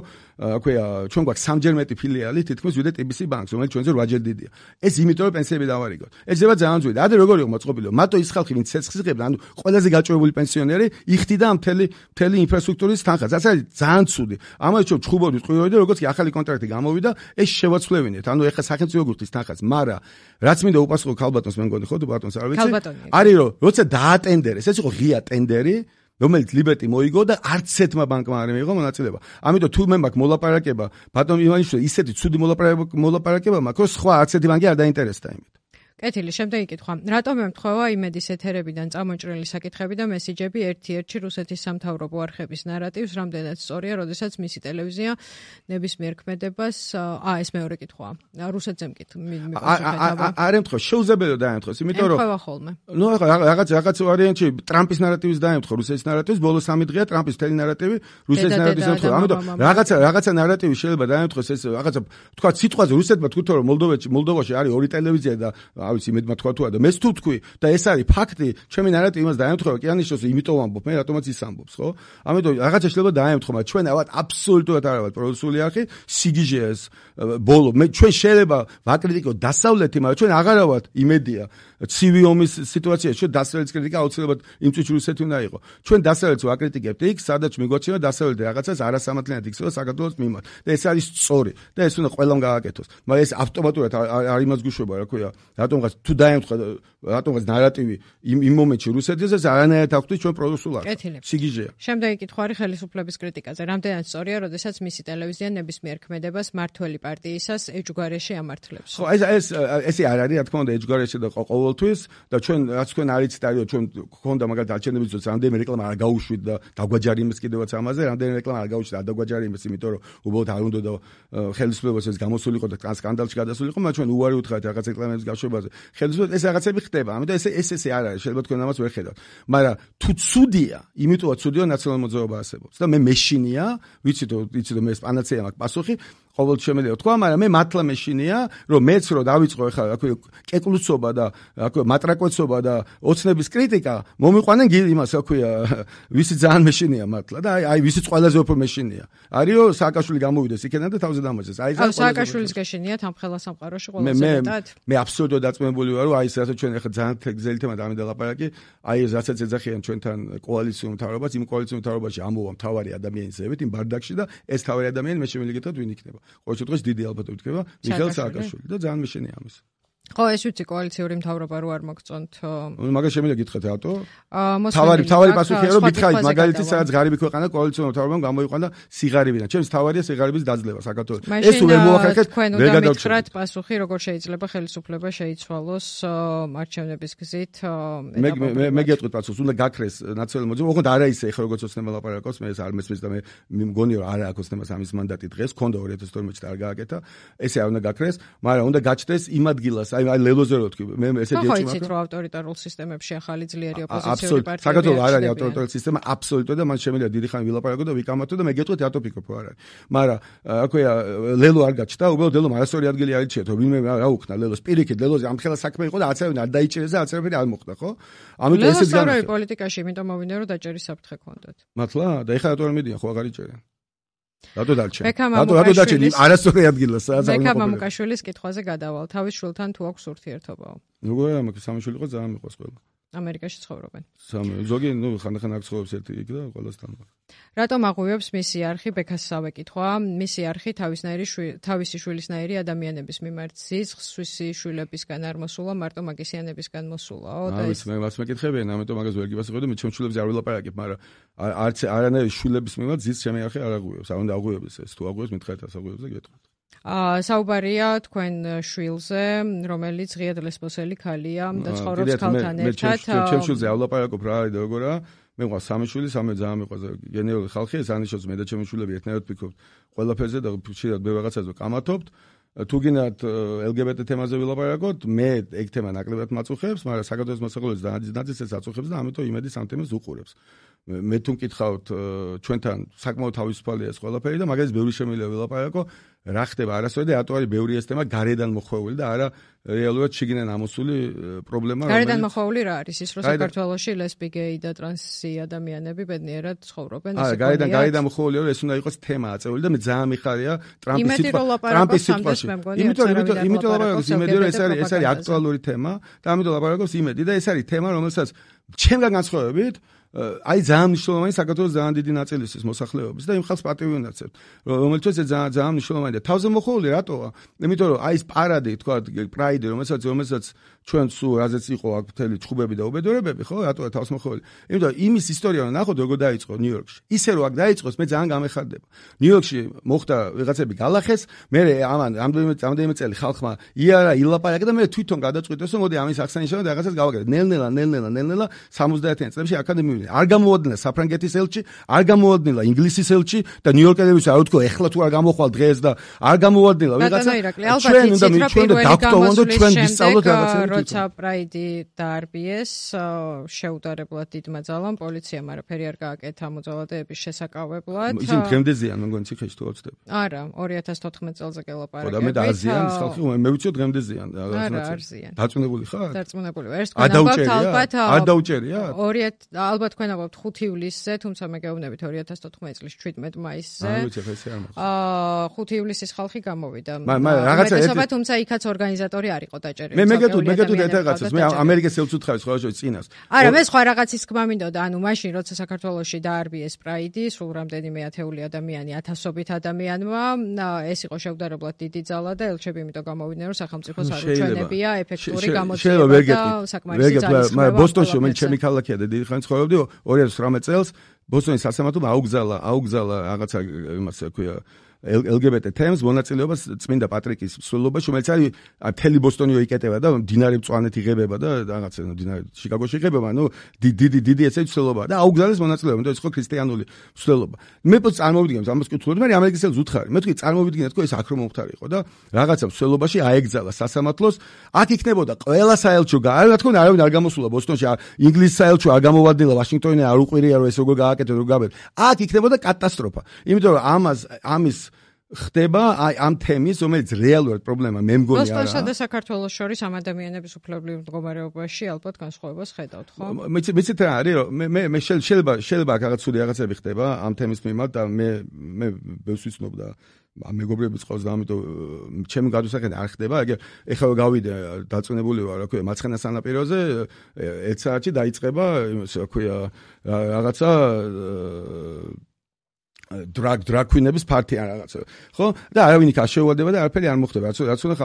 ჩვენ გვაქვს 3-ჯერ მეტი ფილიალი თითქმის ვიდრე TBC ბანკს, რომელიც ჩვენზე 8-ჯერ დიდია. ეს იმიტომ რომ პენსიები დავარიგოთ. ეს ძება ძალიან ძვირი. ადრე როგორ იყო მოწყობილი? მარტო ის ხალხი, ვინც ცეცხლს იღებდა, ანუ ყველაზე გაჭირვებული პენსიონერი, იხდიდა ამ მთელი ინფრასტრუქტურის თანხას. რაც არის ძალიან ცუდი. ამას ჩვენ ჩხუბობდით ყურები და როგორც კი ახალი კონტრაქტი გამოვიდა, ეს შევაცვლევინეთ. ანუ ეხლა სახელმწიფო გულთის თანხას, მაგრამ რაც მინდა უპასუხო ქალბატონს მე მგონი ხო თუ ბატონს არ ვიცი. არის რომ როცა დაატენდერეს, ეს იყო ღია ტენდერი, რომელიც ლიბერტი მოიგო და არც ერთმა ბანკმა არ მიიღო მონაწილეობა. ამიტომ თუ მე მაქვს მოლაპარაკება, ბატონ ივანიშვილი, ისეთი ცუდი მოლაპარაკება მაქვს, რომ სხვა არც ერთი ბანკი არ დაინტერესდა იმით. კეთილი, შემდეგი კითხვა. რატომ ემთხვევა იმედის ეთერებიდან წამოჭრილი საკითხები და მესიჯები ერთ-ერთი რუსეთის სამთავრობო არხების ნარატივს, რამდენად სწორია, როდესაც მისი ტელევიზია ნებისმიერ ქმედებას, ეს მეორე კითხვაა. რუსეთზე მკითხება. არ ემთხვევა, შეუძლებელია დაემთხვეს, იმიტომ რომ ემთხვევა ხოლმე. ნუ რაღაც ვარიანტი ტრამპის ნარატივის დაემთხვა, რუსეთის ნარატივის, ბოლო 3 დღეა ტრამპის მთელი ნარატივი რუსეთის ნარატივის ემთხვევა. ამიტომ რაღაცა ნარატივი შეიძლება დაემთხვეს, ეს რაღაცა თქვა სიტყვაზე რუსეთმა თქვით რომ მოლდოვაში არის 2 ტელევიზია და ავიც იმედმა თქვა თუ არა და მე თუ თქვი და ეს არის ფაქტი, ჩემი ნარატივი იმას დაემთხვევა, კი ანიშნოს იმიტომ ამბობ, მე რატომაც ის ამბობს, ხო? ამიტომ რაღაცა შეიძლება დაემთქვა, მაგრამ ჩვენ ავად აბსოლუტურად არ ვართ პროდუსული არხი, სიგიჟეა ეს ბოლო. ჩვენ შეიძლება ვაკრიტიკოთ დასავლეთი, მაგრამ ჩვენ აღარ ვართ იმედია. ცივი ომის სიტუაციაში ჩვენ დასავლეთის კრიტიკა აუცილებლად იმ წუთში რუსეთი უნდა იყოს. ჩვენ დასავლეთს ვაკრიტიკებთ იქ, სადაც მიგვაჩნია დასავლეთი რაღაცას არასამართლიანად იქცევა საქართველოს მიმართ. და ეს არის სწორი და ეს უნდა ყველამ გააკეთოს. მაგრამ ეს ავტომატურად არ იმას გუშვება, რა ქვია, რატომ რატომღაც თუ დაემთხვა რატომღაც ნარატივი იმ მომენტში რუსეთის ეს არანაირად აქვთ ჩვენ პროდუსულ არხს. სიგიჟეა. შემდეგი კითხვა არის ხელისუფლების კრიტიკაზე. რამდენად სწორია, როდესაც მისი ტელევიზია ნებისმიერ ქმედებას მართველი პარტიისას ეჯგარეში ამართლებს. ხო, ესე არ არის, რა თქმა უნდა, ეჯგარეში და ყოველთვის და ჩვენ რაც თქვენ არიცით, არის ჩვენ გქონდა მაგალითად არჩევნების დროს რამდენიმე რეკლამა არ გაუშვით და დაგვაჯარიმეს კიდევაც ამაზე, რამდენიმე რეკლამა არ გაუშვით და დაგვაჯარიმეს, იმიტომ რომ უბრალოდ არ უნდა და ხელისუფლებას ეს გამოსულიყო და სკანდალში გადასულიყო, მაგრამ ჩვენ უარი უთხრათ რაღაც რეკლამების გაშვებაზე. ხელისუფლებას ეს რაღაცები ხდება, ამიტომ ესე არ არის, შეიძლება თქვენ ამას ვერ ხედავთ. მაგრამ თუ ცუდია, იმიტომაც ცუდია ნაციონალური მოძრაობა არსებობს და მე მეშინია, ვიცით რომ მე პანაცეა მაქვს პასუხი, ყოველთვის შემიძლია თქვა, მაგრამ მე მართლა მეშინია, რომ მეც რო დავიწყო ახლა აქვე კეკლუცობა და აქვე მატრაკოცობა და ოცნების კრიტიკა, მომიყვანენ იმას აქვეა, ვისი ძალიან მეშინია მართლა და აი ვისიც ყველაზე უფრო მეშინია. არისო სააკაშვილი გამოვიდეს იქიდან და თავზე დამოწეს. აი სააკაშვილის გაშინიათ ამ ხელა სამყაროში ყველაზე მეტად. მე აბსოლუტურად დაწმებული ვარ, რომ აი ეს რასაც ჩვენ ახლა ძალიან გზელი თემა დამიდალაპარაკი, აი ეს რასაც ეძახიან ჩვენთან კოალიციურ მთავრობას, იმ კოალიციურ მთავრობაში ამოვა მთავარი ადამიანის ზევით, იმ ბარდაკში და ეს თავარი ადამიანი მე შემიძლია გითხრათ ვინ იქნება. ყოველ შემთხვევაში დიდი ალბათობით იქნება მიხეილ სააკაშვილი და ძალიან მეშინია ამის. ხო, ეს ვიცი კოალიციური მთავრობა რო არ მოგწონთ. მაგას შემიძლია გითხრათ რატო? თავარი პასუხია რომ გითხარით მაგალითად სადაც ღარიბი ქვეყანა კოალიციური მთავრობამ გამოიყვანა სიღარიბიდან. ჩემს თავარია სიღარიბის დაძლევა საქართველოს. ეს ვერ მოახერხეთ, ვერ გადავჭრათ პასუხი, როგორ შეიძლება ხელისუფლება შეიცვალოს არჩევნების გზით. მე გეტყვით პასუხს, უნდა გაქრეს ნაციონალური მოძრაობა. ოღონდ არა ისე ხო როგორც ოცნება ლაპარაკობს, მე ეს არ მესმის და მე მგონია რომ არა აქვს ოცნებას ამის მანდატი დღეს, ქონდა 2012 წელს არ გააკეთა. ესე არ უნდა გაქრეს, მაგრამ უნდა გაჩნდეს იმ ადგილას აი ლელოზე რო თქვი მე ესეთი ეჭვმა ხო იცით რომ ავტორიტარულ სისტემებში ახალი ძლიერი ოპოზიციური პარტიები საქართველოს არ არის ავტორიტარული სისტემა აბსოლუტურად და მან შემიძლია დიდი ხანი ვილაპარაკო და ვიკამათო და მე გეტყვით რატო ფიქრობ არ არის მაგრამ აქვეა ლელო არ გაჩნდა უბრალოდ ლელომ არასორი ადგილი არ იჩიეთ რომ ვინმე რა უქნა ლელოს პირიქით ლელოზე ამ ხელა საქმე იყო და არც არ დაიჭირეს და არც არ მოხდა ხო ამიტომ ესეც განაცხადა პოლიტიკაში იმიტომ მოვიდა რომ დაჭერის საფრთხე ქონდათ მართლა და ეხლა რატო არ მიდიან ხო აღარ იჭერენ რატო დაჭერენ არასორი ადგილას სადაც მე მამუკაშვილის კითხვაზე გადავალ თავის შვილთან თუ აქვს ურთიერთობაო როგორ არა მაგ სამი შვილი იყო ძალიან მიყვარს ყველა ამერიკაში ცხოვრობენ ზოგი ხანდახან აქ ცხოვრობს ერთი იქ და ყველასთან რატომ აღვივებს მისი არხი ბექასსავე კითხვა მისი არხი თავისი შვილისნაირი ადამიანების მიმართ ზიზღს სვისი შვილებისგან არ მოსულა მარტო მაგისიანებისგან მოსულაო და ეს მე მას მეკითხებიან ამიტომ მაგას ვერ გიპასუხებ და მე ჩემ შვილებზე არ ვილაპარაკებ მაგრამ არც არანაირი შვილების მიმართ ზიზღს ჩემი არხი არ აღვივებს არ უნდა აღვივებს ეს თუ აღვივებს მითხარით ასაღვივებს და გეტყვით საუბარია თქვენ შვილზე, რომელიც ღიად ლესბოსელი ქალია და ცხოვრობს ქალთან ერთად. ჩემ შვილზე ავლაპარაკობ რა არის და როგორა. მე მყავს სამი შვილი, სამი ძალიან მიყვარს გენერალური ხალხი, ეს ანიშნავს მე და ჩემი შვილები ერთნაირად ვფიქრობთ ყველაფერზე და ხშირად მე რაღაცაზე ვკამათობთ. თუ გინდათ LGBT თემაზე ვილაპარაკოთ, მე ეგ თემა ნაკლებად მაწუხებს, მაგრამ საქართველოს მოსახლეობის ნაწილს აწუხებს და ამიტომ იმედი სამ თემას უყურებს. მე თუ მკითხავთ ჩვენთან საკმაოდ თავისუფალია ეს ყველაფერი და მაგალითად ბევრი შემიძლია ვილაპარაკო რა ხდება არასოდეს და რატო არის ბევრი ეს თემა გარედან მოხვეული და არა რეალურად შიგნიდან ამოსული პრობლემა გარედან მოხვეული რა არის ის რომ საქართველოში ლესბი გეი და ტრანსი ადამიანები ბედნიერად ცხოვრობენ ისე გარედან მოხვეული რომ ეს უნდა იყოს თემა აწეული და მე ძალიან მიხარია ტრამპის სიტყვაში იმიტომ ლაპარაკობს იმედი რომ ეს არის აქტუალური თემა და ამიტომ ლაპარაკობს იმედი და ეს არის თემა რომელსაც ჩემგან განსხვავებით აი ძალიან მნიშვნელოვანი საქართველოს ძალიან დიდი ნაწილისთვის მოსახლეობის და იმ ხალხს პატივი უნდაცებთ რომელთაც ეს ძალიან მნიშვნელოვანი და თავზე მოხეული რატოა იმიტომ რომ აი ეს პარადი თქვა პრაიდი რომელსაც ჩვენ სულ რაზეც იყო აქ მთელი ჩხუბები და უბედურებები ხო რატოა თავს მოხეული იმიტომ იმის ისტორია რომ ნახოთ როგორ დაიწყო ნიუ-იორკში ისე რომ აქ დაიწყოს მე ძალიან გამეხარდება ნიუ-იორკში მოხდა ვიღაცები გალახეს მე ამან რამდენიმე წელი ხალხმა იარა ილაპარაკა და მე თვითონ გადაწყვიტეს რომ მოდი ამის აღსანიშნავად რაღაცას გავაკეთებ ნელ-ნელა 70-იან წლებში აკადემიური არ გამოვადნენ საფრანგეთის ელჩი, არ გამოვადნენ ინგლისის ელჩი და ნიუ-იორკელებს არ უთქო ეხლა თუ არ გამოხვალ დღეს და არ გამოვადნენ ვიღაცა. ჩვენ უნდა დაგტოვონ და ჩვენ ვისწავლოთ რაღაცები. როცა პრაიდი დაარბიეს, შეუდარებლად დიდმა ძალამ პოლიციამ არაფერი არ გააკეთა მოძალადეების შესაკავებლად. ისინი დღემდე ზიან, მე მგონი ციხეში თუ ავწდები. არა, 2014 წელზე გელაპარაკეთ. და მე დაზიან ხალხი, მე ვიცი დღემდე ზიან. არა, არ ზიან. დაწუნებული ხარ? დაწუნებული. ეს თქვენ ალბათ არ დაუჭერია? 2000 ალბათ ალბათ თქვენ აღვებთ 5 ივლისზე, თუმცა მე გეუბნებით 2014 წლის 17 მაისზე. 5 ივლისის ხალხი გამოვიდა. რაღაცა თუმცა იქაც ორგანიზატორი არ იყო დაჭერილი. მე გეტყვით ერთ რაღაცას, მე ამერიკას ელწუთხარი სხვა შოი წინას. არა, მე სხვა რაღაცის თქმა მინდოდა, ანუ მაშინ როცა საქართველოში დაარბიეს პრაიდი, სულ რამდენიმე ათეული ადამიანი, ათასობით ადამიანმა, ეს იყო შევდარებლად დიდი ძალა და ელჩები იმიტომ გამოვიდნენ, რომ სახელმწიფოს არ უჩვენებია ეფექტური გამოძიება და საკმარისი ძალის ხმევა. მაგრამ ბოსტონში მე ჩემი ქალაქია და დიდი ხანი ცხოვრობდი 2018 წელს ბოსტონის სასამართლომ აუგზალა რაღაცა იმას ქვია LGBT თემს მონაწილეობას წმინდა პატრიკის მსვლელობაში, რომელიც არის მთელი ბოსტონიო იკეტება და დინარი მწვანეთ იღებება და რაღაცა დინარი შიკაგოში იღებება, დიდი ესე მსვლელობა და აუგზალეს მონაწილეობა, იმიტომ ეს ხო ქრისტიანული მსვლელობა. მე პოს წარმოვიდგენთ ამას კითხულობდი, მაგრამ ამერიკის ელს უთხარი. მე თქვი წარმოვიდგინეთ, რომ ეს აქ რომ მომხდარი იყო და რაღაცა მსვლელობაში აეგზალა სასამართლოს, აქ იქნებოდა ყველა საელჩო რა თქმა უნდა არავინ არ გამოსულა ბოსტონში, ინგლისის საელჩო არ გამოვადილა, ვაშინგტონი არ უყვირია რომ ეს როგორ გააკეთო, როგორ გავეთ. აქ იქნებოდა კატასტროფა. იმიტომ რომ ამის ხდება ამ თემის, რომელიც რეალურად პრობლემა მე მგონი არა. ბოსტონსა და საქართველოს შორის ამ ადამიანების უფლებრივ მდგომარეობაში ალბათ განსხვავებას ხედავთ, ხო? მეცით რა არის, რომ მე შეიძლება რაღაც სული რაღაცები ხდება ამ თემის მიმართ და მე ბევრს ვიცნობ და მეგობრებიც ყავს და ამიტომ ჩემი გადასახადი არ ხდება. ეხლა გავიდე დაწუნებული ვარ, რა ქვია, მარცხენა სანაპიროზე 1 საათში დაიწყება, რა ქვია, რაღაცა დრაგ-კვინების პარტია რაღაცა. ხო? და არავინ იქ არ შეუვადება და არაფერი არ მოხდება. რაც უნდა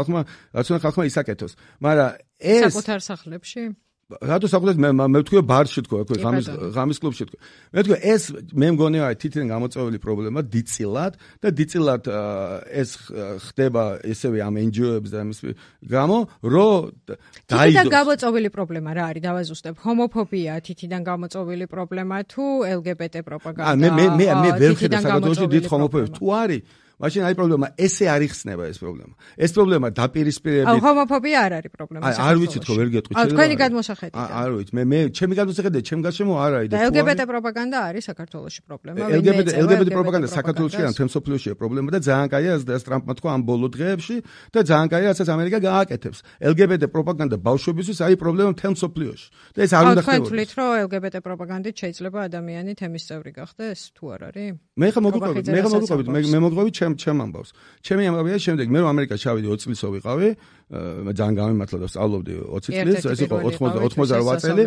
ხალხმა ისაკეთოს. მაგრამ ეს საკუთარ სახლებში? რატო საკუთარ მე ვთქვი ბარში თქო, ღამის კლუბში თქო. მე ვთქვი ეს მე მგონი არის თითქმის გამოწვეული პრობლემა დიწილად და დიწილად ეს ხდება ესევე ამ NGO-ებს და ამის გამო, რომ დაიდოს. თითიდან გამოწვეული პრობლემა რა არის? დავაზუსტებ. ჰომოფობია თითიდან გამოწვეული პრობლემა თუ LGBT პროპაგანდა? მე ვერ ხედავ საქართველოში დიდ ჰომოფობიას. თუ არის მაშინ არის პრობლემა, ესე არ იხსნება ეს პრობლემა. ეს პრობლემა დაპირისპირებით. ჰომოფობია არ არის პრობლემა. არ ვიცი თქო, ვერ გეტყვი. თქვენი გადმოსახედით. არ ვიცი, მე ჩემი გადმოსახედით, ჩემ გარშემო არ არის. და LGBT პროპაგანდა არის საქართველოში პრობლემა. LGBT პროპაგანდა საქართველოში ან თემ სოფლიოშია პრობლემა და ძალიან კაია ეს ტრამპმა თქვა ამ ბოლო დღეებში და ძალიან კაია რასაც ამერიკა გააკეთებს. LGBT პროპაგანდა ბავშვებისთვის არის პრობლემა თემ სოფლიოში. და ეს არ უნდა ხდებოდეს. თქვენ თვლით, რომ LGBT პროპაგანდით შეიძლება ადამიანი თემის წევრი გახდეს, თუ არ არის? მე მოგყვებით ჩემ ამბავს. ჩემი ამბავია შემდეგ მე რომ ამერიკაში ჩავიდი 20 წლისო ვიყავი, მე ძალიან გამიმართლა და სწავლობდი 20 წლის, ეს იყო 88 წელი.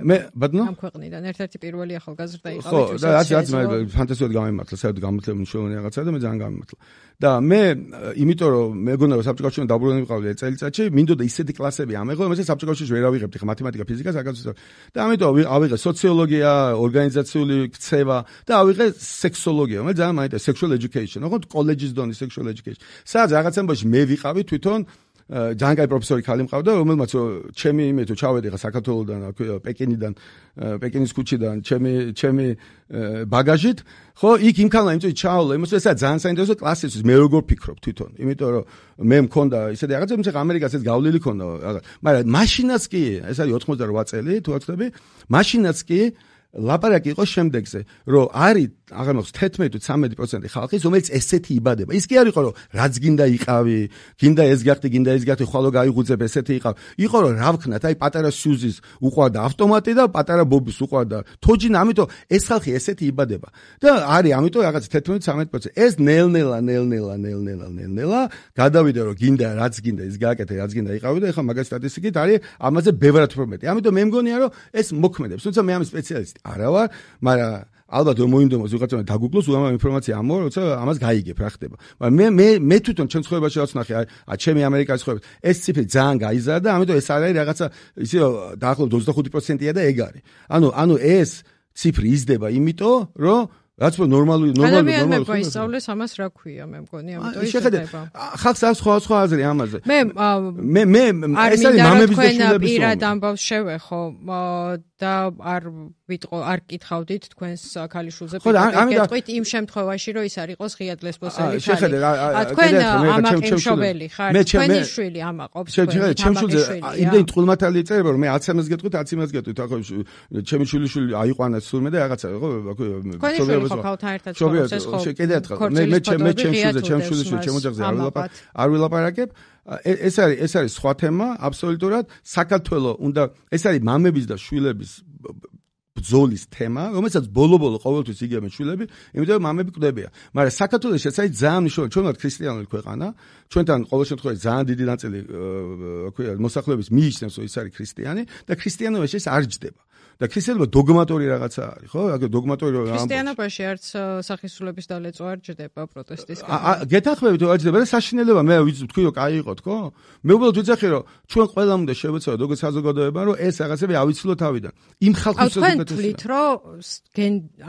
მე ბატონო ამ ქვეყნიდან ერთ-ერთი პირველი ახალგაზრდა იყავით. ხო, და რაც მე ფანტასტიკად გამიმართლა, საერთოდ გამართლებული მნიშვნელოვანი რაღაცა და მე ძალიან გამიმართლა. და მე იმიტომ რომ მეგონა რომ საბჭოთა კავშირიდან დაბრუნებული ვიყავი ეს წელიწადში, მინდოდა ისეთი კლასები ამეღო, რომელსაც საბჭოთა კავშირში ვერ ავიღებდი ხა მათემატიკა, ფიზიკა, საკანონმდებლო. და ამიტომ ავიღე სოციოლოგია, ორგანიზაციული ქცევა და ავიღე სექსოლოგია, მე ძალიან მაინტერესა sexual education, ხო, კოლეჯის დონის sexual education. სადაც რაღაც ამბავში მე ვიყავი თვითონ ძალიან კაი პროფესორი ხალი მყავდა, რომელმაც ჩემი იმეთო ჩავედი ხა საქართველოსდან, პეკინიდან, პეკინის ქუჩიდან, ჩემი ბაგაჟით, ხო, იქ იმქანა იმწვი ჩავლა, იმას ესა ძალიან საინტერესო კლასისთვის მე როგორ ფიქრობ თვითონ, იმიტომ რომ მე მქონდა ისეთი რაღაცა, თუმცა ამერიკას ეს გავლილი ქონდა, მაგრამ მაშინაც კი, ეს არის 88 წელი, თუ ვაცდები, მაშინაც კი ლაპარაკი იყო შემდეგზე, რომ არის აღარ მოგს 11-13% ხალხის, რომელიც ესეთი იბადება. ის კი არ იყო, რომ რაც გინდა იყავი, გინდა ეს გახდი, ხვალო გაიღუძებ, ესეთი იყავ. იყო რომ რა ვქნათ, აი პატარა სიუზის უყვარდა ავტომატი და პატარა ბობის უყვარდა თოჯინა, ამიტომ ეს ხალხი ესეთი იბადება. და არის, ამიტომ რაღაც 11-13%. ეს ნელ-ნელა გადავიდა, რომ გინდა, რაც გინდა, ის გააკეთე, რაც გინდა იყავი და ეხლა მაგას სტატისტიკით არის ამაზე ბევრად უფრო მეტი. ამიტომ მე მგონია, რომ ეს მოქმედებს. თუმცა მე ამის სპეციალისტი არა ვარ, მაგრამ ალბათ რომ მოინდომოს ვიღაცა დაგუგლოს უამრავ ინფორმაცია ამო, როცა ამას გაიგებ რა ხდება. მაგრამ მე თვითონ ჩემ ცხოვრებაში რაც ვნახე, ჩემი ამერიკაში ცხოვრება, ეს ციფრი ძალიან გაიზარდა, ამიტომ ეს არის რაღაცა ისე დაახლოებით 25%-ია და ეგ არის. ანუ ეს ციფრი იზრდება იმიტომ, რომ რაც ნორმალური ადამიანმა გაისწავლეს ამას რა ქვია, მე მგონი, ამიტომ ის ხდება. ხალხს აქვს სხვა აზრი ამაზე. მე ეს არის მამების და შვილების პირად ამბავს შევეხო და არ კითხავდით თქვენს ქალიშვილზე პიკეტყვით იმ შემთხვევაში, რომ ის არ იყოს ღია ლესბოსელი ხალი. თქვენ ამაყიმშობელი ხართ, თქვენი შვილი ამაყობს, ჩემ შვილზე იმდენი ტყულმათალი იწერება, რომ მე 10-ს გეტყვით, 10-ს გეტყვით, ახლა ჩემი შვილი აიყვანა სულმე და რაღაცა, ხო, ხო ხალხთან ერთად ცხოვრობს ხო კიდე ერთხელ მე ჩემ შვილზე ჩემ ოჯახზე არ ვილაპარაკებ. ეს არის სხვა თემა აბსოლუტურად. საქართველოს უნდა ეს არის მამების და შვილების ბრძოლის თემა, რომელსაც ბოლო-ბოლო ყოველთვის იგებენ შვილები, იმიტომ რომ მამები კვდებიან. მაგრამ საქართველოში ეს არის ძალიან მნიშვნელოვანი, ჩვენ ვართ ქრისტიანული ქვეყანა, ჩვენთან ყოველ შემთხვევაში ძალიან დიდი ნაწილი მოსახლეობის მიიჩნევს, რომ ის არის ქრისტიანი და ქრისტიანობაში ეს არ ჯდება. და ქრისტიანობა დოგმატური რაღაცა არის, ხო? აქ დოგმატური ქრისტიანობაში არც სახისრულების დალეწვა არ ჯდება პროტესტის გეთახმებით არ ჯდება და საშინელება მე ვთქვი რომ კაი იყოთ, ხო? მე უბრალოდ ვიცახი რომ ჩვენ ყველამ უნდა შევეცადოთ როგორც საზოგადოება რომ ეს რაღაცები ავიცილოთ თავიდან. იმ ხალხის საზოგადოებას თვლით რომ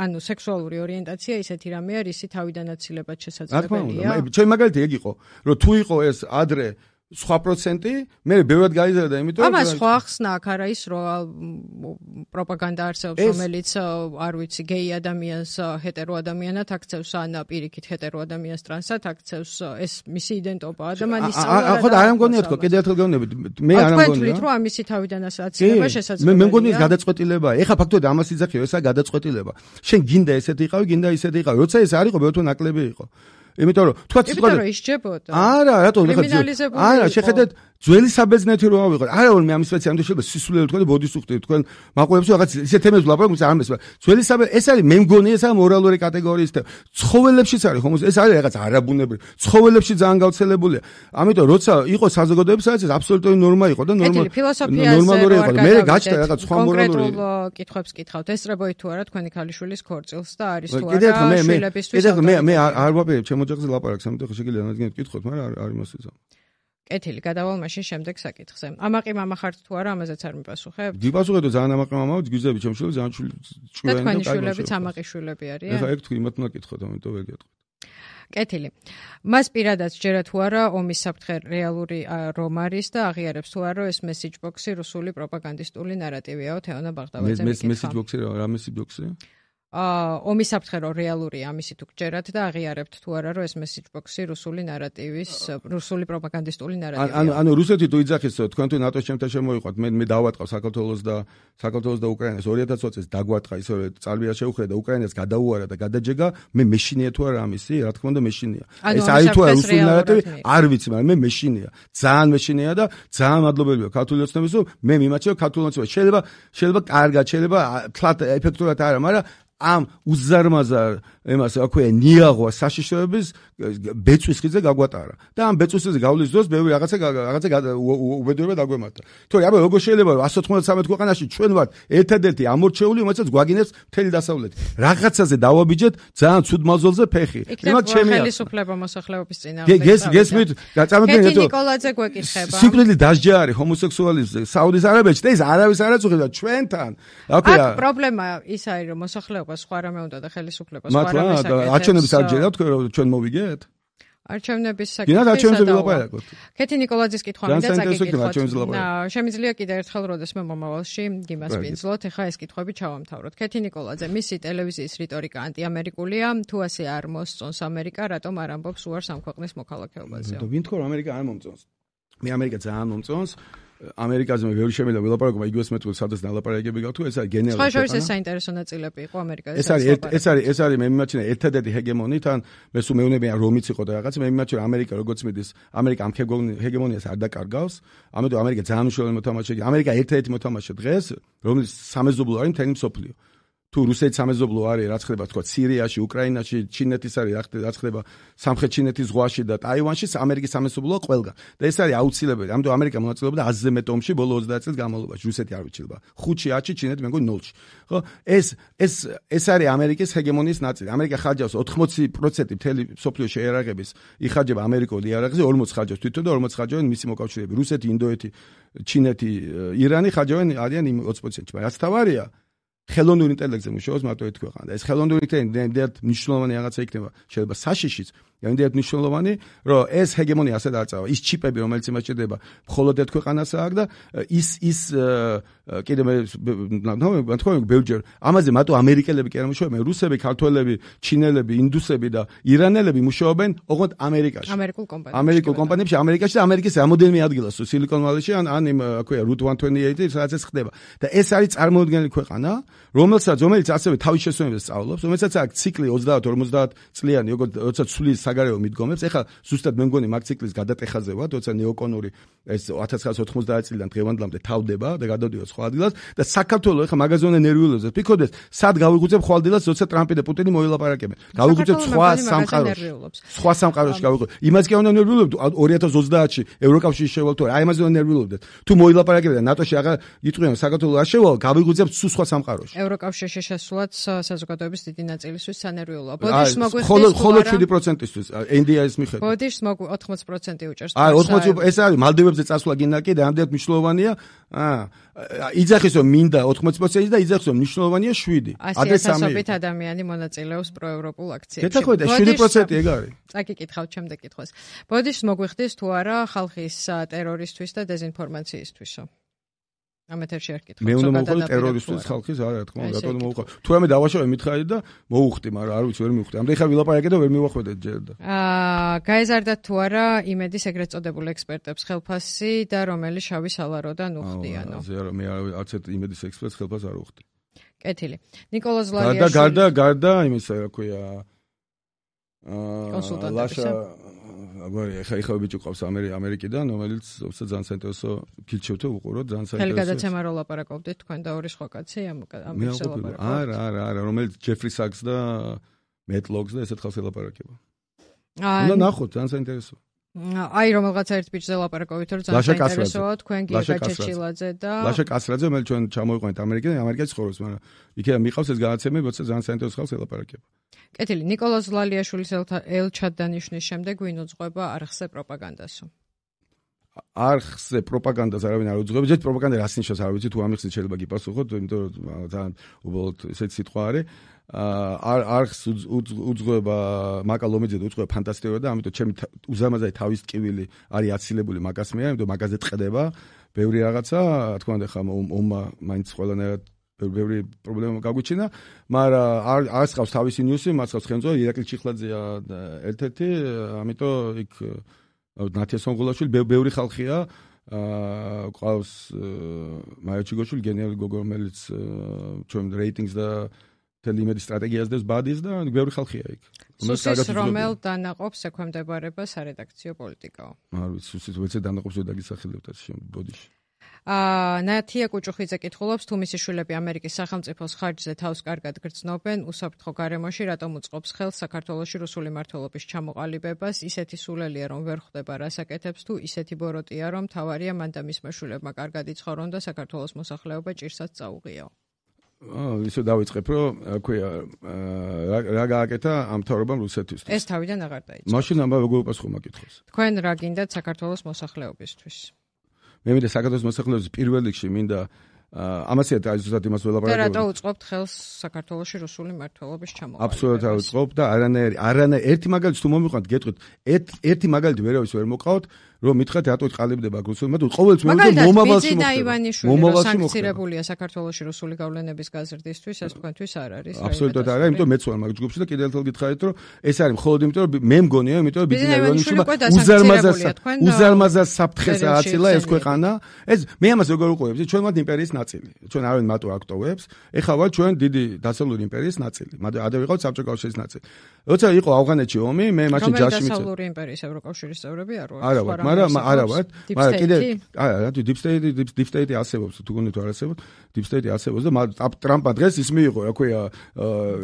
ანუ სექსუალური ორიენტაცია ისეთი რამე არის, ისი თავიდან აცილებად შესაძლებელია. ჩვენ მაგალითად ეგ იყო, რომ თუ იყო ეს ადრე სხვა პროცენტი, მე ბევრად გაიზარდა, იმიტომ რომ ამას სხვა ხსნა აქ არა ის, რომ პროპაგანდა არსებობს, რომელიც არ ვიცი, გეი ადამიანს ჰეტერო ადამიანად აქცევს, ან პირიქით ჰეტერო ადამიანს ტრანსად აქცევს, ეს მისი იდენტობაა, ადამიანის სწავლა. ხო, არ ამგონია თქო, კიდევ ერთხელ გეუბნებით, მე არ ამგონია. თქვენ რომ ამისი თავიდან აცილება შესაძლებელია. მე მგონია ეს გადაწყვეტილებაა. ეხლა ფაქტობრივად ამას იძახი, ესა გადაწყვეტილება. შენ გინდა ესეთი იყავი, გინდა ისეთი იყავი. როცა ეს არ იყო, ბევრ თვე ნაკლები იყო. იმიტომ რომ თქვა იმიტომ რომ ისჯებოდა. არა, რატომ არა, შეხედეთ ძველი საბერძნეთი რო ავიღოთ. არა, მე ამის სპეციალისტი შეიძლება სისულელე თქვა და ბოდიშს უხდით. თქვენ მაყურებელს რაღაც ისეთ თემებს ვლაპარაკობთ, არ მესმის. ძველი ეს არის მე მგონი ეს არის მორალური კატეგორიის თემა. ცხოველებშიც არის ხომ ეს არის რაღაც არაბუნებრივი. ცხოველებში ძალიან გავრცელებულია. ამიტომ როცა იყო საზოგადოების რაღაც აბსოლუტური ნორმა იყო და ნორმალური იყო. მე გაჩნდა რაღაც სხვა მორალური კითხვებს კითხავთ. ესწრებოით თუ არა თქვენი ქალიშვილის ქორწილს და არის თუ არა შვილებისთვის. მე არ ვაპირებ ჩემ ოჯახზე ლაპარაკს, ამიტომ შეიძლება რადგან კითხოთ, მაგრამ არ იმას იზა. კეთილი, გადავალ მაშინ შემდეგ საკითხზე. ამაყი მამა ხართ თუ არა, ამაზეც არ მიპასუხებ? გიპასუხებთ ძალიან ამაყი მამაა, გიზები ჩემ შვილებს, ძალიან და თქვენი შვილებიც ამაყი შვილები არიან? ეხლა ეგ თქვი, იმათ უნდა კითხოთ, ამიტომ ვერ გეტყვით. კეთილი. მას პირადად ჯერა თუ არა ომის საფრთხე რეალური რომ არის და აღიარებს თუ არა ეს message box-ი რუსული პროპაგანდისტული ნარატივიაო თეონა ბაღდავაძე მიკითხა. message box-ი რა message box-ი? ომის საფრთხე რეალურია, ამისი თუ გჯერათ და აღიარებთ თუ არა რომ ეს message box-ი რუსული ნარატივის, რუსული პროპაგანდისტული ნარატივია. ანუ რუსეთი თუ იძახის თქვენ თუ ნატოს ჩემთან შემოიყვანთ, მე დავატყავ საქართველოს და უკრაინას 2020 წელს დაგვატყა ისე წარბია შეუხრა და უკრაინას გადაუარა და გადაჯეგა, მე მეშინია თუ არა ამისი, რა თქმა უნდა მეშინია. ეს არის თუ არა რუსული ნარატივი, არ ვიცი, მაგრამ მე მეშინია. ძალიან მეშინია და ძალიან მადლობელი ვარ ქართული ოცნების, რომ მე მიმაჩნევ ქართული ოცნება. შეიძლება კარგად, შეიძლება თლათ ეფექტურად არა, მაგრამ ამ უზარმაზარ ემას აქვე ნიაღვა საშიშროების ბეწვის ხიზე გაგვატარა და ამ ბეწვის ხიზე გავლის დროს ბევრი რაღაცა უბედურება დაგვემართა. თორე აბა როგორ შეიძლება რომ 193 ქვეყანაში ჩვენ ვართ ერთადერთი ამორჩეული, რომელსაც გვაგინებს მთელი დასავლეთი. რაღაცაზე დავაბიჯეთ ძალიან ცუდ მაზოლზე ფეხი. იმათ ჩემი ხელისუფლება მოსახლეობის წინააღმდეგ. გესმით, გაწამებინეთ კეთი ნიკოლაძე გვეკითხება. სიკვდილი დასჯა არის ჰომოსექსუალიზმზე საუდის არაბეთში და ეს არავის არ აწუხებდა ჩვენთან. აქ პრობლემა ის არის რომ მოსახლეობა სხვა რამე უნდა და ხელისუფლება სხვა რამე საკეთებს. არჩევნების არ ჯერა თქვენ რომ ჩვენ მოვიგეთ? არჩევნების საკითხი. კეთი ნიკოლაძის კითხვა მინდა წაგიკითხოთ. შემიძლია კიდევ ერთხელ როდესმე მომავალში დიმას პინძლოთ, ეხა ეს კითხვები ჩავამთავროთ. კეთი ნიკოლაძე, მისი ტელევიზიის რიტორიკა ანტიამერიკულია, თუ ასე არ მოსწონს ამერიკა, რატომ არ ამბობს უარს ამ ქვეყნის მოქალაქეობაზე? ვინ თქო რომ ამერიკა არ მომწონს? მე ამერიკა ძალიან მომწონს. ამერიკაზე მე ბევრი შემიძლია ვილაპარაკო, იგივე მეტყველს სადაც ნალაპარაკები გავთუ, ეს არის გენერალური. სხვა შორის ეს საინტერესო ნაწილები იყო ამერიკაზე. ეს არის მე მიმაჩნია ერთადერთი ჰეგემონი, თან მე სულ მეუბნებიან რომიც იყო და რაღაც, მე მიმაჩნია ამერიკა როგორც მიდის, ამერიკა ამ ჰეგემონიას არ დაკარგავს, ამიტომ ამერიკა ძალიან მნიშვნელოვანი მოთამაშეა. ამერიკა ერთადერთი მოთამაშე დღეს, რომელიც სამეზობლო არის მთელი მსოფლიო. თუ რუსეთის სამეზობლო არის, რაც ხდება თქვა სირიაში, უკრაინაში, ჩინეთის არის, რაც ხდება სამხრეთ ჩინეთის ზღვაში და ტაივანში, ამერიკის სამეზობლოა ყველგან. და ეს არის აუცილებელი. ამიტომ ამერიკა მონაწილეობდა 100-ზე მეტ ომში ბოლო 20 წლის განმავლობაში. რუსეთი არ ვიჩილება. 5-ში, 10-ში, ჩინეთი მე მგონი 0-ში. ხო? ეს არის ამერიკის ჰეგემონიის ნაწილი. ამერიკა ხარჯავს 80% მთელი მსოფლიოს შეერაღების იხარჯება ამერიკულ იარაღზე, 40 ხარჯავს თვითონ და 40 ხარჯავენ მისი მოკავშირეები. რუსეთი, ინდოეთი, ჩინეთი, ირანი ხარჯავენ არიან იმ 20%-ში. რაც თავარია ხელოვნური ინტელექტზე მუშაობს მარტო ერთ ქვეყანა და ეს ხელოვნური ინტელექტი იმდენად მნიშვნელოვანი რაღაცა იქნება, შეიძლება საშიშიც, იმდენად მნიშვნელოვანი, რომ ეს ჰეგემონია ასე დაწავა, ის ჩიპები, რომელიც იმას ჭირდება, მხოლოდ ერთ ქვეყანას აქვს და ის კიდევ მე თქვენ ბევრჯერ ამაზე მარტო ამერიკელები კი არ მუშაობენ, რუსები, ქართველები, ჩინელები, ინდუსები და ირანელები მუშაობენ ოღონდ ამერიკაში. ამერიკულ კომპანიებში, ამერიკაში და ამერიკის რამოდენიმე ადგილას, სილიკონ ვალიში ან იმ აქვეა Route 128, სადაც ეს ხდება. და ეს არის წარმოუდგენელი ქვეყანა, რომელიც ასევე თავის შესწავლებს სწავლობს, რომელსაც აქვს ციკლი 30-50 წლიანი, როგორც როცა ცვლის საგარეო მიდგომებს. ეხლა ზუსტად მე მგონი მაგ ციკლის გადატეხაზე ვარ, როცა ნეოკონური ეს 1990 წლიდან დღევანდლამდე თავდება და გადავდივარ სხვა ადგილას და საქართველოს ეხლა მაგაზონე ნერვიულებზე ფიქრობდეს, სად გავიღვიძებ ხვალ დილას, როცა ტრამპი და პუტინი მოილაპარაკებენ. გავიღვიძებ სხვა სამყაროში გავიღვიძებ. იმას კი უნდა ნერვიულებდ 2030-ში ევროკავშირში შევალ თუ აი ამაზე უნდა ნერვიულებდეთ. თუ მოილაპარაკებენ და ნატოში აღარ იტყვიან საქართველოს არ შევალ, გავიღვიძებ სულ სხვა სამყაროში. ევროკავშირში შესვლაც საზოგადოების დიდი ნაწილისთვის სანერვიულოა. ბოდიშს მოგვიხდის ხოლო 7%-ისთვის NDI-ის მიხედვით. ბოდიშს 80% უჭერს. აი 80% ეს არის მალდივებზე წასვლა გინდა კიდე ამდენად მნიშვნელოვანია. იძახის რომ მინდა 80% და იძახის რომ მნიშვნელოვანია 7. ადრე 300 ადამიანი მონაწილეობს პროევროპულ აქციებში. გეთახვედა 7% ეგ არის. წაკიკითხავთ შემდეგ კითხვას. ბოდიშს მოგვიხდის თუ არა ხალხის ტერორისთვის და დეზინფორმაციისთვისო? ამეთერში არ კითხავ. მე უნდა მოვუხდი ტერორისტის ხალხის, არა, რა თქმა უნდა, რატომ მოვუხდი? თუ რამე დავაშავე მითხარი და მოვუხდი, მაგრამ არ ვიცი, ვერ მივხვდი. ამდენ ხა ვილაპარაკე და ვერ მივახვედეთ ჯერ და. გაეზარდათ თუ არა იმედის ეგრეთ წოდებულ ექსპერტებს ხელფასი და რომელი შავი სალაროდან უხდიანო? ასე არა, მე არც ერთ იმედის ექსპერტს ხელფასს არ უხდი. კეთილი. ნიკოლა ზლარიაშვილი. გარდა იმისა, რა ქვია, კონსულტანტებისა. ეხლა ბიჭი ყავს ამერიკიდან, რომელიც ძალიან საინტერესო გილჩევთო უყუროთ, ძალიან საინტერესო. ხელი გადაცემა რო ლაპარაკობდით თქვენ და ორი სხვა კაცი ამ ლაპარაკობთ. არა, რომელიც ჯეფრი საკს და მეტ ლოგს და ესეთ ხალხს ელაპარაკება. უნდა ნახოთ, ძალიან საინტერესო. აი რომელღაცა ერთ ბიჭზე ლაპარაკობთ, რომ ძალიან საინტერესოა თქვენ გიგა ჩეჩილაძე და ლაშა კასრაძე, რომელიც ჩვენ ჩამოვიყვანეთ ამერიკიდან, ამერიკაში ცხოვრობს, მაგრამ იქიდან მიყავს ეს გადაცემები, როცა ძალიან საინტერესო ხალხს ელაპარაკება. კეთილი, ნიკოლა ზლარიაშვილის ელჩადანიშნის შემდეგ ვინ უძღვება არხზე პროპაგანდასო? არხზე პროპაგანდას არავინ არ უძღვება. ჯერ პროპაგანდა რას ნიშნავს, არ ვიცი, თუ ამიხსნით შეიძლება გიპასუხოთ, იმიტომ რომ ძალიან უბრალოდ ესეთი სიტყვა არის. არხს უძღვება მაკა ლომიძე და უძღვება ფანტასტიკურად და ამიტომ ჩემი უზარმაზარი თავის ტკივილი არის აცილებული მაგას მიერ, ამიტომ მაგაზე ტყდება ბევრი რაღაცა, თქვა უნდა ხა ომმა მაინც ყველანაირად ბევრი პრობლემა გაგვიჩინა, მაგრამ არც ყავს თავისი ნიუსი, მას ყავს ხელმძღვანელი ირაკლი ჩიხლაძეა ერთ-ერთი, ამიტომ იქ ნათია სონღულაშვილი ბევრი ხალხია, ყავს მაია ჩიგოშვილი, გენერალი გოგო, რომელიც ჩვენ რეიტინგს და თელიმედის სტრატეგიას დევს ბადის და ბევრი ხალხია იქ. სუსის რომელ დანაყოფს ექვემდებარება სარედაქციო პოლიტიკაო? არ ვიცი, სუსის ვეცე დანაყოფს ვერ დაგისახელებთ ბოდიში. ნათია კუჭუხიძე კითხულობს, თუ მისი შვილები ამერიკის სახელმწიფოს ხარჯზე თავს კარგად გრძნობენ, უსაფრთხო გარემოში რატომ უწყობს ხელს საქართველოში რუსული მმართველობის ჩამოყალიბებას? ისეთი სულელია, რომ ვერ ხვდება რას აკეთებს, თუ ისეთი ბოროტია, რომ თავარია მან და მისმა შვილებმა კარგად იცხოვრონ და საქართველოს მოსახლეობა ჭირსაც წაუღიაო. ისე დავიწყებ, რომ ქვია რა გააკეთა ამ თავრობამ რუსეთისთვის. ეს თავიდან აღარ დაიწყო. მაშინ ამბავ როგორ უპასუხო მაგითხოს. თქვენ რა გინდათ საქართველოს მოსახლეობისთვის? მე მინდა საქართველოს მოსახლეობის პირველ რიგში მინდა ამასია ზუსტად იმას ველაპარაკობ. და რატო უწყობთ ხელს საქართველოში რუსული მმართველობის ჩამოყალიბებას? აბსოლუტურად არ უწყობ და არანაირი ერთი მაგალითი თუ მომიყვანთ გეტყვით, ერთი მაგალითი ვერავის ვერ მოყავთ, რომ მითხრათ რატო ყალიბდება რუსული მმართველობა. ყოველთვის მე ვიმეორებ მომავალში მოხდება. სანქცირებულია საქართველოში რუსული გავლენების გაზრდისთვის, ეს თქვენთვის არ არის. აბსოლუტურად არა, იმიტომ მეც ვარ მაგ ჯგუფში და კიდევ ერთხელ გითხარით, რომ ეს არის მხოლოდ იმიტომ, რომ მე მგონია, იმიტომ რომ ბიზნეს აივანიშვილმა უზარმაზარ საფრთხეს ააცილა ეს ქვეყანა. ეს მე ამას როგორ უყურებ, ჩვენ ვართ იმპერიის ნაწილი. ჩვენ არავინ მარტო აქტოვებს, ეხლა ვართ ჩვენ დიდი დასავლური იმპერიის ნაწილი. ადრე ვიყავთ საბჭოთა კავშირის ნაწილი. როცა იყო ავღანეთში ომი, მე მაშინ ჯარში მიწევ. დასავლური იმპერიის ევროკავშირის წევრები არ ვართ. არა ვართ, მაგრამ არა ვართ. მაგრამ კიდე არა, deep state არსებობს, თუ გონით არ არსებობს, deep state არსებობს და ტრამპმა დღეს ის მიიღო, რა ქვია,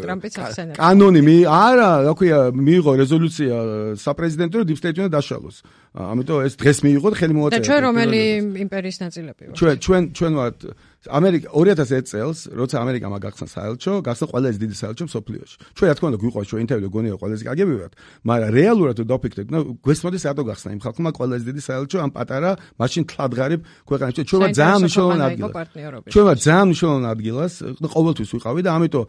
ტრამპის ახსენება. კანონი არა, რა ქვია, მიიღო რეზოლუცია საპრეზიდენტო, deep state უნდა დაშალოს. ამიტომ ეს დღეს მიიღო და ხელი მოაწერა. და ჩვენ რომელი იმპერიის ნაწილები ვართ? ჩვენ ვართ ამერიკა 2001 წელს, როცა ამერიკამ გახსნა საელჩო, გახსნა ყველაზე დიდი საელჩო მსოფლიოში. ჩვენ რა თქმა უნდა გვიყვარს ჩვენ ინტერვიუ გონია ყველაზე კარგები ვართ, მაგრამ რეალურად თუ დავფიქრდეთ, გვესმოდეს რატო გახსნა იმ ხალხმა ყველაზე დიდი საელჩო ამ პატარა მაშინ თლადღარიბ ქვეყანაში. ჩვენ ვართ ძალიან მნიშვნელოვანი ადგილი. ჩვენ ვართ ძალიან მნიშვნელოვანი ადგილას, ყოველთვის ვიყავი და ამიტომ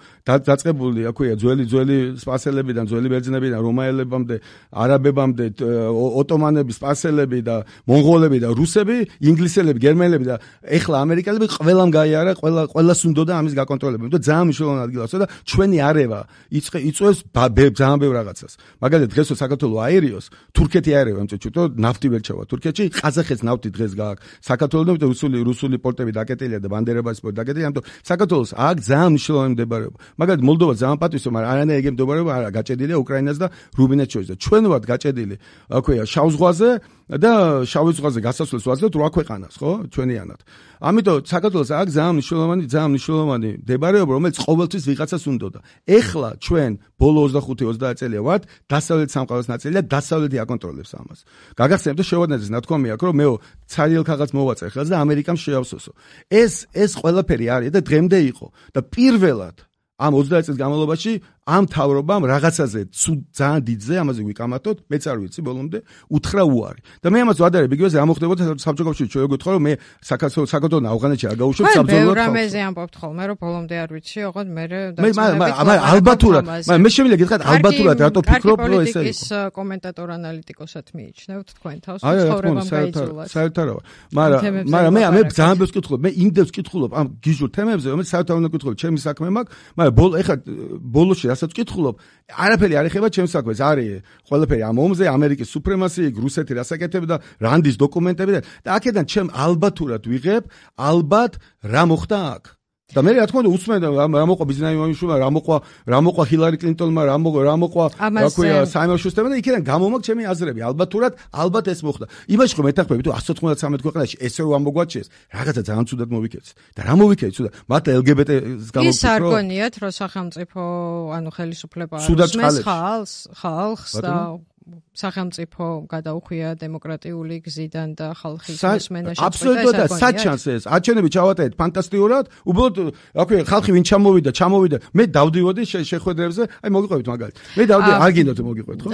დაწყებული, რა ქვია, ძველი სპარსელებიდან, ძველი ბერძნებიდან, რომაელებამდე, არაბებამდე, ოტომანები, სპარსელები და მონღოლები და რუსები, ინგლისელები, გერმანელები და ეხლა ამერიკელები ყველა ყველამ გაიარა, ყველას უნდოდა ამის გაკონტროლება. იმიტომ ძალიან მნიშვნელოვანი ადგილასო და ჩვენი არევა იწვევს ძალიან ბევრ რაღაცას. მაგალითად დღესო საქართველოს აერიოს, თურქეთი აერევა, იმიტომ ნავთი ვერ ჩავა თურქეთში, ყაზახეთს ნავთი დღეს გააქვს. საქართველოს რუსული პორტები დაკეტილია და ბანდერაბასის პორტი დაკეტილია, ამიტომ საქართველოს აქ ძალიან მნიშვნელოვანი მდებარეობა. მაგალითად მოლდოვა ძალიან პატივისო, მაგრამ არანაირ ეგ მდებარეობა არა, გაჭედილია უკრაინას და რუმინეთს შორის და ჩვენ ვართ გაჭედილი, აქვეა შავ ზღვაზე და შავი ზღვაზე გასასვლელს ვაძლევთ 8 ქვეყანას, ხო? ჩვენიანად. ამიტომ საქართველოს აქ ძალიან მნიშვნელოვანი მდებარეობა, რომელიც ყოველთვის ვიღაცას უნდოდა. ეხლა ჩვენ ბოლო 25-30 წელია ვართ დასავლეთ სამყაროს ნაწილი და დასავლეთი აკონტროლებს ამას. გაგახსენებთ და შევადნაძეს ნათქვამი აქვს, რომ მეო ცარიელ ქაღალდს მოვაწერ ხელს და ამერიკამ შეავსოსო. ეს ყველაფერი არის და დღემდე იყო და პირველად ამ 30 წლის განმავლობაში ამ თავრობამ რაღაცაზე ძალიან დიდზე ამაზე ვიკამათოთ, მეც არ ვიცი ბოლომდე, უთხრა უარი. და მე ამას ვადარებ, იგივე რა მოხდებოდა საბჭოთა კავშირში, ჩვენ გითხარ რომ მე საქართველოს ავღანეთში არ გავუშვებ საბრძოლოდ. მე რამეზე ამბობთ ხოლმე, რომ ბოლომდე არ ვიცი, ოღონდ მე ალბათურად, მე შემიძლია გითხრათ ალბათურად რატო ფიქრობ რომ ესე იყო. ის კომენტატორ ანალიტიკოსად მიიჩნევთ თქვენ თავს, ცხოვრებამ გაიძულათ. საერთოდ, მაგრამ მე ძალიან ბევრს ვკითხულობ, მე იმდენს ვკითხულობ ამ გიჟურ თემებზე, რომელიც საერთოდ არ ვკითხულობ, ჩემი საქმე მაქვს, მაგრამ ეხლა ბოლოში რასაც ვკითხულობ, არაფერი არ ეხება ჩემს საქმეს, არის ყველაფერი ამ ომზე, ამერიკის სუპრემასი, რუსეთი რასაკეთებდა, რანდის დოკუმენტები და აქედან ჩემ ალბათურად ვიღებ, ალბათ რა მოხდა აქ. და მე რა თქმა უნდა უსმენდა რა მოყვა ბიზნაიმონიშვილმა, რა მოყვა ჰილარი კლინტონმა, რა მოყვა აქვეა საიმონ შუსტერმა და იქიდან გამომაქვს ჩემი აზრები. ალბათ ეს მოხდა. იმაში ხო მეთანხმები თუ 193 ქვეყანაში ესე რომ ამოგვაჩეს, რაღაცა ძალიან ცუდად მოვიქეცი. და რა მოვიქეცი ცუდად? მათ LGBT-ს გამოვიქეცი. ის არ გონიათ, რომ სახელმწიფო, ანუ ხელისუფლება არ ხალხს და სახელმწიფო გადაუხვია დემოკრატიული გზიდან და ხალხის მოსმენა შეწყვეტა. აბსოლუტურად საჩანს ეს. არჩევნები ჩავატარეთ ფანტასტიკურად. უბრალოდ აქვე ხალხი ვინ ჩამოვიდა. მე დავდივოდი შეხვედრებზე. აი მოგიყვებით მაგალითად. მე დავდივოდი, არ გინდოთ მოგიყვეთ, ხო?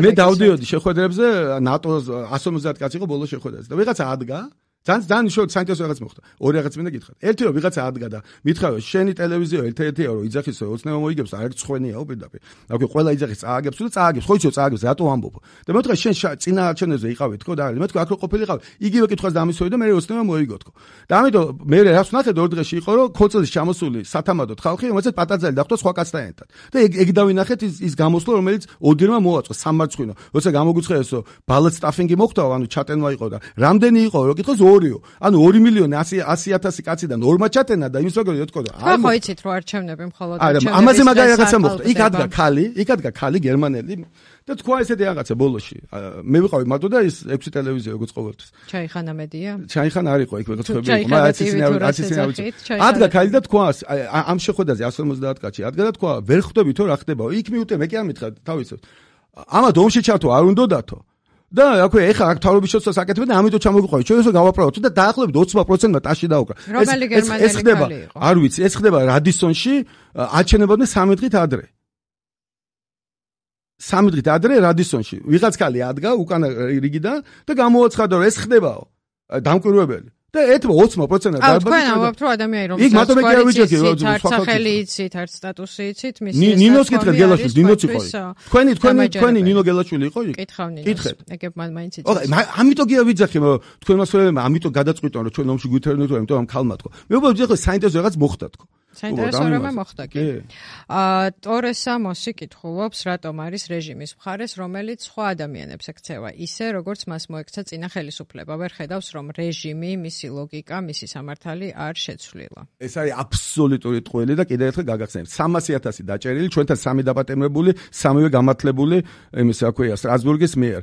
მე დავდივოდი შეხვედრებზე, ნატოს 150 კაცი იყო ბოლო შეხვედრაზე. და ვიღაცა ადგა ძალიან საინტერესო რაღაც მოხდა. ორი რაღაც მინდა გითხრათ. ერთი რომ ვიღაცა ადგა და მითხრა შენი ტელევიზია ერთ-ერთია რომ იძახისო ოცნება მოიგებს, არ ცხვენიაო პირდაპირ. აკვე ყველა იძახის წააგებს და წააგებს. ხო იცო წააგებს, რატო ამბობ? და მეთქვა შენ წინა არჩევნებზე იყავით, ხო და მეთქვა აქ რო ყოფილიყავ, იგივე კითხვას დამისვევი და მე ოცნება მოიგოთ, ხო. და ამიტომ მე რას ვნახეთ ორ დღეში იყო რომ ქოწლის ჩამოსული სათამადოდ ხალხი, რომელსაც პატარძალი დახვდა სხვა კაცთან ერთად. და ეგ დავინახეთ ის გამოსვლა, რომელიც ოდირმა მოაწყო სამარცხვინო. როცა გამოგვიცხაესო ბალად სტაფინგი მოხდა, ანუ ჩატენვა იყო და რამდენი იყო, რო კითხოს ანუ 2,100,000 კაციდან 2-მა ჩატენა და იმის როგორ ეთქოდა. ხო იცით რომ არჩევნები მხოლოდ არჩევნები. ამაზე მაგარი რაღაცა მოხდა. იქ ადგა ხალი გერმანელი და თქვა ესეთი რაღაცა ბოლოში. მე ვიყავი მარტო და ის 6 ტელევიზია როგორც ყოველთვის. ჩაიხანა მედია? ჩაიხანა არ იყო იქ ვეცხვები იყო. ადგა ხალი და თქვა ამ შეხვედრაზე 150 კაცი ადგა და თქვა ვერ ხვდები თუ რა ხდება. იქ მიუტე მე კი არ მითხრა თავისად. ამათ ომში ჩართო არ უნდოდათო. და აქვე ეხა აქ თავრობის შეცვლას აკეთებენ და ამიტომ ჩამოგიყვანეთ. ჩვენ ესე გავაპრავოთ და დაახლოებით 20%-მა ტაში დაუკრა. რომელი გერმანელი ხალი იყო? არ ვიცი, ეს ხდება რადისონში, აჩენებოდნენ 3 დღით ადრე. 3 დღით ადრე რადისონში. ვიღაც ხალი ადგა უკანა რიგიდან და გამოაცხადა რომ ეს ხდებაო. დამკვირვებელი. და 20%-ად დაბალი. თქვენ ამბობთ რომ ადამიანი რომ იქ მარტო მე კი არ ვიჯექი რომ სახელი იცით, არც სტატუსი იცით, მისი ნინოს კითხეთ გელაშვილი, ნინოც იყო. თქვენი ნინო გელაშვილი იყო იქ? კითხავ ნინოს. ეგებ მან მაინც იცით. ამიტომ კი არ ვიძახი, თქვენ მასწავლებელმა ამიტომ გადაწყვიტონ რომ ჩვენ ომში გვითარდეთ, იმიტომ ამ ქალმა თქო. მე უბრალოდ ვიძახი საინტერესო რაღაც მოხდა თქო. საინტერესო რამე მოხდა კი. ტორესა მოსი კითხულობს, რატომ არის რეჟიმის მხარეს, რომელიც სხვა ადამიანებს ექცევა, ისე როგორც მას მოექცა წინა ხელისუფლება. ვერ ხედავს რომ რეჟიმი, მისი ლოგიკა, მისი სამართალი არ შეცვლილა. ეს არის აბსოლუტური ტყუილი და კიდევ ერთხელ გაგახსენებთ. 300,000 დაჭერილი, ჩვენთან 3 დაპატიმრებული, 3-ვე გამართლებული, იმის რა ქვია, სტრასბურგის მიერ.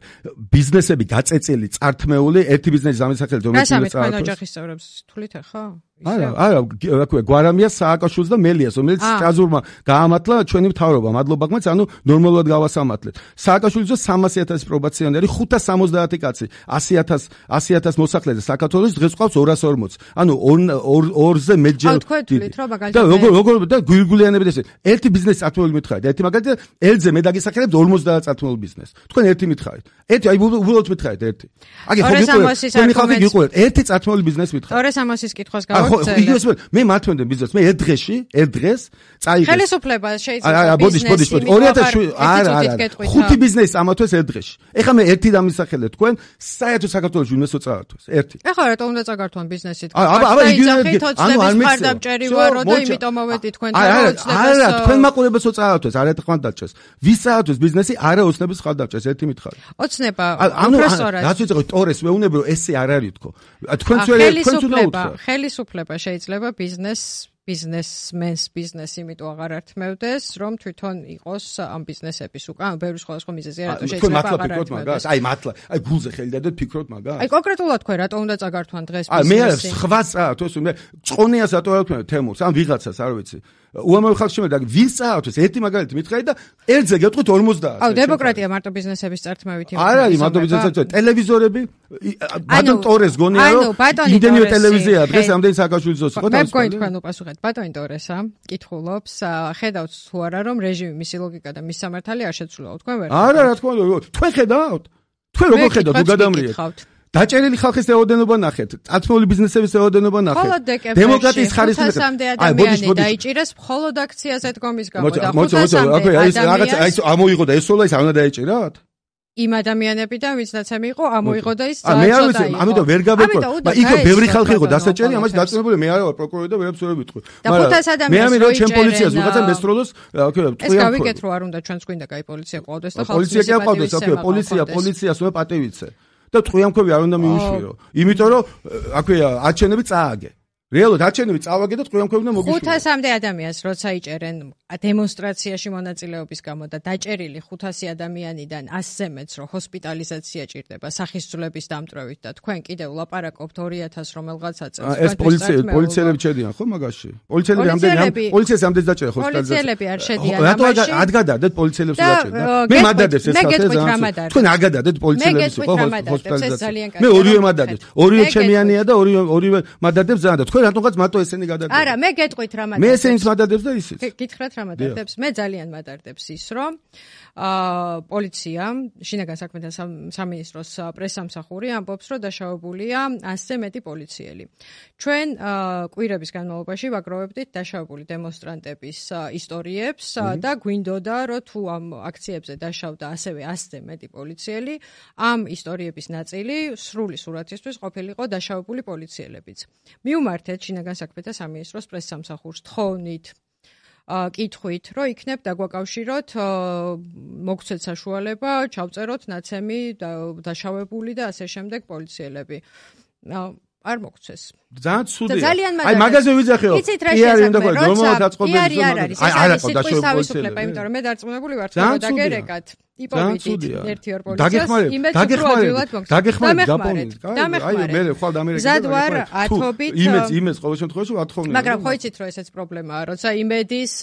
ბიზნესები გაწეწილი, წართმეული, ერთი ბიზნესის ამისახელით რომელიც წარსულს. რა სამეთ ოჯახის წევრებს თulit ახლა? არა, რა ქვია, გვარამიას სააკაშვილს და მელიას, რომელიც სტრასბურგმა გაამართლა ჩვენი მთავრობა, მადლობა გმაც, ანუ ნორმალურად გავასამართლეთ. სააკაშვილის 300,000 პრობაციონერი, 570 კაცი, 100,000 მოსახლეზე საქართველოს დღეს ყავს 240. ანუ 2-ზე მეტჯერ. თქვენ თulit რომ მაგალითად და როგორ და გვირგვიანებით ესე. ერთი ბიზნესი წართმეული მითხარით, ერთი მაგალითად ელზე მე დაგისახელებ 50 წართმულ ბიზნეს. თქვენ ერთი მითხარით. ერთი აი უბრალოდ მითხარით ერთი. აგე ხო გიყურეთ. თქვენი ხალხი გიყურეთ. ერთი წართმული ბიზნესი მითხარით. ტორეს ამოსის კითხვას გავაკეთე. მოგწელებ. მე მართლმადიდე ბიზნეს, მე ერთ დღეს წაიღეს. ხელისუფლება შეიძლება ბიზნესი. 2007 არა. 5 ბიზნესი ამათვეს ერთ დღეში. ეხლა მე ერთი დამისახელე თქვენ, საერთოდ საქართველოს ვინმე წაართვეს. ერთი. ეხლა რატომ უნდა წაგართვან ბიზნესი თქვენ? აბა იგივე ანუ არ მხარდამჭერი ვარო და იმიტომ მოვედი თქვენთან ოცნებას. არა, თქვენ მაყურებელს წაართვეს, არა ეთქვან დაჭეს. ვის წაართვეს ბიზნესი, არა ოცნების ხალდაჭეს, ერთი მითხარი. ოცნება პროფესორად. რაც ვიწყო ტორეს მეუნებრო ესე არ არის თქო. თქვენ უნდა უთხრა. ხელისუფლება შეიძლება ბიზნესმენს ბიზნესი იმიტომ აღარ ართმევდეს, რომ თვითონ იყოს ამ ბიზნესების უკან, ბევრი სხვადასხვა მიზეზია, რატო შეიძლება აღარ ართმევდეს. აი გულზე ხელი დადეთ ფიქრობთ მაგას. აი კონკრეტულად თქვენ რატო უნდა წაგართვან დღეს ბიზნესი? მე სხვა წაართვეს, მე წონიას რატო არ ვთქვი თემურს, ან ვიღაცას არ ვიცი. უამრავი ხალხი შემედა, ვის წაართვეს? ერთი მაგალითი მითხარი და ერთზე გეტყვით 50. აუ დემოკრატია მარტო ბიზნესების წართმევით იმის. არ არის მარტო ბიზნესების, ტელევიზორები, ბატონ ტორეს გონია რომ იმდენივე ტელევიზია დღეს ამდენი სააკაშვილის ძოს იყო და მე მგონი თქვენ უპასუხეთ ბატონი ტორესა კითხულობს ხედავთ თუ არა რომ რეჟიმი მისი ლოგიკა და მისი სამართალი არ შეცვლილა თქვენ ვერ არა რა თქმა უნდა თქვენ ხედავთ თქვენ როგორ ხედავთ თუ გადამრიეთ დაჭერილი ხალხის რაოდენობა ნახეთ წათმეული ბიზნესების რაოდენობა ნახეთ დემოკრატიის ხარისხი აი დაიჭირეს მხოლოდ აქციაზე დგომის გამო და 500-მდე აი ამოიღო და ესოლა ის არ უნდა დაიჭირათ იმ ადამიანებიდან ვინც ნაცემი იყო ამოიღო და ის მე არ ვიცი ამიტომ ვერ გავეკო იქ ბევრი ხალხი იყო დასაჭერი ამაში დაწუნებული მე არ ვარ პროკურორი და ვერაფერს ვერ ვიტყვი მაგრამ მე ამიტომ ჩემ პოლიციას ვიღაცა მესროლოს ეს გავიგეთ რომ არ უნდა ჩვენს გვინდა კაი პოლიცია ყავდეს და ხალხის პოლიცია კი ყავდეს პოლიციას უნდა პატევიცე და ტყვიამქვები არ უნდა მიუშვირო იმიტომ რომ აქვეა არჩევნები წააგე რეალურად არჩევნები წავაგე და ტყვიამქვები უნდა მოგიშვირო 500-მდე ადამიანს როცა იჭერენ დემონსტრაციაში მონაწილეობის გამო და დაჭერილი 500 ადამიანიდან 100-ზე მეც რომ ჰოსპიტალიზაცია ჭირდება სახისძვლების დამტვრევით და თქვენ კიდევ ლაპარაკობთ 2000 რომელღაცა წელს ეს პოლიციელები ჩედიან ხო მაგაში პოლიციელები ამდენ დაჭერა ჰოსპიტალიზაცია პოლიციელები არ შედიან ამაში რატო ადგადადეთ პოლიციელებს დაჭერდა მე მადადებს ეს თქვენ აგადადეთ პოლიციელებს ჰოსპიტალიზაცია მე ორივე მადადებს ორივე ჩემიანია და ორივე მადადებს ზანდა თქვენ რატომღაც მარტო ესენი გადადეთ არა მე გეტყვით რა მადადებს მე ესენიც მადადებს და ისიც გითხრათ რა მადადებს მე ძალიან მადადებს ის რომ პოლიცია შინაგან საქმეთა სამინისტროს პრესსამსახური ამბობს რომ დაშავებულია 100-ზე მეტი პოლიციელი ჩვენ კვირების განმავლობაში ვაგროვებდით დაშავებული დემონსტრანტების ისტორიებს და გვინდოდა რომ თუ ამ აქციებზე დაშავდა ასევე 100-ზე მეტი პოლიციელი ამ ისტორიების ნაწილი სრული სურათისთვის ყოფილიყო დაშავებული პოლიციელებიც მიუმართეთ შინაგან საქმეთა სამინისტროს პრესსამსახურს თხოვნით კითხვით, რომ იქნებ დაგვაკავშიროთ მოგცეთ საშუალება, ჩავწეროთ ნაცემი დაშავებული და ასე შემდეგ პოლიციელები. არ მოგცეს. ძალიან ცუდია. აი მაგაზე ვიძახეო. პიარი უნდა ყო, ნორმალურად აწყობენ ზოგადად. აი არა ყო დაშავებული პოლიციელები. იმიტომ რომ მე დარწმუნებული ვარ, რომ დაგერეკათ. ტიპოვით ერთი ორ პოლიციას დაგეხმარეთ აი მე ხვალ ამერიკაში ზადვარ ათობით იმეც ყოველ შემთხვევაში ვათხოვნი მაგრამ ხო იცით რომ ესეც პრობლემაა როცა იმედის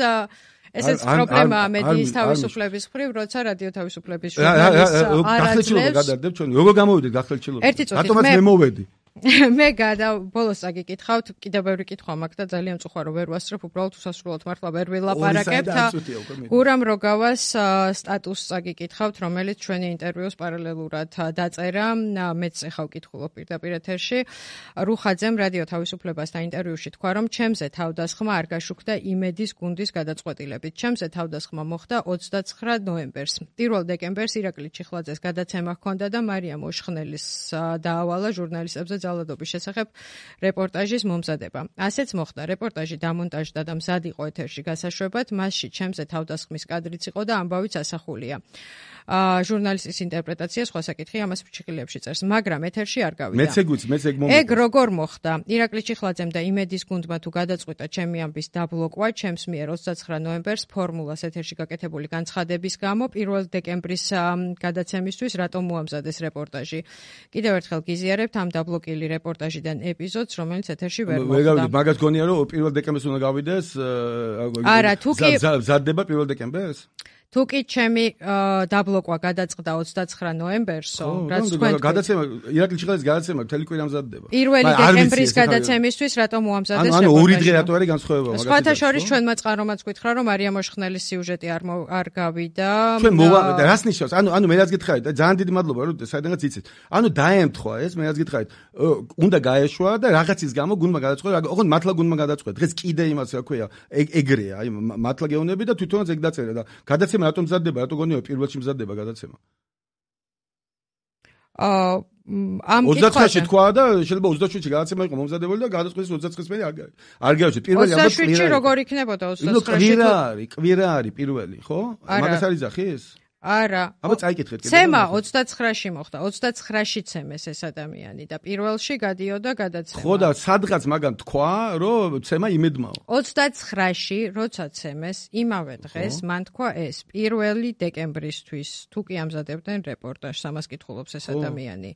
ესეც პრობლემაა მედიის თავისუფლების მხრივ როცა რადიო თავისუფლების ჟურნალისტს გახელჩილობა გადარდებ ჩვენ როგორ გამოვიდეთ გახელჩილობა რატომაც მე მოვედი მე ბოლოს აგიკითხავთ კიდევ ბევრი კითხვა მაქვს და ძალიან წუხარ რომ ვერ ვასწრებ უბრალოდ უსასრულოდ მართლა ვერ ვილაპარაკებთ გურამ როგავას სტატუსს აგიკითხავთ რომელიც ჩვენი ინტერვიუს პარალელურად დაწერა მეც ახლა ვკითხულობ პირდაპირ ეთერში რუხაძემ რადიო თავისუფლებასთან ინტერვიუში თქვა რომ ჩემზე თავდასხმა არ გაშუქდა იმედის გუნდის გადაწყვეტილებით ჩემზე თავდასხმა მოხდა 29 ნოემბერს 1 დეკემბერს ირაკლი ჩიხლაძეს გადაცემა ჰქონდა და მარიამ ოშხნელის დაავალა ჟურნალისტებზე ძალადობის შესახებ რეპორტაჟის მომზადება. ასეც მოხდა. რეპორტაჟი დამონტაჟდა და მზად იყო ეთერში გასაშვებად. მასში ჩემზე თავდასხმის კადრიც იყო და ამბავიც ასახულია. ჟურნალისტის ინტერპრეტაცია სხვა საკითხი ამას ფრჩხილებში წერს, მაგრამ ეთერში არ გავიდა. ეგ როგორ მოხდა? ირაკლი ჩიხლაძემ და იმედის გუნდმა თუ გადაწყვიტა ჩემი ამბის დაბლოკვა, ჩემს მიერ 29 ნოემბერს ფორმულას ეთერში გაკეთებული განცხადების გამო 1 დეკემბრის გადაცემისთვის რატომ მოამზადეს რეპორტაჟი. კიდევ ერთხელ გიზიარებთ ამ დაბლოკილი რეპორტაჟიდან ეპიზოდს, რომელიც ეთერში ვერ მოხდა. მაგას გონია რომ 1 დეკემბერს უნდა გავიდეს? არა, თუ კი ზადდება 1 დეკემბერს? თუ კი ჩემი დაბლოკვა გადაწყდა 29 ნოემბერსო, რაც თქვენ გადაცემა ირაკლი ჩიხაძის გადაცემა მთელი კვირა მზადდება. 1 დეკემბრის გადაცემისთვის რატომ მოამზადეს ანუ 2 დღე რატო არის განსხვავება მაგას. სხვათა შორის ჩვენმა წყარომაც გითხრა რომ მარია მოშხნელის სიუჟეტი არ გავიდა. ჩვენ რას ნიშნავს? ანუ მე რაც გითხარით და ძალიან დიდი მადლობა რომ საიდანაც იცით. ანუ დაემთხვა ეს მე რაც გითხარით. უნდა გაეშვა და რაღაცის გამო გუნდმა გადაწყვეტა. ოღონდ მართლა გუნდმა გადაწყვეტა. დღეს კიდე იმას რა ქვია, ეგრეა, აი მართლა გეუბნები და თვითონაც ეგ დაწერა და გადაცემა რატომ მზადდება? რატო გონიო პირველში მზადდება გადაცემა? ამ 29-ში თქვა და შეიძლება 27-ში გადაცემა იყო მომზადებული და გადაწყვეტეს 29-ში არ გავიჩი. პირველი ამბობ 27-ში როგორ იქნებოდა 29-ში? კვირა არის პირველი, ხო? მაგას არის ახის? არა. აბა წაიკითხეთ კიდე. ცემა 29-ში მოხდა. 29-ში ცემეს ეს ადამიანი და პირველში გადიოდა გადაცემა. ხო და სადღაც მაგან თქვა, რომ ცემა იმედმაო. 29-ში როცა ცემეს, იმავე დღეს მან თქვა ეს 1 დეკემბრისთვის თუ კი ამზადებდნენ რეპორტაჟს, ამას კითხულობს ეს ადამიანი.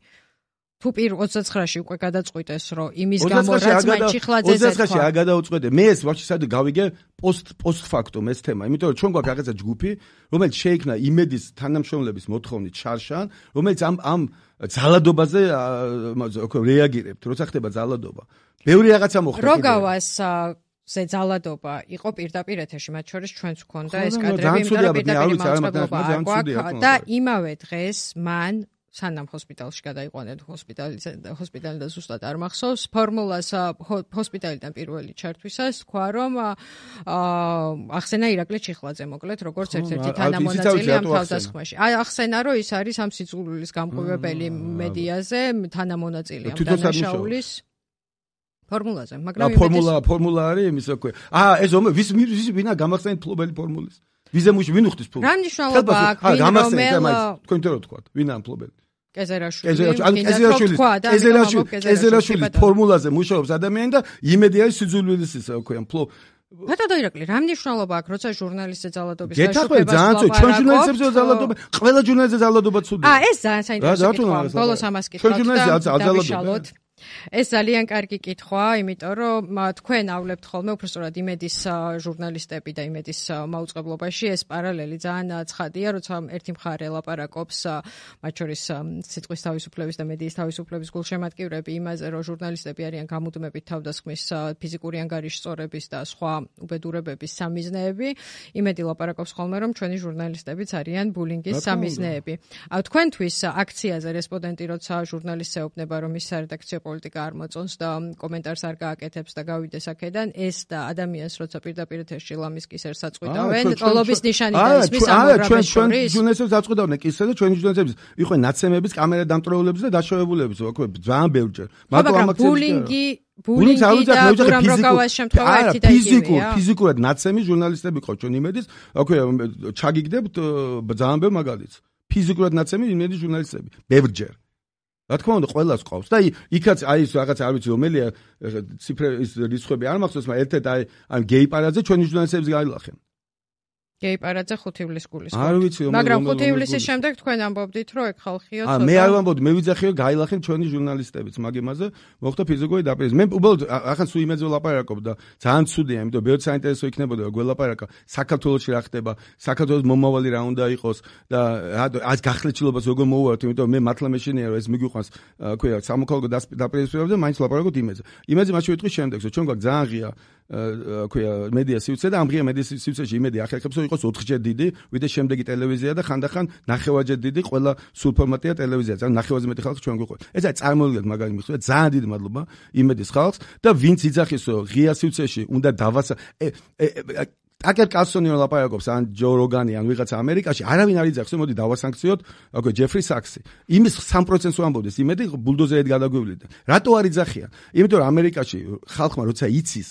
თუ 29-ში უკვე გადაწყვიტეს, რომ იმის გამო რაც მან ჩიხლაძეზე თქვა. 29-ში არ გადაუწყვეტე. მე ეს ვაფშე საერთოდ გავიგე post factum ეს თემა. იმიტომ რომ ჩვენ გვაქვს რაღაცა ჯგუფი, რომელიც შეიქმნა იმედის თანამშრომლების მოთხოვნით შარშან, რომელიც ამ ძალადობაზე რეაგირებთ, როცა ხდება ძალადობა. ბევრი რაღაცა მოხდა. როგავას ზე ძალადობა იყო პირდაპირ ეთერში, მათ შორის ჩვენც ვქონდა ეს კადრები, იმიტომ რომ პირდაპირ მაუწყებლობა აქვს და იმავე დღეს მან სანამ ჰოსპიტალში გადაიყვანეთ ჰოსპიტალი და ზუსტად არ მახსოვს ფორმულას ჰოსპიტალიდან პირველი ჩართვისას თქვა რომ ახსენა ირაკლი ჩიხლაძე მოკლედ როგორც ერთ-ერთი თანამონაწილე ამ თავდასხმაში. ახსენა რომ ის არის ამ სიძულვილის გამყივებელი მედიაზე თანამონაწილე ამ დანაშაულის ფორმულაზე, მაგრამ ფორმულა არის იმის აკვე. ეს ვის ვინა გამახსენეთ ფლობელი ფორმულის. ვიზე მუშ ვინ უხდის ფლობელი? რა მნიშვნელობა აქვს ვინ თქვენ თორე თქვა ვინა ამ ფლობელი? კეზერაშვილი ფორმულაზე მუშაობს ადამიანი და იმედი არის სიძულვილის ისე აკვე ფლო ბატონო ირაკლი, რა მნიშვნელობა აქვს, როცა ჟურნალისტზე ძალადობის გაშუქებას ვაპარაკობ? ჩვენ ჟურნალისტებზე ძალადობა, ყველა ჟურნალისტზე ძალადობა ცუდია. ეს ძალიან საინტერესო კითხვაა. ბოლოს ამას კითხავთ და დავიშალოთ. ეს ძალიან კარგი კითხვა, იმიტომ რომ თქვენ ავლებთ ხოლმე უბრალოდ იმედის ჟურნალისტები და იმედის მაუწყებლობაში ეს პარალელი ძალიან ცხადია, როცა ერთი მხარე ლაპარაკობს მათ შორის სიტყვის თავისუფლების და მედიის თავისუფლების გულშემატკივრები იმაზე, რომ ჟურნალისტები არიან გამუდმებით თავდასხმის ფიზიკური ანგარიშწორების და სხვა უბედურებების სამიზნეები. იმედი ლაპარაკობს ხოლმე, რომ ჩვენი ჟურნალისტებიც არიან ბულინგის სამიზნეები. თქვენთვის აქციაზე რესპონდენტი როცა ჟურნალისტს ეუბნება, რომ ის სარედაქციო პოლიტიკა არ მოწონს და კომენტარს არ გააკეთებს და გავიდეს აქედან ეს და ადამიანს როცა პირდაპირ ეთერში ლამის კისერს აწყვეტავენ ტოლობის ნიშანი და ისმის ამორაბეს შორის ჟურნალისტებს აწყვეტავენ კისერს და ჩვენი ჟურნალისტებს იყვნენ ნაცემების კამერა დამტრეულებს და დაშავებულებს ვაქვე ძალიან ბევრჯერ მაგრამ ბულინგი და უბრალოდ შემთხვევა ერთი და იგივეა ფიზიკურად ნაცემი ჟურნალისტები ყო ჩვენ იმედის აქვე ჩაგიგდებთ ძალიან ბევრ მაგალითს ფიზიკურად ნაცემი იმედის ჟურნალისტები ბევრჯერ რა თქმა უნდა ყველას ყავს და იქაც აი ეს რაღაც არ ვიცი რომელია ციფრის რიცხვები არ მახსოვს მაგრამ ერთ-ერთ აი ამ გეი პარადზე ჩვენი ჟურნალისტებს გაილახენ გეი პარადზე 5 ივლისის გულის არ ვიცი მაგრამ 5 ივლისის შემდეგ თქვენ ამბობდით რომ ეგ ხალხიო ცოტა მე არ ვამბობდი მე ვიძახიო გაილახენ ჩვენი ჟურნალისტებიც მაგ-იმაზე მოხდა ფიზიკური დაპირება მე უბრალოდ ახლა სულ იმედზე ვლაპარაკობ და ძალიან ცუდია იმიტომ ბევრ საინტერესო იქნებოდა გველაპარაკა საქართველოში რა ხდება საქართველოს მომავალი რა უნდა იყოს და ას გახლეჩილობას როგორ მოვუართ იმიტომ მე მართლა მეშინია რომ ეს მიგვიყვანს ქვია სამოქალაქო დაპირებებზე მაინც ვლაპარაკობთ იმედზე მაშინ ვიტყვი შემდეგს ჩვენ გვაქვს ძალიან ღია ქვია მედია სივრცე და ამ ღია მედია სივრცეში იმედი ახერხებს რომ იყოს 4-ჯერ დიდი ვიდრე შემდეგი ტელევიზია და ხანდახან 9-ჯერ დიდი ყველა სულ ფორმატია ტელევიზია ძალიან 9-ზე მეტი ხალხი ჩვენ გვიყვება ეს არის წარმოვიდგინეთ მაგარი მიხვდა ძალიან დიდი მადლობა იმედის ხალხს და ვინც იძახის რომ ღია სივრცეში უნდა დავასა ტაკერ კალსონი ლაპარაკობს ან ჯო როგანი ან ვიღაცა ამერიკაში არავინ არ იძახს რომ მოდი დავასანქციოთ აკვე ჯეფრი საქსი იმის 3%-ს ვამბობდეს იმედი ბულდოზერით გადაგვივლიდა რატო არ იძახიან იმიტომ რომ ამერიკაში ხალხმა როცა იცის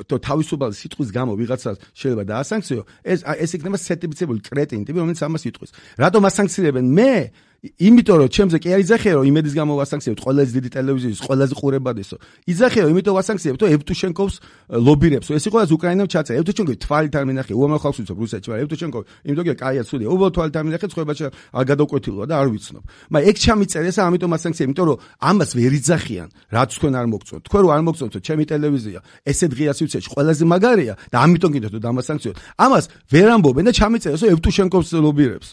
то თავისუფალი სიტყვის გამო ვიღაცას შეიძლება დაასანქციო ეს იქნება სერტიფიცირებული კრეტინი ტიპი რომელიც ამას იტყვის რატომ ასანქცირებენ მე იმიტომ რომ ჩემზე კი არ იძახია რომ იმედის გამო ვასანქციებთ ყველაზე დიდი ტელევიზიის ყველაზე ყურებადესო. იძახია რომ იმიტომ ვასანქციებთ რომ ევტუშენკოვს ლობირებს. ეს იყო ეს უკრაინამ ჩაწერა. ევტუშენკოვი თვალით არ მინახე, უამრავ ხალხს ვიცნობ რუსეთში, მაგრამ ევტუშენკოვი იმიტომ კი კაია ცუდია. უბრალოდ თვალით არ მინახე, ცხოვრებაში არ გადავკვეთილოა და არ ვიცნობ. მაგრამ ეგ ჩამიწერეს და ამიტომ ასანქცია, იმიტომ რომ ამას ვერ იძახიან, რაც თქვენ არ მოგწონთ. თქვენ რო არ მოგწონთ, ჩემი ტელევიზია ესე დღეას ვიცეში ყველაზე მაგარია და ამიტომ კიდევ თუ დამასანქციოთ. ამას ვერ ამბობენ და ჩამიწერეს რომ ევტუშენკოვს ლობირებს.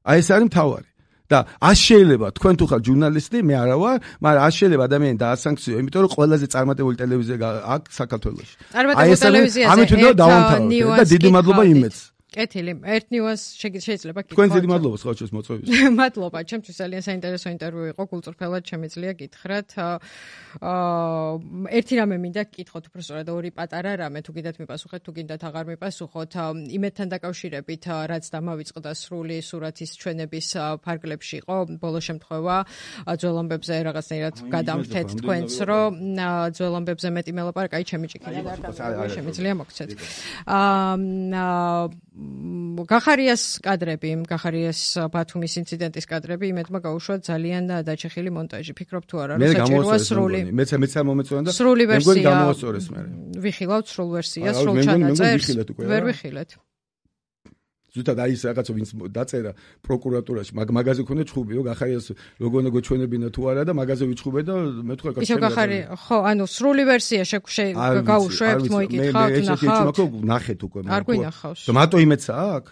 აი ეს არის მთავარი. და არ შეიძლება თქვენ თუ ხარ ჟურნალისტი, მე არა ვარ, მაგრამ არ შეიძლება ადამიანი დაასანქციო, იმიტომ რომ ყველაზე წარმატებული ტელევიზია აქვს საქართველოში. წარმატებული ტელევიზიაზე ამით უნდა დავამთავროთ და დიდი მადლობა იმედს. კეთილი, ერთ ნიუანს შეიძლება გითხრათ. თქვენ დიდი მადლობა სხვაჩოს მოწვევის. მადლობა, ჩემთვის ძალიან საინტერესო ინტერვიუ იყო, გულწრფელად შემიძლია გითხრათ. ერთი რამე მინდა გკითხოთ, უბრალოდ ორი პატარა რამე, თუ გინდათ მიპასუხეთ, თუ გინდათ აღარ მიპასუხოთ. იმედთან დაკავშირებით, რაც დამავიწყდა სრული სურათის ჩვენების ფარგლებში იყო, ბოლო შემთხვევა ძველამბებზე რაღაცნაირად გადამრთეთ თქვენც, რომ ძველამბებზე მეტი მელაპარაკა, აი ჩემი ჭიქინა და შემიძლია მოგცეთ. გახარიას კადრები, გახარიას ბათუმის ინციდენტის კადრები იმედმა გაუშვა ძალიან დაჩეხილი მონტაჟი. ფიქრობ თუ არა, რომ საჭიროა სრული. მეც არ მომეწონა და სრული ვერსია. გამოვასწორეს მე. ვიხილავთ სრულ ვერსიას, სრულ ჩანაწერს. ვერ ვიხილეთ. ზუსტად აი ეს რაღაცა ვინც დაწერა პროკურატურაში, მაგაზე ქონდა ჩხუბიო, გახარიას როგორ უნდა გოჩვენებინა თუ არა და მაგაზე ვიჩხუბე და მე თქვა ისე გახარი, ხო, ანუ სრული ვერსია გაუშვებთ, მოიკითხავთ, ნახავთ. ნახეთ უკვე. არ გვინახავს. მარტო იმედსა აქვს?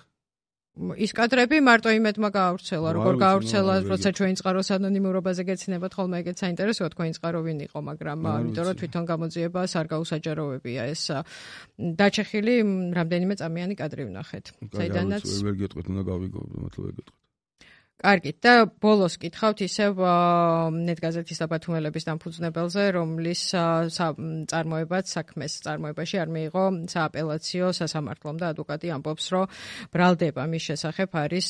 ის კადრები მარტო იმედმა გაავრცელა, როგორ გაავრცელა, როცა ჩვენ წყაროს ანონიმურობაზე გეცინებათ ხოლმე ეგეც საინტერესოა თქვენი წყარო ვინ იყო, მაგრამ იმიტომ რომ თვითონ გამოძიებას არ გაუსაჯაროვებია ეს დაჩეხილი რამდენიმე წამიანი კადრი ვნახეთ. საიდანაც ვერ გეტყვით, უნდა გავიგო, მართლა ვერ გეტყვით. კარგით და ბოლოს კითხავთ ისევ ნეტგაზეთის და ბათუმელების დამფუძნებელზე, რომლის წარმოებაც საქმეს წარმოებაში არ მიიღო სააპელაციო სასამართლომ და ადვოკატი ამბობს, რომ ბრალდება მის შესახებ არის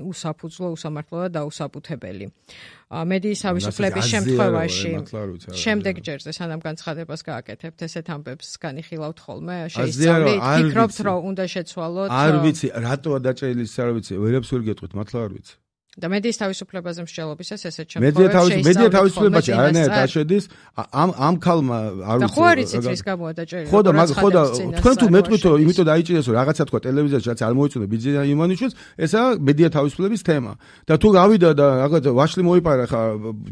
უსაფუძვლო, უსამართლო და დაუსაბუთებელი. მედიის თავისუფლების შემთხვევაში შემდეგ ჯერზე სანამ განცხადებას გააკეთებთ, ესეთ ამბებს განიხილავთ ხოლმე, შეისწავლით, ფიქრობთ, რომ უნდა შეცვალოთ. არ ვიცი, რატოა დაჭერილი, არ ვიცი, ვერაფერს ვერ გეტყვით, მართლა არ ვიცი. და მედიის თავისუფლებაზე მსჯელობისას ესეთ შემთხვევებში მედია თავისუფლებაში არანაირად არ შედის ამ ქალმა არ ვიცი. და ხო არ იცით რის გამოა დაჭერილი. ხო და თქვენ თუ მეტყვით რომ იმიტომ დაიჭირეს რომ რაღაცა თქვა ტელევიზიაში რაც არ მოიწონდა ბიძინა იმანიშვილს, ესაა მედია თავისუფლების თემა. და თუ გავიდა და რაღაცა ვაშლი მოიპარა ხა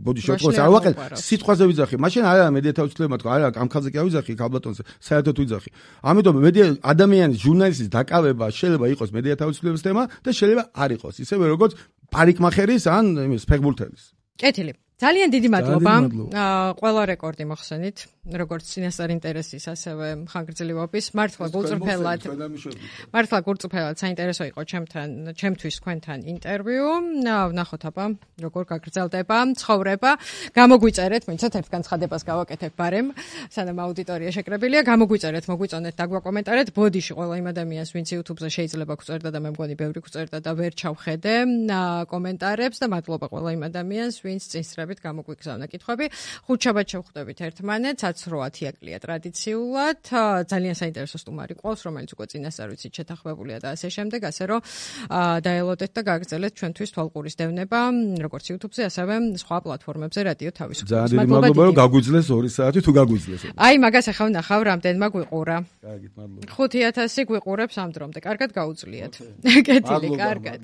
ბოდი შოტყოს არ ვაყენ, სიტყვაზე ვიძახი. მაშინ არა მედია თავისუფლება თქვა, არა ამ ქალზე კი არ ვიძახი, ქალბატონზე საერთოდ ვიძახი. ამიტომ მედია ადამიანის ჟურნალისტის დაკავება შეიძლება იყოს მედია თავისუფლების თემა და შეიძლება არ იყოს. ისევე როგორც პარიკმახერის ან იმის ფეხბურთელის. კეთილი. ძალიან დიდი მადლობა. ყველა რეკორდი მოხსენით, როგორც წინასწარ ინტერესის, ასევე ხანგრძლივობის. მართლა გულწრფელად საინტერესო იყო ჩემთვის თქვენთან ინტერვიუ. ვნახოთ აბა, როგორ გაგრძელდება ცხოვრება. გამოგვიწერეთ, მინცეთ ერთ განცხადებას გავაკეთებ ბარემ, სანამ აუდიტორია შეკრებილია. გამოგვიწერეთ, მოგვიწონეთ და გვაკომენტარეთ. ბოდიში ყველა იმ ადამიანს, ვინც YouTube-ზე შეიძლება გვწერდა და მე მგონი ბევრი გვწერდა და ვერ ჩავხედე კომენტარებს და მადლობა ყველა იმ ადამიანს, ვინც წინსწრებით გამოგვიგზავნა კითხვები. ხუთშაბათ შევხვდებით ერთმანეთს, 10:08 აკლია ტრადიციულად. ძალიან საინტერესო სტუმარი ყავს, რომელიც უკვე წინასწარ ვიცით შეთანხმებულია და ასე შემდეგ, ასე რომ დაელოდეთ და გააგრძელეთ ჩვენთვის თვალყურის დევნება, როგორც YouTube-ზე, ასევე სხვა პლატფორმებზე რადიო თავისუფლებას. ძალიან მადლობა, რომ გაგვიძლეს 2 საათი თუ გაგვიძლეს. აი, მაგას ახლა ვნახავ, რამდენმა გვიყურა. კარგით, მადლობა. 5000 გვიყურებს ამ დრომდე. კარგად გაუძლიათ. კეთილი, კარგად.